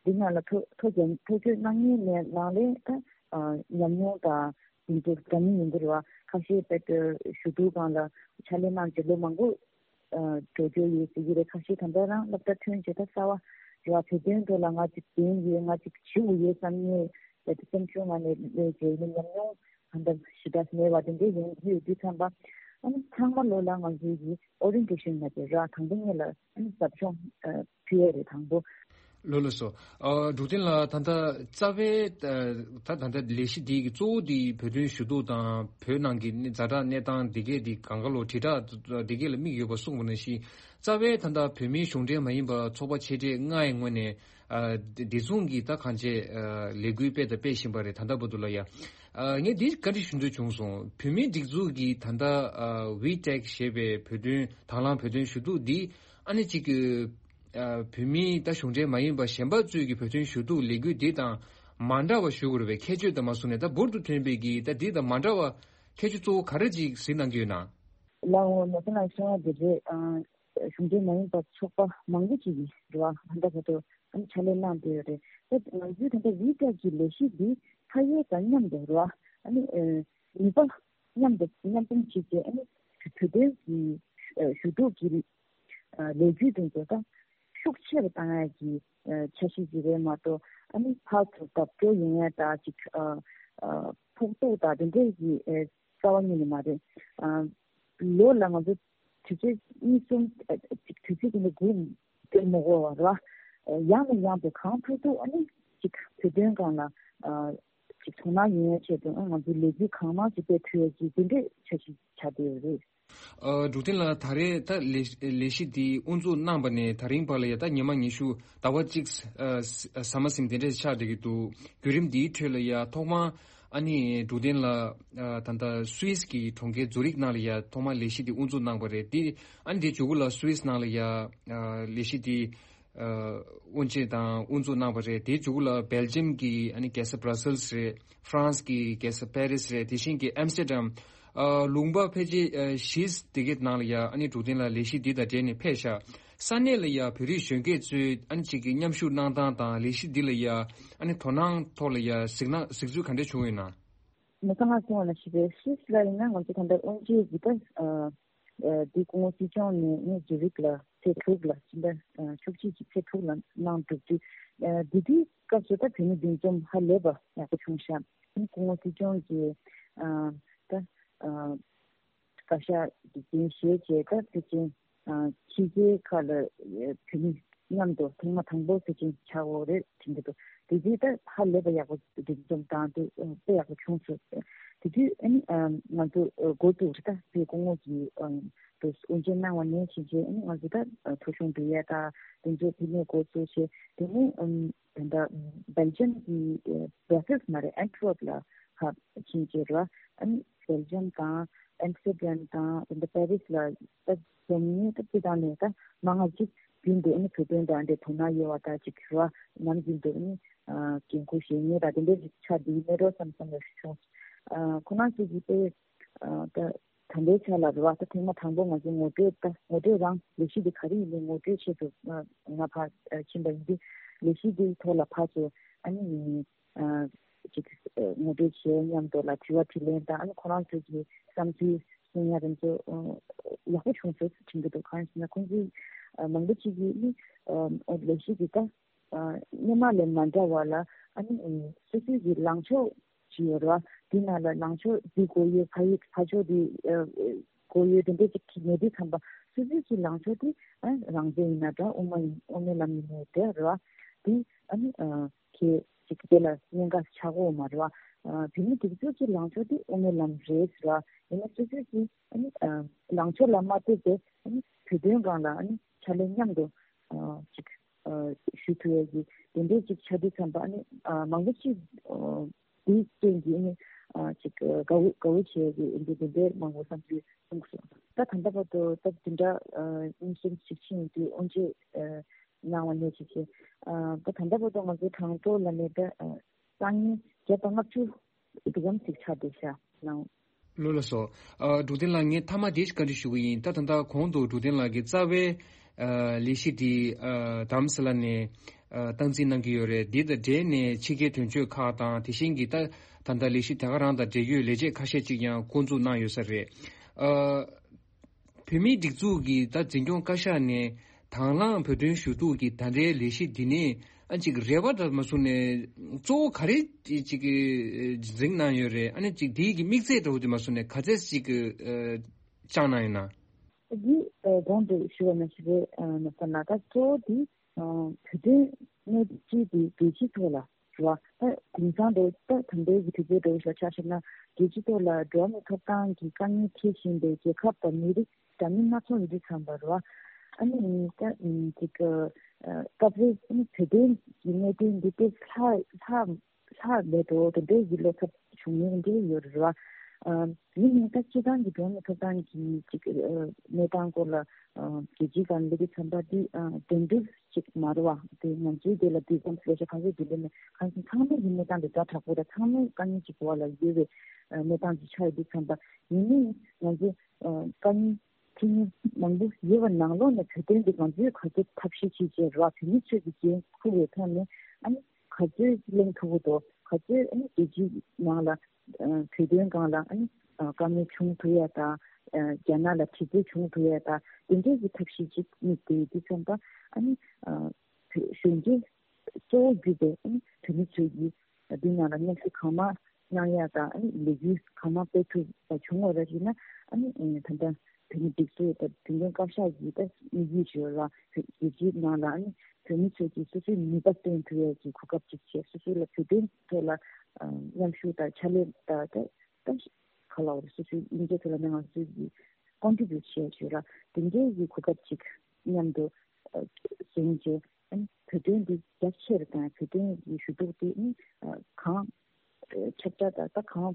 འདི་ནང་ལ་ཐོ་ཐོ་རྒྱ་ཐོ་བཀོད་གནང་མཁན་ནང་ལས་ད་ཉམས་མྱོང་དང་ དེ་ཚོ་འདྲ་མིན་ཡིན་གྱི་རེད་བ། ཁ་ཤས་དཔེ་ཞུ་གཏུག་སྒང་ལ་ཕྱག་ལས་གནང་བྱས་ལོ་མང་པོ་འགྲོ་རྒྱུ་ཡོད་ཟེར་གྱི་རེད། ཁ་ཤས་ད་ལྟ་རང་སློབ་གྲྭ་ཐོན་བྱས་ད་གསར་བ་རེད་བ། བོད་དོན་ཐོག་ལ་ང་ཅིག་ལྡན་ཡོད། ང་ཅིག་བྱེད་དགོས་ཡོད་བསམ་ངེས་ཡོད་དེ་སེམས་ཤུགས་ངང་ནས་སླེབས་བྱས་ཡིན་ན་ཉམས་མྱོང་གང་འདྲ་ཞེ་དྲག་མེད་པ་དེ་འདྲ་ཡོང་གི་ཡོད་དུས་ཙམ་པ། ཨ་ནི་ཚང་མ་ལོ་ལ་ང་ཚོའི་གི་ཨོ་རི་ཡེན་ཊེ་ཤན་ལ་དེ་ར་དང་པོ་ཉིད་ལ་ཨ་ནི་ཟབ་སྦྱོང་ཨ་ཕུལ་ཡ་རེད་དང་པོ། ལགས་ལགས་སོ། ཨ་འབྲུག་བསྟན་ལགས། ད་ལྟ་རྩ་བའི་ཨ་ད་ད་ལྟ་ལས་གཞི་འདི་གི་གཙོ་བོ་འདི་བོད་དོན་ཞུ་གཏུག་དང་བོད་ནང་གི་ཛ་དྲག་གནས་སྟངས་འདི་གས་འདི་གང་ག་ལོ་དྲིལ་བསྒྲགས་འདི་གས་ལ་དམིགས་ཡོད་པ་གསུངས་པ་ནང་བཞིན། རྩ་བའི་ད་ལྟ་བོད་མིའི་གཞུང་འབྲེལ་མ་ཡིན་པ་ཚོགས་པ་ཆེ་གྲས་ལྔའི་ངོས་ནས་ཨ་འདི་མཚུངས་ཀྱི་ད་གང་ཅི་ཨ་ལས་འགུལ་སྤེལ་དང་སྤེལ་བཞིན་པ་རེད། ད་ལྟ་བར་དུ་ལ་ཡ། ཨ་ངས་འདི་བཀའ་འདྲི་ཞུ་འདོད་བྱུང་སོང་། བོད་མིའི་སྒྲིག་འཛུགས་ཀྱི་ད་ལྟ་ཨ་ཝི་ཊེག་ཞེས་པའི་བོད་དོན་དང་བླངས་བོད་དོན་ཞུ་གཏུག་འདི་ཨ་ནི་གཅིག་གི་ཨ་བོད་མིའི་ད་གཞུང་འབྲེལ་མ་ཡིན་པ་གཞན་པ་ཚོས་ཀྱི་བོད་དོན་ཞུ་གཏུག་ལས་འགུལ་འདི་དང་མ་འདྲ་བ་ཞུ་དགོས་རེད་པས། ཁྱད་ཆོས་དང་མ་སོང་ནས་ད་འབུར་དུ་ཐོན་པའི་གི་ད་འདི་དང་མ་འདྲ་བ་ཁྱད་ཆོས་གཙོ་བོ་ག་རེ་ཅིག་གཟིགས་གནང་གི་ཡོད་ན། ལགས་འོ། ནོར་བཟང་ལགས་གསུངས་པ་འདི་རེད། ཨ་གཞུང་འབྲེལ་མ་ཡིན་པ་ཚོགས་པ་མང་པོ་ཅིག་གིས་རེད་བ། ད་ལྟ་བར་དུ་ཨ་ནི་ཕྱག་ལས་གནང་བསྡད་ཡོད་རེད། ད་ང་ཚོའི་ད་ལྟ་ཝི་ཊེག་གི་ལས་གཞི་འདི་ཕ་ཡུལ་དང་མཉམ་དུ་རེད་བ། ཨ་ནི་ཨ་ནུས་པ་མཉམ་དུ་མཉམ་སྤུངས་བྱས་ཏེ་ཨ་ནི་བོད་དོན་གྱི་ཨ་ཞུ་གཏུག་གི་ཨ་ལས་འགུལ་དེ་ཚོ་ད་ཤུགས་ཆེ་རུ་བཏང་ཡ་གི་ཨ་འཆར་གཞི་ཞིག་རེད་མ་གཏོགས། ཨ་ནི་ཕར་ཚུར་བརྡབ་སྐྱོར་ཡོང་ཡ་ད་ཅིག་ཨ་ཨ་ཕོག་ཐུག་ད་དེ་འདྲའི་གི་ཨ་རྩ་བ་ཉིད་ནས་མ་རེད། ཨ་ལོ་ལ་ང་ཚོ་དུས་ཚོད་གཉིས་གསུམ་ཨ་ཅིག་དུས་ཚོད་དེ་འདྲ་སྒུག་སྡོད་མི་དགོས་པ་རེད་བ། ཡང་ནས་ཡང་དུ་གང་ཐུབ་ཐུབ་ཨ་ནི་ཅིག་བོད་དོན་སྒང་ལ་ཨ་ཅིག་དོ་སྣང་ཡོང་ཡ་ཆེད་དུ་ཨ་ང་ཚོའི་ལས་འགུལ་གང་མང་ཞིག་སྤེལ་ཐུབ་ཡ་ཅིག་དེ་འདྲའི་འཆར་གཞི་ཆགས་བསྡད་ཡོད་རེད། ཨ་འབྲུག་བསྟན་ལགས། ད་རེས་ད་ལས་ལས་གཞི་འདི་དབུ་འཛུགས་གནང་པ་ནས་ད་རིང་བར་ལ་ཡ་ད་ཉི་མ་ཉི་ཤུ་ཟླ་བ་གཅིག་ཨ་ཟ་མ་ཟིན་དེ་འདྲས་ཆགས་བསྡད་ཀྱི་འདུག་བརྒྱུད་རིམ་འདིའི་ཁྲོད་ལ་ཡ་ཐོག་མར་ཨ་ནི་འབྲུག་བསྟན་ལགས་ཨ་ད་ལྟ་སུད་སི་གི་གྲོང་ཁྱེར་ཛུ་རིག་ནང་ལ་ཡ་ཐོག་མར་ལས་གཞི་འདི་དབུ་འཛུགས་གནང་པ་རེད། འདི་ཨ་ནི་དེ་མཇུག་གུ་ལ་སུད་སི་ནང་ལ་ཡ་ཨ་ལས་གཞི་འདི་ཨ་དབུ་འབྱེད་དང་དབུ་འཛུགས་གནང་པ་རེད། དེའི་མཇུག་གུ་ལ་སྦེལ་ཇམ་གྱི་ཨ་ནི་རྒྱལ་ས་བྷ་ར་སེལ་སི་རེད། ཧྥ་རན་སི་གི་རྒྱལ་ས་པེ་རི་སི་རེད། དེ་བཞིན་གྱི་ཨམ་སི་ཊར་ཌམ། ཨ་ལུང་པ་ཕལ་ཆེར་ཨ་བཞི་དེ་གའི་ནང་ལ་ཡ་ཨ་ནི་འབྲུག་བསྟན་ལགས་ལས་གཞི་འདི་དང་འབྲེལ་ནས་ཕེབས་ཤག་ས་གནས་ལ་ཡ་བོད་རིགས་གཞོན་སྐྱེས་ཚོས་ཨ་ནི་གཅིག་གི་མཉམ་ཞུགས་གནང་སྟངས་དང་ལས་གཞི་འདི་ལ་ཡ་ཨ་ནི་དོ་སྣང་ཐོག་ལ་ཡ་གཟིགས་སྣང་གཟིགས་ཚུལ་ག་འདྲ་བྱུང་ཡོད་ན། མི་ཚང་མ་གསུངས་པ་ནང་བཞིན་རེད། སུད་སི་ལ་ཡིན་ན་ང་ཚོ་ད་ལྟ་དབུ་འབྱེད་ཀྱི་ད་ཨ་ཨ་འདི་སྐུ་ངོ་སྲིད་སྐྱོང་ནས་ངས་ཛུ་རིག་ལ་ཚེས་དྲུག་ལ་ཕྱི་ཟླ་ཨ་བཅུ་གཅིག་གི་ཚེས་དྲུག་ལ་གནང་གྲུབ་དུས། ཨ་འདི་དུས་སྐབས་སུ་ད་བོད་མི་འདུ་འཛོམས་ཧ་ལས་པ་ཡག་པོ་བྱུང་ཤག་ཨ་ནི་སྐུ་ངོ་སྲིད་སྐྱོང་གིས་ཨ་ད་ཨ་བཀའ་ཤག་གི་འགན་བཞེས་བྱས་ད་ཕལ་ཆེར་ཨ་ཕྱི་རྒྱལ་ཁག་ལ་ཨ་བོད་མི་མཉམ་དུ་ཐེངས་མ་དང་པོ་ཕལ་ཆེར་ཆགས་ཡོད་རེད་དྲན་གྱི་འདུག་དེ་དུས་ད་ཧ་ལས་པ་ཡག་པོ་འདུ་འཛོམས་དང་དེ་དཔེ་ཡག་པོ་བྱུང་སོང་། དེ་དུས་ཨ་ནི་ཨ་ང་ཚོ་ཨ་འགོ་བཙུགས་རེད། ད་དེ་སྐུ་ངོ་གིས་ཨ་དེ་དབུ་འབྱེད་གནང་བ་ནས་བྱས་རྗེས་ཨ་ནི་ང་ཚོ་ད་ཨ་ཐོ་གཞུང་འབུལ་ཡ་ད་དེ་ཚོ་དེ་ནས་འགོ་བཙུགས་བྱས། དེ་ནས་ཨམ་ད་ལྟ་སྦེལ་ཇམ་གྱི་ཨ་བྷ་ར་སེལ་སི་མ་རེད། ཨན་ཊི་ཝར་པ་ལ་ཕར་ཕྱིན་བྱས་རེད་བ། ཨ་ནི་སྦེལ་ཇམ་དང་ཨམ་སི་ཊར་ཌམ་དང་དེ་འདྲ་པེ་རི་སི་ལ་ད་འཛོམས་ངེས་ད་སྤྱི་བཏང་ནས་ད་མང་ང་ཅིག་རྒྱུན་དུ་ཨ་ནི་བོད་དོན་དང་འདྲ་དོ་སྣང་ཡོད་པ་ད་ཅིག་རེད་བ། ནམ་རྒྱུན་དུ་ཨ་ནི་ཨ་འགན་ཁུར་བཞེས་མཁན་དང་དེ་འདྲ་ཅིག་ཆགས་བསྡད་མེད་འགྲོ་བསམ་བསམ་ལ་བྱུང་། ཨ་ཁོ་རང་ཚོ་གིས་དཔེ་ཨ་ད་ད་ལྟའི་ཆ་ལ་རེད་བ། ད་ཐེངས་མ་དང་པོ་ང་ཚོ་ངོ་སྤྲོད་ད་ངོ་སྤྲོད་རང་ལས་གཞི་འདི་ག་རེ་ཡིན་མིན་ངོ་སྤྲོད་ཆེད་དུ་ང་ང་ཕར་ཨ་ཕྱིན་པ་ཡིན་དུས་ལས་གཞི་འདིའི་ཐོག་ལ་ཕར་ཚུར་ཨ་ནི་ཨ་ཅིག་ཨ་ངོ་སྤྲོད་བྱེད་མཉམ་དུ་ལ་དྲི་བ་དྲིས་ལན་དང་ཨ་ནི་ཁོ་རང་ཚོ་གི་བསམ་ཚུལ་གསུང་ཡ་དེ་ཚོ་ཨ་ཡག་པོ་བྱུང་སོང་དྲན་གྱི་འདུག་གང་ཡིན་ཟེར་ན་ཁོང་ཚོའི་ཨ་མང་པོ་ཅིག་གིས་ནི་ཨ་ལས་གཞི་འདི་ད་ཨ་སྔོན་མ་ལས་མ་འདྲ་བ་ལ་ཨ་ནི་ཨ་སོ་སོའི་གི་ལངས་ཕྱོགས་ཅིག་ཡོད་རེད་བ། དེ་ནང་ལ་ལངས་ཕྱོགས་འདི་དགོས་ཡོད། ཕ་ཡུལ་ཕ་ཕྱོགས་འདི་ཨ་དགོས་ཡོད་དེ་འདྲ་ཅིག་མེད་དུས་ཙམ་པ་སོ་སོའི་གི་ལངས་ཕྱོགས་དེ་ཨ་རང་བཙན་ཡིན་ན་འདྲ་དབུ་མ་ཡིན་དབུ་མའི་ལམ་ཡིན་ནའི་འདྲ་རེད་བ། དེ་ཨ་ནི་ཨ་གལ་ཅིག་དེ་ལ་གནད་འགག་ཆགས་ཀྱི་ཡོད་མ་རེད་བ། ཨ་བོད་མི་སྒྲིག་འཛུགས་ཀྱི་ལངས་ཕྱོགས་དེ་དབུ་མའི་ལམ་རེད་ཟེར་བ། ཡིན་ན་སོ་སོའི་གི་ཨ་ནི་ཨ་ལངས་ཕྱོགས་ལ་མ་ལྟོས་པའི་ཨ་ནི་བོད་དོན་སྒང་ལ་ཨ་ནི་ཕྱག་ལས་མཉམ་དུ་ཨ་ཅིག་ཨ་ཞུ་ཐུབ་ཡ་གི་དེ་འདྲའི་ཅིག་ཆགས་དུས་ཙམ་པ་ཨ་ནི་ཨ་མང་པོ་ཅིག་ཨ་དེའི་རྐྱེན་གྱིས་ཨ་ནི་ཨ་ཅིག་ཨ་དགའ་བོ་དགའ་བོ་བྱེད་ཡ་གི་ཨ་ནི་དེ་འདྲའི་མང་པོ་བསམ་ཚུལ་གསུངས་སོང་། ད་ད་ལྟ་བར་དུ་ད་དེ་འདྲ་ཨ་གཉིས་གསུམ་ཞིག་ཕྱིན་ཡོང་དུས་དབུ་འབྱེད་ཨ་གནང་བ་ནས་བྱས་བྱས་ཨ་ད་ད་ལྟ་བར་དུ་ང་ཚོའི་གྲངས་ཐོ་ལ་ནས་ད་ཨ་སང་ཉིན་བརྒྱ་དང་ལྔ་བཅུ་འདི་ཙམ་ཞིག་ཆགས་བསྡད་ཤག་ནང་། ལགས་ལགས་སོ། ཨ་འབྲུག་བསྟན་ལགས། ངས་མཐའ་མ་དེ་ཞིག་བཀའ་འདྲི་ཞུ་གི་ཡིན། ད་ད་ལྟ་གོང་དུ་འབྲུག་བསྟན་ལགས་ཀྱིས་རྩ་བའི་ཨ་ལས་གཞི་འདི་ཨ་རྡ་རམ་ས་ལ་ནས་ ཨ་སྟངས་འཛིན་གནང་གི་ཡོད་རེད། འདི་དང་འབྲེལ་ནས་ཕྱི་རྒྱལ་དོན་གཅོད་ཁག་དང་དེ་བཞིན་གྱི་ད་ད་ལྟ་ལས་གཞི་དེ་ག་རང་དང་འབྲེལ་ཡོད་ལས་བྱེད་ཁ་ཤས་ཅིག་ཡང་བསྐོ་འཛུགས་གནང་ཡོད་ས་རེད། ཨ་བོད་མིའི་སྒྲིག་འཛུགས་ཀྱི་ད་འཛིན་སྐྱོང་བཀའ་ཤག་ནས་དང་བླངས་བོད་དོན་ཞུ་གཏུག་གི་ད་ལྟའི་ལས་གཞི་འདི་ནས་ཨ་ཅིག་རེ་བ་འདྲ་མ་བཟུང་ནས་གཙོ་བོ་ག་རེ་ཅིག་འཛིན་གནང་ཡོད་རེད། ཨ་ནི་ཅིག་འདིའི་གི་དམིགས་ཚད་འདྲ་བོ་དེ་མ་བཟུང་ནས་ག་ཚད་ཅིག་བཅངས་གནང་ཡོད་ན། འདི་ཨ་གོང་དུ་ཞུ་བ་ནང་བཞིན་རེད། ཨ་ན་ས་ན་ད་གཙོ་བོ་འདི་ཨ་བོད་དོན་གནད་སྐྱེལ་འདི་རྒྱལ་སྤྱིའི་ཐོག་ལ་རེད་བ། ད་དེང་སང་འདྲ་ད་ད་ལྟའི་གི་དུས་ཚོད་འདྲ་བོ་ཞིག་ཆ་བཞག་ན་རྒྱལ་སྤྱིའི་ཐོག་ལ་འགྲོ་བ་མིའི་ཐོབ་ཐང་གི་དཀའ་ངལ་འཕྲད་བཞིན་པའི་རྒྱལ་ཁབ་དང་མི་རིགས་འདྲ་མིན་སྣ་ཚོགས་ཡོད་དུས་ཙམ་པ་རེད་བ། ཨ་ནི་ད་ཅིག་ཨ་སྐབས་རེ་ཨ་ནི་བོད་དོན་གི་གནད་དོན་འདི་དཔེ་ལྷག་ལྷག་ལྷག་མེད་འགྲོ་དེ་འདྲའི་གི་བློ་འཚབ་བྱུང་མྱོང་འདྲ་ཡོད་རེད་བ། ཨ་ཡིན་ནའི་ད་སྤྱིར་བཏང་གི་འགྲོ་བ་མིའི་ཐོབ་ཐང་གི་ཅིག་ཨ་གནས་སྟངས་སྐོར་ལ་ཨ་རྒྱལ་སྤྱིའི་སྒང་སླེབས་དུས་ཙམ་པ་འདི་ཨ་དོན་འགྲུབ་ཅིག་མ་རེད་བ། དེ་ང་ཚོའི་དེ་ལ་དུས་གསུམ་ལས་ཤ་ཁ་ཤས་ཀྱི་ལས་ནས་གང་ཞིག་ཚང་མའི་གི་གནས་སྟངས་དེ་ཛ་དྲག་པོ་དང་ཚང་མའི་དཀའ་ངལ་ཅིག་འོག་ལ་ཡོད་པའི་ཨ་གནས་སྟངས་ཅིག་ཆགས་ཡོད་དུས་ཙམ་པ་ཡིན་ནའི་ང་ཚོ་ཨ་དཀའ་ངལ་འཕྲད་མཁན་མང་པོ་ཡོད་པ་ནང་ལོགས་ནས་བོད་དོན་འདི་ང་ཚོས་ག་ཚོད་ཐབས་ཤེས་བྱས་བྱས་ར་བོད་མི་ཚོས་ཀྱི་འགན་འཁུར་བའི་ཐོག་ནས་ཨ་ནི་ག་ཚོད་གླེང་ཐུབ་ཀྱི་འདུག་ག་ཚོད་ཨ་ནི་རྒྱལ་སྤྱིའི་ནང་ལ་ཨ་བོད་དོན་སྒང་ལ་ཨ་ནི་ཨ་དཀའ་ངལ་བྱུང་ཐུབ་ཡ་དང་ཨ་རྒྱ་ནག་ལ་དྲི་རྩད་བྱུང་ཐུབ་ཡ་དང་དེ་འདྲས་ཀྱི་ཐབས་ཤེས་ཅིག་དམིགས་ཏེ་ཡོད་དུས་ཙམ་པ་ཨ་ནི་ཨ་བོད་གཞོན་སྐྱེས་གཙོ་བོ་གྱུར་པའི་ཨ་ནི་བོད་མི་ཚོས་ཀྱིས་འདི་ནང་ལ་མཉམ་ཞུགས་གང་མང་གནང་ཡག་དང་ཨ་ནི་ལས་འགུལ་གང་མང་སྤེལ་ཐུབ་པ་བྱུང་བ་ར་ཞིག་ན་ཨ་ནི་ད་ལྟ་བོད་མི་སྒྲིག་འཛུགས་དང་བདེན་དོན་བཀའ་ཤག་གིས་ད་དམིགས་ཡུལ་ཞིག་ལ་རྒྱལ་སྤྱིའི་ནང་ལ་ཨ་ནི་བོད་མི་ཚོས་ཀྱིས་སོ་སོའི་ནུས་པ་བཏོན་ཐུབ་ཡག་གི་གོ་སྐབས་ཅིག་བྱས། སོ་སོ་ལ་བོད་དོན་ཐོག་ལ་མཉམ་ཞུགས་དང་ཕྱག་ལས་དང་ད་ད་ག་ལ་བ་རེད། སོ་སོའི་སྙིང་རྗེ་ཐོག་ལ་ནི་ང་ཚོས་ཀྱིས་ཀོན་ཊི་བྷིའུ་ཊི་བྱས་ཞུ་ར་དེ་འདྲའི་གི་གོ་སྐབས་ཅིག་མཉམ་དུ་བཟུང་རྗེས་ཨ་ནི་བོད་དོན་འདི་རྒྱ་ཆེར་དང་བོད་དོན་གྱི་ཞུ་གཏུག་དེ་ཨ་ནི་གང་ཁྱབ་བསྒྲགས་དང་ད་གང་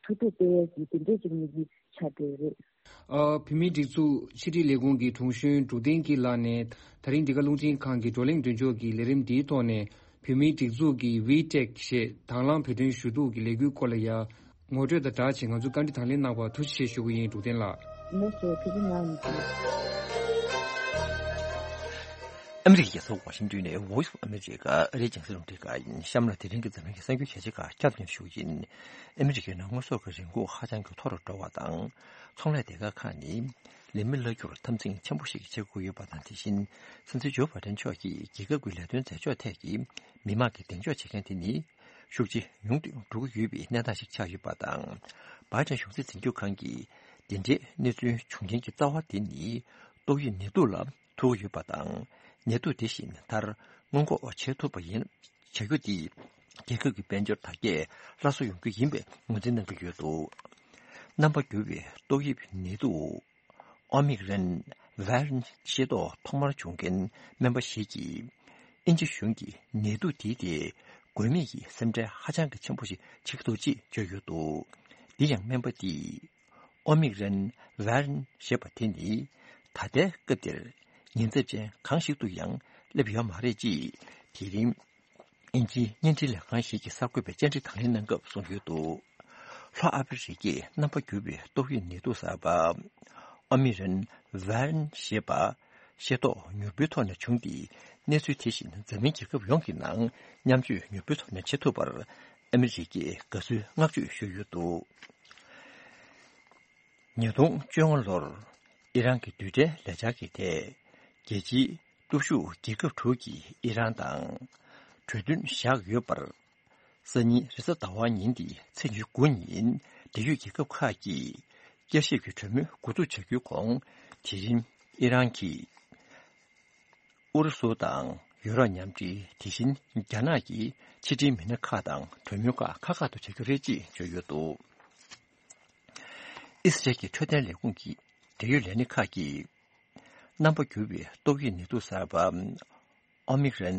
ཐུབ་ཐུབ་སྤེལ་ཡས་ཀྱི་དེ་འདྲས་ཅིག་དམིགས་ཡུལ་ཆགས་བསྡད་རེད། ཨ་བོད་མིའི་སྒྲིག་འཛུགས་ཕྱི་དྲིལ་ལས་ཁུངས་ཀྱི་དྲུང་གཞོན་འབྲུག་བསྟན་སྐྱིད་ལགས་ནས་ད་རིང་འདི་ག་རླུང་འཕྲིན་ཁང་གི་བགྲོ་གླེང་མདུན་ལྕོག་གི་ལས་རིམ་འདིའི་ཐོག་ནས་བོད་མིའི་སྒྲིག་འཛུགས་ཀྱི་ཝི་ཊེག་ཞེས་དང་བླངས་བོད་དོན་ཞུ་གཏུག་གི་ལས་འགུལ་སྐོར་ལ་ཡང་ངོ་སྤྲོད་དང་སྦྲགས་ཅིག་ང་ཚོའི་བཀའ་འདྲི་དང་ལེན་གནང་བར་ཐུགས་རྗེ་ཆེ་ཞུ་གི་ཡིན། འབྲུག་བསྟན་ལགས། ལགས་སོ། ཐུགས་རྗེ་གནང་། ཨ་མི་རི་ཀའི་རྒྱལ་ས་ཝ་ཤིང་ཏོན་ནས་Voice of America ཨ་རིའི་རྒྱང་སྲིང་རླུང་འཕྲིན་ཁང་ཡིན། གཤམ་ལ་དེ་རིང་གི་འཛམ་གླིང་གི་གསར་འགྱུར་གལ་ཆེ་ཁག་བསྐྱར་དུ་སྙན་ཞུ་ཡིན། ཨ་མི་རི་ཀའི་ནང་དངོས་ཟོག་གི་རིན་གོང་ཧ་ཅང་གི་མཐོ་རུ་འགྲོ་བ་དང་། ཚོང་ལས་སྡེ་ཁག་ཁག་ནི་ལས་མི་གླ་འཁྱུར་འཐབ་འཛིང་ཆེན་པོ་ཞིག་བྱེད་དགོས་ཡོད་པ་དང་། དེ་བཞིན་སྲིད་འཛིན་ཇོ་བྷའི་ཌེན་མཆོག་གིས་རྒྱལ་ཁབ་ཀྱི་ལས་དོན་མཛད་ཕྱོགས་ཐད་ཀྱི་མི་མང་གི་གདེང་འཇོག་བྱེད་མཁན་དེ་ནི་ཤུགས་ཆེ་ཉུང་དུ་འགྲོ་གི་ཡོད་པའི་གནས་སྟངས་ཤིག་ཆགས་ཡོད་པ་དང་། བྷའི་ཌེན་གཞུང་འཛིན་འཛིན་སྐྱོང་ཁང་གིས་འདི་འདྲའི་གནས་ཚུལ་བྱུང་རྐྱེན་གྱི་རྩ་བ་དེ་ནི་ཏོག་དབྱིབས་ནད་དུག་ལ་ཐུག་ཡོད་པ་དང་། ནད་དུག་དེ་བཞིན་མཐར་སྔོན་འགོག་བྱེད་ཐུབ་པ་ཡིན། བྱ་རྒྱུ་དེས་རྒྱལ་ཁབ་ཀྱི་དཔལ་འབྱོར་དར་རྒྱས་སླར་གསོ་ཡོང་རྒྱུ་ཡིན་པའི་ངོས་འཛིན་གནང་གི་ཡོད་འདུག་རྣམ་པ་འགྱུར་བའི་ཏོག་དབྱིབས་ནད་དུག་ཨོ་མིག་རན་ཝེ་རིན་ཤེས་རྟོགས་ཐོག་མར་བྱུང་མཁན་སྨན་པ་ཞིག་གིས། དབྱིན་ཇི་གཞུང་གིས་ནད་དུག་དེའི་ཐད་དགོས་མེད་ཀྱི་སེམས་ཁྲལ་ཧ་ཅང་གི་ཆེན་པོ་ཞིག་བྱེད་ཀྱི་འདུག་ཅེས་བརྗོད་ཡོད་འདུག་འདི་ཡང་སྨན་པ་དེས། ཨོ་མིག་རན་ཝེ་རིན་ཞེས་པ་དེ་ནི་ད་ལྟའི་སྐབས་འདིར་ཉེན་ཚབས་ཅན་གང་ཞིག་ཏུ་ཡང་སླེབས་ཡོད་མ་རེད་ཅེས་དེ་རིང་དབྱིན་ཇིའི་བརྙན་འཕྲིན་ལས་ཁང་ཞིག་གི་གསར་འགོད་པས་བཅར་འདྲི་དང་ལེན་གནང་སྐབས་གསུངས་ཡོད་འདུག་ལྷོ་ཨ་ཕི་རི་ཀའི་རྣམ་པ་འགྱུར་བའི་ཏོག་དབྱིབས་ནད་དུག་གསར་པ་ཨོ་མིག་རན་ཝེ་རིན་ཞེས་པ་ཤེས་རྟོགས་མྱུར་པོའི་ཐོག་ནས་བྱུང་སྟེ། གནས་ཚུལ་དེ་བཞིན་འཛམ་གླིང་རྒྱལ་ཁབ་ཡོངས་ཀྱི་ནང་མཉམ་སྤྱོད་མྱུར་པོའི་ཐོག་ནས་བྱེད་ཐུབ་པར་ཨ་མི་རི་ཀས་དགའ་བསུའི་བསྔགས་བརྗོད་ཞུས་ཡོད་འདུག་ཉིས་སྟོང་བཅོ་ལྔ་ལོར་ཨི་རན་གྱི་རྡུལ་ཕྲན་ལས་འཆར་གྱི་ཐད་རྒྱལ་སྤྱིའི་སྟོབས་ཤུགས་རྒྱལ་ཁབ་དྲུག་གིས་ཨི་རན་དང་གྲོས་མཐུན་བཞག་ཡོད་པར། སང་ཉིན་རེས་གཟའ་ཟླ་བ་ཉིན་ཏེ་ཚེས་ཉི་ཤུ་དགུ་ཉིན་འབྲེལ་ཡོད་རྒྱལ་ཁབ་ཁག་གིས་བསྐྱར་ཞིབ་ཀྱི་གྲོས་མོལ་འགོ་འཛུགས་བྱ་རྒྱུའི་གོང་དེ་རིང་ཨི་རན་གྱིས་ཨུ་རུ་སུ་དང་ཡུ་རོབ་མཉམ་འབྲེལ། དེ་བཞིན་རྒྱ་ནག་གི་ཕྱི་འབྲེལ་མི་སྣ་ཁག་དང་གྲོས་མོལ་ཁག་ཁག་ཁག་ཏུ་བྱ་རྒྱུ་རེད་ཅེས་བརྗོད་ཡོད་འདུག་ཨི་སི་རལ་གྱི་འཕྲོད་བསྟེན་ལས་ཁུངས་ཀྱི་འབྲེལ་ཡོད་ལས་སྣེ་ཁག་གིས། རྣམ་པ་འགྱུར་བའི་ཏོག་དབྱིབས་ནད་དུག་གསར་པ་ཨོ་མིག་རན་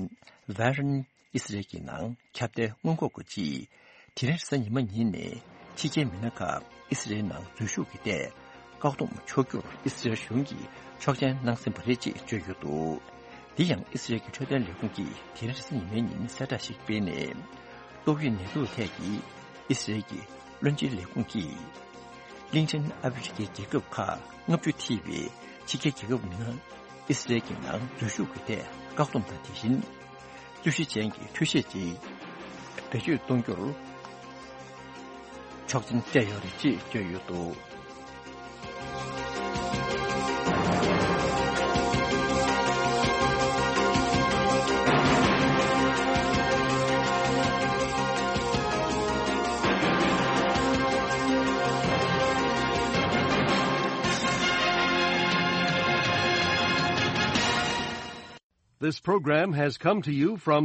ཝེ་རིན་ཨི་སི་རལ་གྱི་ནང་ཁྱབ་གདལ་སྔོན་འགོག་གི་ཆེད། དེ་རིང་རེས་གཟའ་ཉི་མ་ཉིན་ནས་ཕྱི་རྒྱལ་མི་སྣ་ཁག་ཨི་སི་རལ་ནང་འཛུལ་ཞུགས་ཀྱི་ཐད་བཀག་སྡོམ་ཆོག་རྒྱུར་ཨི་སི་རལ་གཞུང་གིས་ཆོག་མཆན་གནང་ཟིན་པ་རེད་ཅེས་བརྗོད་ཡོད་འདུག་འདི་ཡང་ཨི་སི་རལ་གྱི་འཕྲོད་བསྟེན་ལས་ཁུངས་ཀྱིས་དེ་རིང་རེས་གཟའ་ཉི་མའི་ཉིན་གསལ་བསྒྲགས་ཤིག་སྤེལ་ནས། ཏོག་དབྱིབས་ནད་དུག་ཐད་ཀྱི་ཨི་སི་རལ་གྱི་བློན་ཆེན་ལས་ཁུངས་ཀྱིས། གླིང་ཆེན་ཨ་ཧྥེ་རི་ཁའི་རྒྱལ་ཁབ་ཁག་ལྔ་བཅུ་ཐེ་བའི་ཕྱི་རྒྱལ་རྒྱལ་ཁབ་མི་སྣ་ཨི་སི་རལ་གྱི་ནང་འཛུལ་ཞུགས་ཀྱི་ཐད་བཀག་སྡོམ་དང་། དེ་བཞིན་ རྟུལ་ཞིང་ཅན་གྱི་འཕྲུལ་ཆས་ཀྱིས་བེད་སྤྱོད་གཏོང་རྒྱུར་ཆོག་མཆན་སྤྲད་ཡོད་རེད་ཅེས་བརྗོད་ཡོད་འདུག This program has come to you from